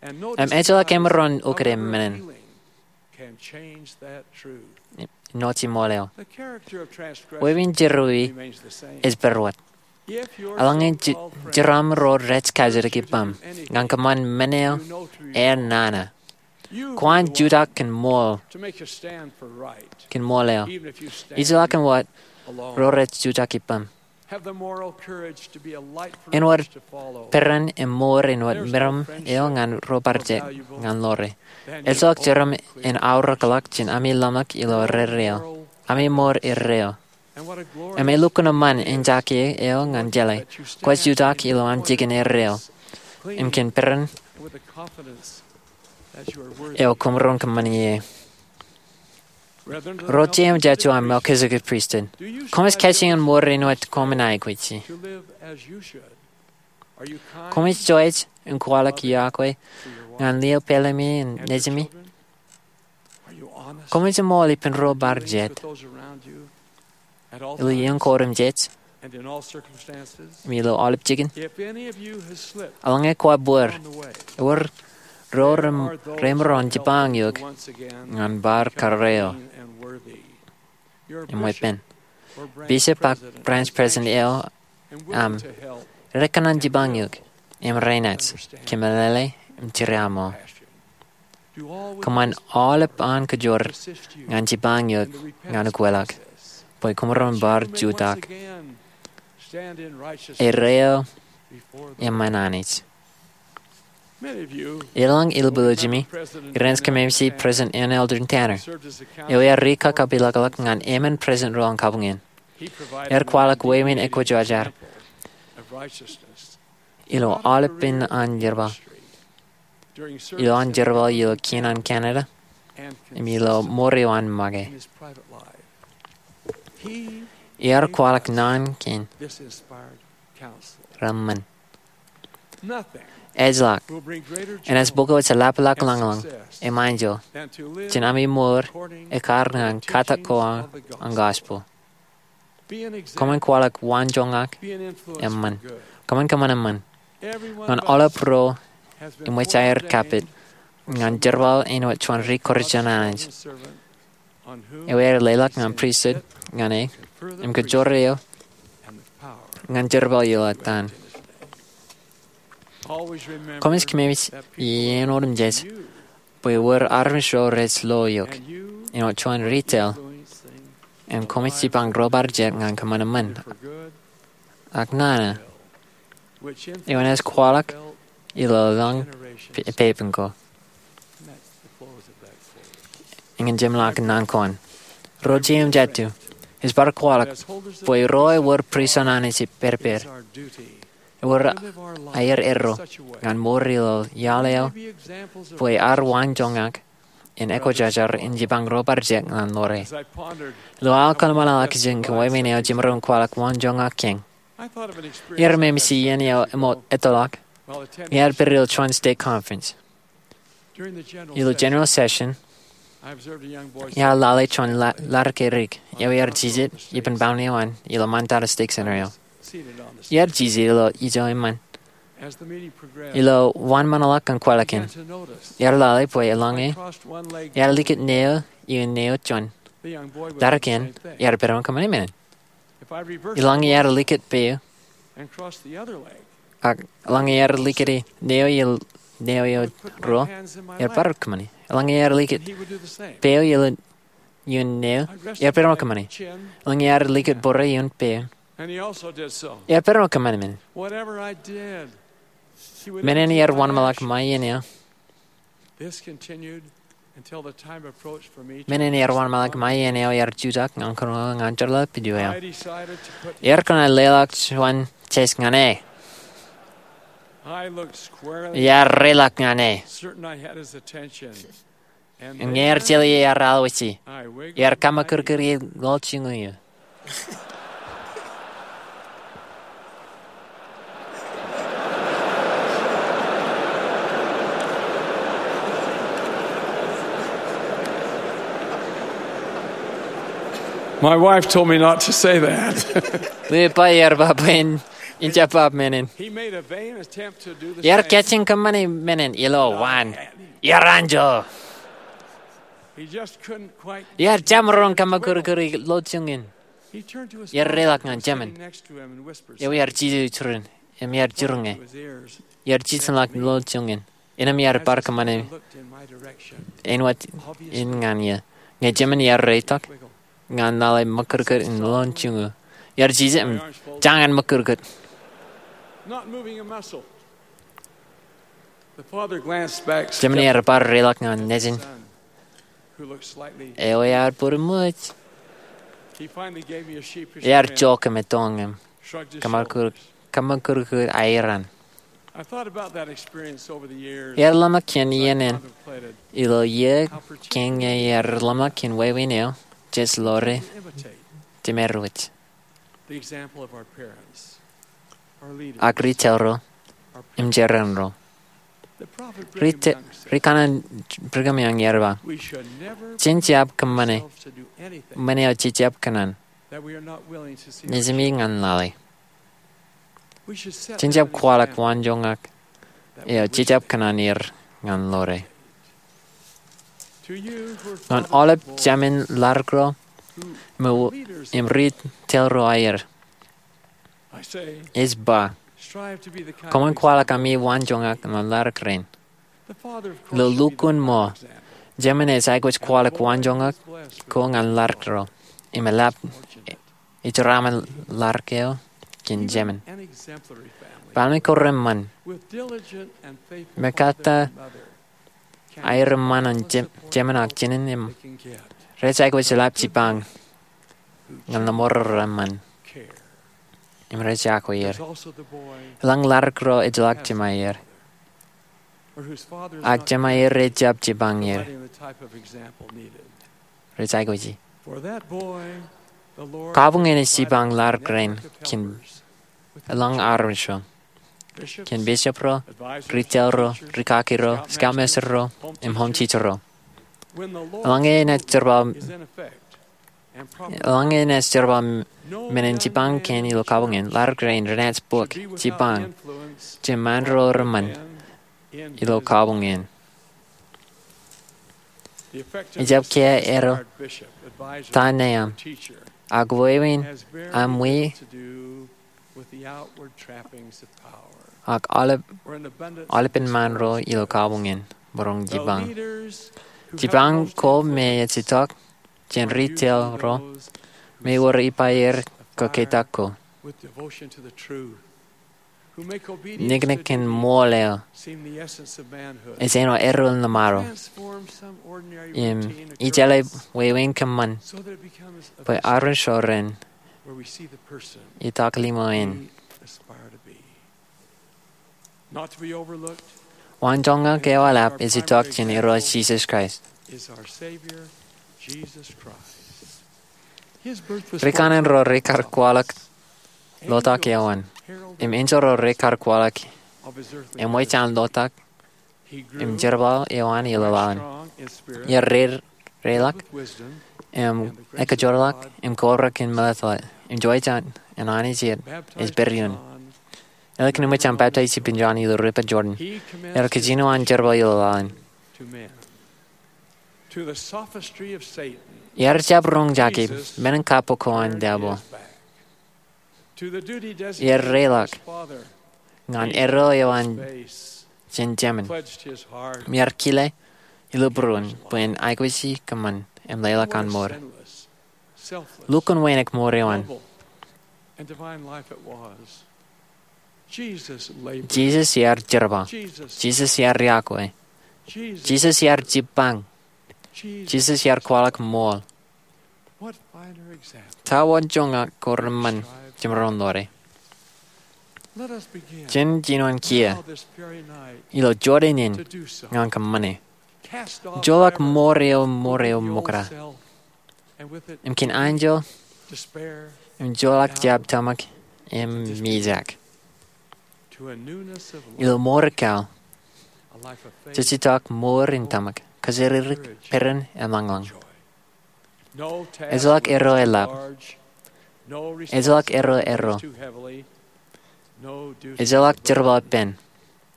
Im ejjeḷọk emaroñ ukōte men in noje ṃool eo. Wāween jerọwiwi ej pād wōt. Eḷaññe jeraaṃṃan ro rej kajjitōk ippaṃ ñan kōṃṃan men eo ear nana, kwōn jutak kōn ṃool, kōn ṃool eo, ijellọkin wōt ro rej jutak ippaṃ. Āinwōt peran im mour āinwōt meram eo ñan ro bar jet ñan ḷoore. Ejjeḷọk jeram in aorōkḷọk jān ami ḷōmṇak ilo erreo, ami mour erreo. Im elukkuun eṃṃan in jake eo ñan jeḷā kwōj jutak ilo aṃ jikin erreo im kōn peran eo kwōmaroñ kōṃṃan ie. Ro jeiū im jatū an Melchizedek Pristut, koṃij kajjien mour āinwōt koṃ aikuji? Koṃij joij im kwaḷọk yokwe ñan lio pālemi im nejimi? Koṃij eṃool ippān ro bar jet ilo iien ko otemjej im ilo aolep jikin? Eḷaññe kwaar bōd, ewōr ro remaroñ jipañ eok ñan bar karreo im weeppān. Bishop ak branch president eo aṃ rekōṇaan jipañ eok im renaaj kōmeḷeḷe im jeraṃṃan. Kōṃṃan aolep an kōjwōr ñan jipañ eok ñan ukweḷọk bwe kwōmaroñ bar jutak erreo eṃṃan Anij. Eḷaññe ilbwiljimi, ij kōmemej President N. Eldon Tanner, eo ear ri-kakapeḷḷọk ñan emān president ro an kabuñ in. Ear kwaḷọk wāween ekwōjarjar ilo aolepān an jerbal, ilo an jerbal ilo kien an Canada im ilo mour eo an make. Ear kwaḷọk naan kein reṃṃan. Ejjeḷọk enaaj bōk eok jeḷāḷọk lañlōñ im enjeḷ jān ami mour ekkar ñan katak ko an gospel. Koṃwin kwaḷọk waanjoñak eṃṃan. Koṃwin kōṃṃan eṃṃan ñan aolep ro eṃōj aer kapit ñan jerbal āinwōt juon ri-Kūrjin an Anij eo ear leḷọk ñan pristut ñan e im kōjwōr eō ñan jerbal ilo ettaan. Koṃij kōmemej iien otemjej bwe ewōr armej ro rej lo eok āinwōt juon ri-tōl im koṃij jipañ ro bar jet ñan kōṃṃan eṃṃan ak nana eo enaaj kwaḷọk ilo eḷaññe peipen ko. Eñin jemḷọkin naan ko an. Ro jeiū im jatū, ij bar kwaḷọk bwe ro ewōr pristut an Anij ippād ippād, ewōr aer erro ñan mour ilo iaḷ eo bwe ear waanjoñak in ekwōjarjar in jipañ ro bar jet ñan ḷoore. Ilo aō kōḷmānḷọkjeṇ kōn wāween eo jemaroñ in kwaḷọk waanjoñak kein, iar memej iien eo eṃōj ettoḷọk Iar pād ilo juon stake conference. Ilo general session, iar lale juon lar ke rik eo iar jijet ippān pound eo an ilo ṃōttad stake center eo. Iar jijet ilo ijo eṃṃan. Ilo wōnṃaanḷọk kōn kwaḷọk in, iar lale bwe eḷaññe iar likūt neo ioon neo juon, lar kein iar pād im kōṃṃani men in. Eḷaññe iar likūt peo, ak eḷaññe iar likūti neo ioon neo eo ruo, iar bar kōṃṃani. Eḷaññe iar likūt peo ioon neo, iar pād im kōṃṃani. Eḷaññe iar likūt bōrre ioon peo, iar pād im kōṃṃani men in. Men in iar wōnṃaanḷọk ṃae iien eo. Men in iar wōnṃaanḷọk ṃae iien eo iar jutak ñan kōnono ñan jeḷā pidio eo. Iar kōṇaan leḷọk juon test ñan e. Iar reḷọk ñan e. Im ñe ear jeḷā ie iar alwōj ie, iar kaṃōkūtkūt ie ḷọk juon iiō. My wife told me not to say that. Ḷe eo bar ba bwe in jab ba men in. He made a vain attempt to do the same. Iar kajjioñ kōṃṃani men in ilo waan. Iar anjọ. He just couldn't quite. Iar jab maroñ kaṃōkūtkūt ḷọk juon in. He turned to his father, who was sitting next to him, and whispered something. Eo iar jijet iturin, im iar jiroñ e. Iar jijetḷọk ḷọk juon in. Innām iar bar kōṃṃani āinwōt in ñan eō. Ñe jemān iar reitok, ñan lale ṃōkūtkūt in ḷọk juon iiō. Iar jijet im jañin ṃōkūtkūt. Not moving a muscle. Jemān iar bar reḷọk ñan nejin eo ear bōd im ṃōj. Ear jok im ettoon im kaṃōkūtkūt aer an. Iar ḷōmṇak jān iien in ilo iiō kein ñe iar ḷōmṇak jān wāween eo jej ḷoore jemād wōj. Ak ri-tōl ro im jeran ro. Ri-kaṇan Brigham Young ear ba, jen jab kōṃṃane men eo jej jab kōṇaan nejimi ñan lale. Jen jab kwaḷọk waanjoñak eo jej jab kōṇaan er ñan ḷoore. Ñan aolep jemān ladik ro im ri-tōl ro aer, ij ba, koṃwin kwaḷọk ami waanjoñak ñan ladik rein. Ilo lukkuun ṃool, jemān ej aikuj kwaḷọk waanjoñak ko ñan ladik ro im eḷap ijeraṃōn ladik eo kōn jemān. Baaṃle ko reṃṃan, mekatak aer eṃṃan an jemān ak jinen im rej aikuj eḷap jipañ ñan lemñoul reṃṃan im rej iọkwe er. Eḷaññe ladik ro ejjeḷọk jemāer, ak jemāer rej jab jipañ er, rej aikuji. Kabuñ in ej jipañ ladik rein kōn eḷaññe armej ro, kōn bishop ro, ri-tōl ro, rikaki ro, scoutmaster ro, im home teacher ro. Eḷaññe enaaj jerbal, eḷaññe enaaj jerbal men in jipañ kein ilo kabuñ in, ladik rein renaaj bōk jipañ jān ṃaan ro reṃṃan ilo kabuñ in. Ijab kiiō erro ta neaṃ, ak wāween aṃ wiik ak aolepen ṃaan ro ilo kabuñ in maroñ jipañ. Jipañ ko me ej itok jān ri-tōl ro me ewōr ippāer kōkeitak ko, niknik kōn ṃool eo ej āinwōt erreo in ṃaro, im ejjeḷọk wāween kōṃṃan bwe armej ro ren itok limo in. Waanjoñak eo eḷap ej itok jān Irooj Jisōs Kraist. Ri-kaṇan ro rekar kwaḷọk lotak eo an, im enjeḷ ro rekar kwaḷọk Eṃōj an lotak im jerbal eo an ilo laḷ in. Ear reilọk im ekajorḷọk im kobrak in meḷeḷe im jouj an Anij ej pād ioon. Ālikin eṃōj an baptize ippān John ilo river Jordan, ear kajino an jerbal ilo laḷ in. Ear jab roñjake men in kappok ko an devil. Ear reilọk ñan erro eo an jān jemān im ear kile ilo būruon bwe en aikuji kōṃṃan im leḷọk an mour. Lukkuun wānōk mour eo an. Jisōs ear jerbal. Jisōs ear yokwe. Jisōs ear jipañ. Jisōs ear kwaḷọk ṃool. Ta wanjoñak ko reṃṃan jemaroñ ḷọk? Jen jino kiiō ilo jota in ñan kōṃṃane. Joḷọk mour eo, mour eo mokta im kōn anjel im joḷọk jab tōmak im mijak ilo mour ekkā, jej itok mour in tōmak, kōjatdikdik, peran im lañlōñ. Ejjeḷọk erro eḷap. Ejjeḷọk erro erro. Ejjeḷọk jerbal ippān.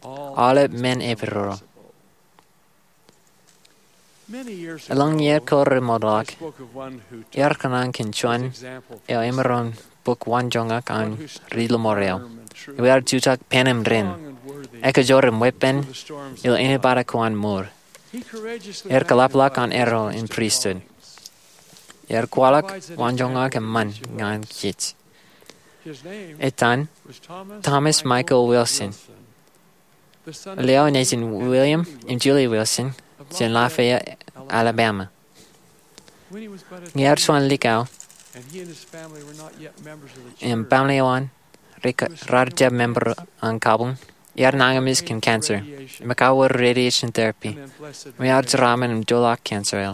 Aolep men epidodo. Elōñ iiō ko remootḷọk, iar kōṇaan kōn juon eo emaroñ bōk wanjoñak an ri-lọmọọr eo. Ear jutak pen im ren, ekajor im weeppān ilo ānbata ko an mour. Ear kōḷapḷọk an erro in pristut. Ear kwaḷọk wanjoñak eṃṃan ñan kōj. Etan Thomas Michael Wilson. Eo nejin William im Julie Wilson jān Lafayette, Alabama. Ñe ear juon likao im baaṃle eo an raar jab member an kabuñ, ear nañinmej kōn cancer im ekauwe radiation therapy im ear jeraaṃṃan im joḷọk cancer eo.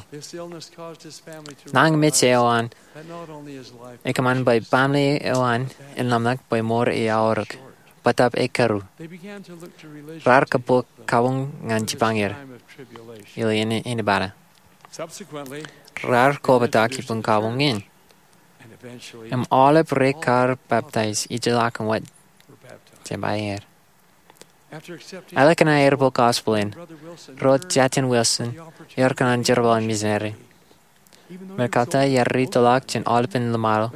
Nañinmej eo an ekōṃṃan bwe baaṃle eo an en ḷōmṇak bwe mour e aorōk, bōtab e kōru. Raar kōbok kabuñ ñan jipañ er ilo ānbata. Raar kobatok ippān kabuñ in im aolep rekar baptize ijellọkin wōt jab aer. Ālikin aer bōk gospel in, Ro Jattin Wilson ear kōṇaan jerbal in misineri. Meḷeḷe ke ear ri tōḷọk jān aolepān ḷōṃaro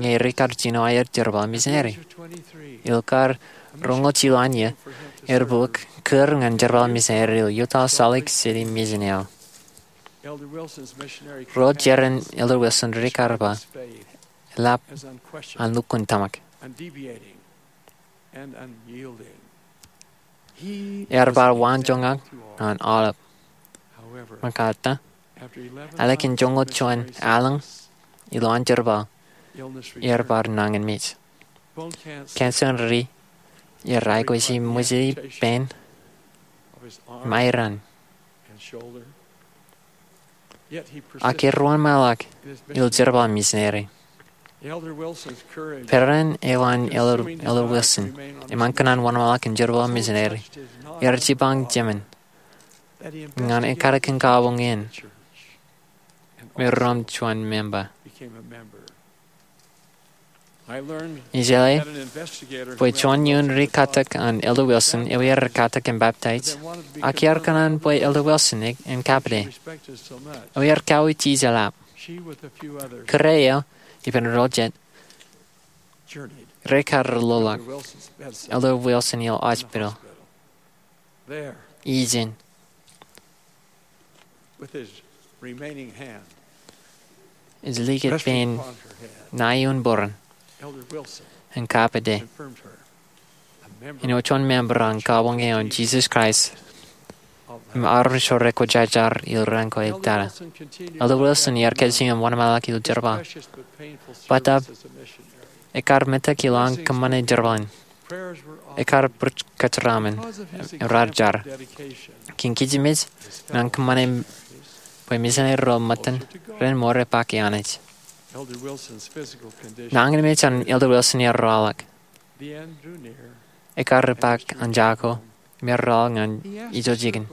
ñe rikar jino aer jerbal in misineri. Ilo kar roñoul jilu an iiō, ear bōk kūr ñan jerbal in misineri ilo Utah Salt Lake City Mission eo. Ro jeran Elder Wilson rikar ba, eḷap an lukkuun tōmak. Ear bar wanjoñak ñan aolep. Meḷeḷe ke, ālikin joñoul juon allōñ ilo an jerbal, ear bar nañinmej. Cancer in ri ear aikuji ṃwijin pein im airan. Ak ear wōnṃaanḷọk ilo jerbal in misineri. Peran eo an Elder Wilson im an kōṇaan wōnṃaanḷọk in jerbal in misineri ear jipañ jemān ñan ekadikdik in kabuñ in me rom juon member. Ij jeḷā bwe juon iuun ri katak an Elder Wilson eo ear katak im baptize, ak ear kōṇaan bwe Elder Wilson en kapede eo ear kauwe ijellap. Kōrā eo ippān ro jet rekar lolọk Elder Wilson ilo hospital. Ijin, ej likūt pein ṇa iuun būruon im kapede in wōj juon member an kabuñ eo an Jesus Christ im armej ro rekwōjarjar ilo raan ko etata. Elder Wilson ear kajjioñ wōnṃaanḷọk ilo jerbal. Bōtab ekar metak ilo an kōṃṃane jerbal in, ekar bōk kōjeraaṃṃan im raar jar. Kōn kijenmej im an kōṃṃane bwe misineri ro ṃōttan ren mour epaak e Anij. Nañinmej an Elder Wilson ear rọọlḷọk. Ekkar epaak an jako im erraḷ ñan ijo jikin.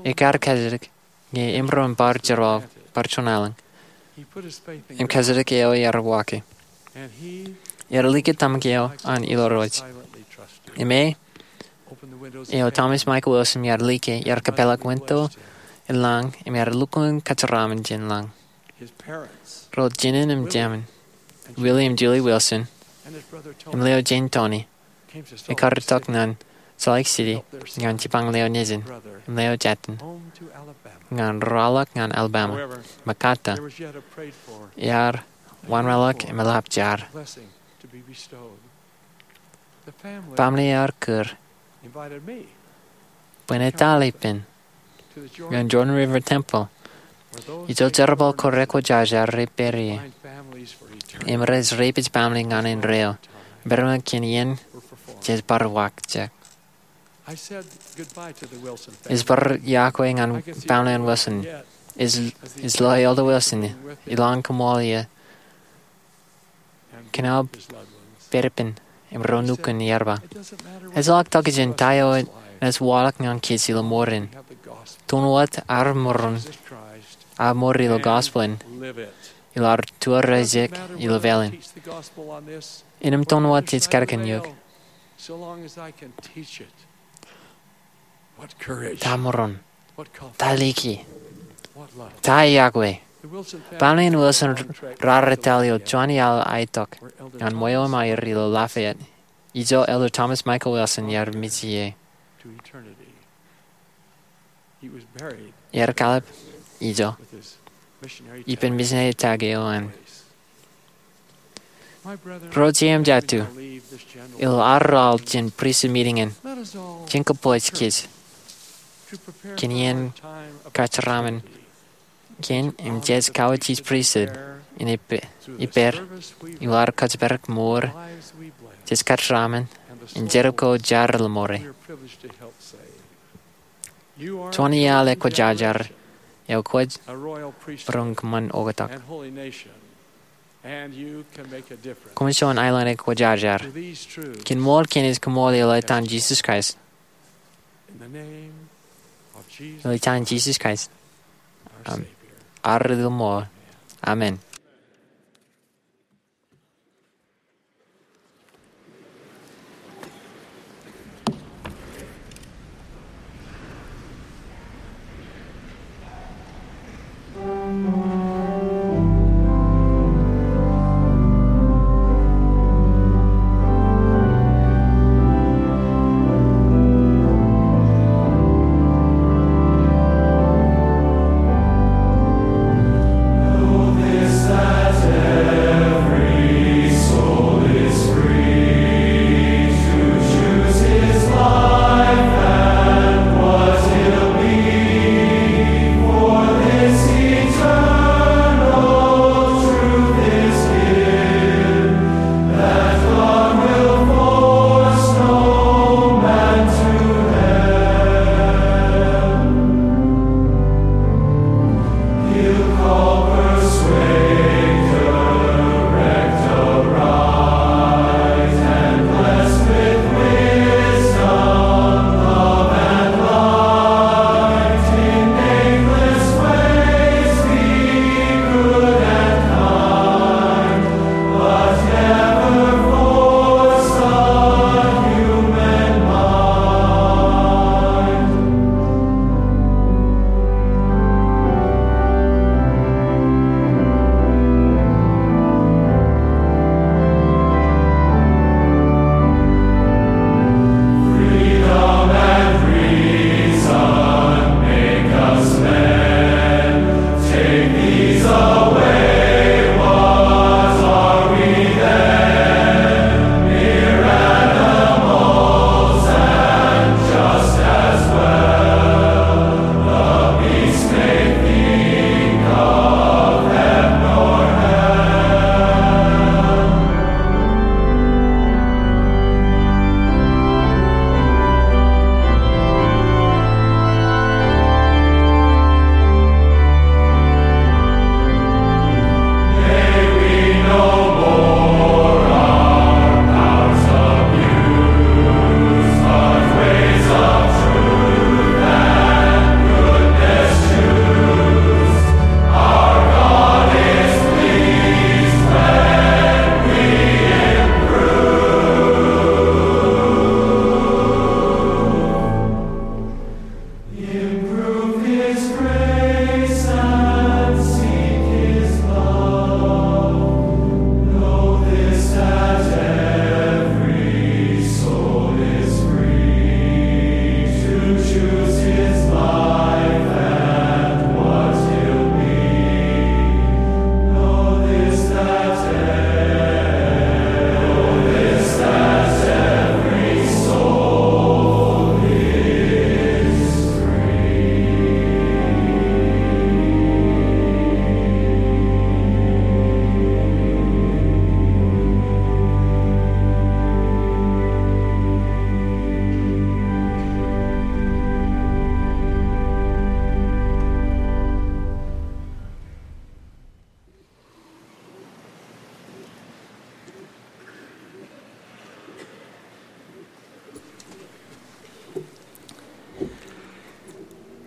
Ekkar kajjitōk ñe emaroñ in bar jeraaḷ bar juon aelōñ. Im kajjitōk eo iar waaki. Iar like tōmak eo an Ilo Rooj. Im e eo Thomas Michael Wilson iar like, iar kōpeḷḷọk winto in lañ im iar lukkuun kōjeraaṃṃan jān lañ. Ro jinen im jemān, Willie im Julie Wilson, im leo jān Tony, ekkar itok ñan Salt Lake City ñan jipañ leo nejin im leo jātin ñan raorōk ñan Alabama. Mekkata, ear wānwōtlọk im eḷap jar. Baaṃle eo ear kūr bwe en etal ippān ñan Jordan River Temple, ijo jerbal ko rekwōjarjar rej pād ie im rej repeij baaṃle ñan indeeo im pād ṃōk jān iien jej bar waakjek. Ij bar iọkwe ñan baaṃle in Wilson. Ij, ij lo Elder Wilson ilowaan koṃṃool ie kōn aō pād ippān im ro nukun ierba. Ejjeḷọk tokjān ta eo enaaj waḷọk ñan kōj ilo mour in. Toon wōt ad mour in, ad mour ilo gospel in, ilo ad tuo raijek ilo pāleen. Innām toon wōt jej kadkōn eok. Ta mour in, ta liki, ta iọkwe. Baaṃle in Wilson raar etal ilo juon iaḷ aetok ñan ṃweo im aer ilo Lafayette, ijo Elder Thomas Michael Wilson iar mej ie. Ear kalōk ijo ippān misineri tōl eo an. Ro jeiū im jatū, ilo ad raorōk jān pristut miting in, jen kōpooj kōj kōn iien kōjeraaṃṃan kein im jej kawōj ilo pristut in ippād, ippād ilo ad kōjparok mour jej kōjeraaṃṃan im jerbal ko jar ilo mour e. Juon iaḷ ekwōjarjar eo kwōj maroñ kōṃṃan oktak. Koṃ juon aelōñ ekwōjarjar. Kōn ṃool kein ej koṃṃool ilo etan Jisōs Kraist. Ilo etan Jisōs Kraist, am, ad ri ṃool. Amen.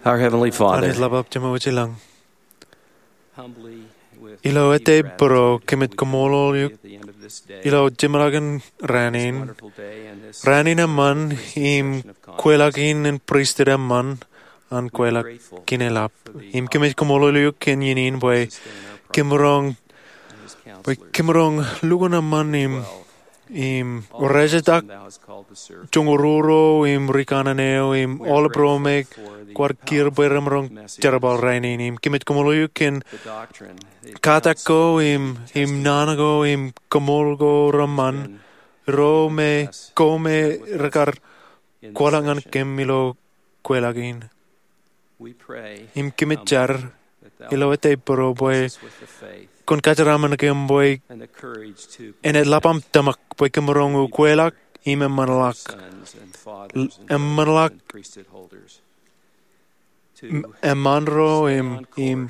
Our Heavenly Father, Anij Ḷapḷap Jemem wōj ilañ, humbly, with ilo ete bōro kōmij kaṃṃoolol eok ilo jeṃḷọkin raan in, raan in eṃṃan im kweilọk in, in pristut eṃṃan an kweilọk in eḷap. Im kōmij kaṃṃoolol eok kōn iien in bwe kōmeroñ, bwe kōmeroñ lukkuun eṃṃan im im rejetak joñoul ruo im ri kanaan eo im aolep ro me kwaar kiiō bwe remaroñ jerbal rainin. Im kōmij kaṃṃoolol eok kōn katak ko im, im naan ko im kaṃool ko reṃṃan, ro me ko me rekar kwaḷọk ñan kōm ilo kweilọk in. Im kōmij jar ilo ete bōro bwe kwōn kajeraṃṃan kōm bwe en eḷap aṃ tōmak bwe kōmeroñ ukweḷọk im eṃṃanḷọk, eṃṃanḷọk eṃṃaan ro im, im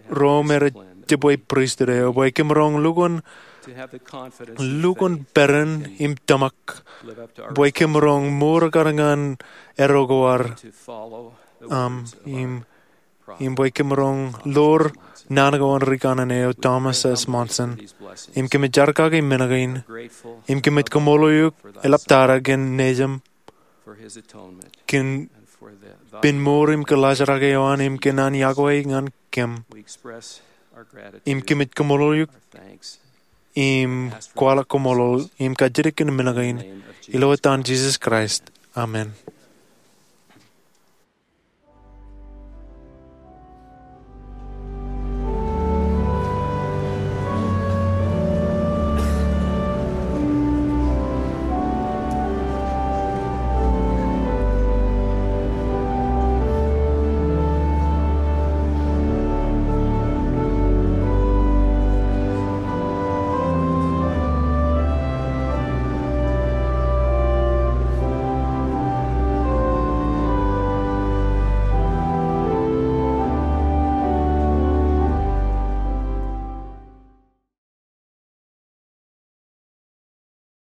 ro me rej jibwe pristut eo bwe kōmeroñ lukkuun, lukkuun peran im tōmak bwe kōmeroñ mour kar ñan eddo ko ad, im, im bwe kōmeroñ ḷoor naan ko an ri kanaan eo Thomas S. Monson. Im kōmij jar kake men kein, im kōmij kaṃṃoolol eok eḷaptata kōn nejūṃ kōn pen mour im kōḷaajrak eo an im kōn an yokwe ñan kōm. Im kōmij kaṃṃoolol eok im kwaḷọk kaṃṃoolol im kajjitōk kōn men kein ilo etan Jisōs Kraist, amen.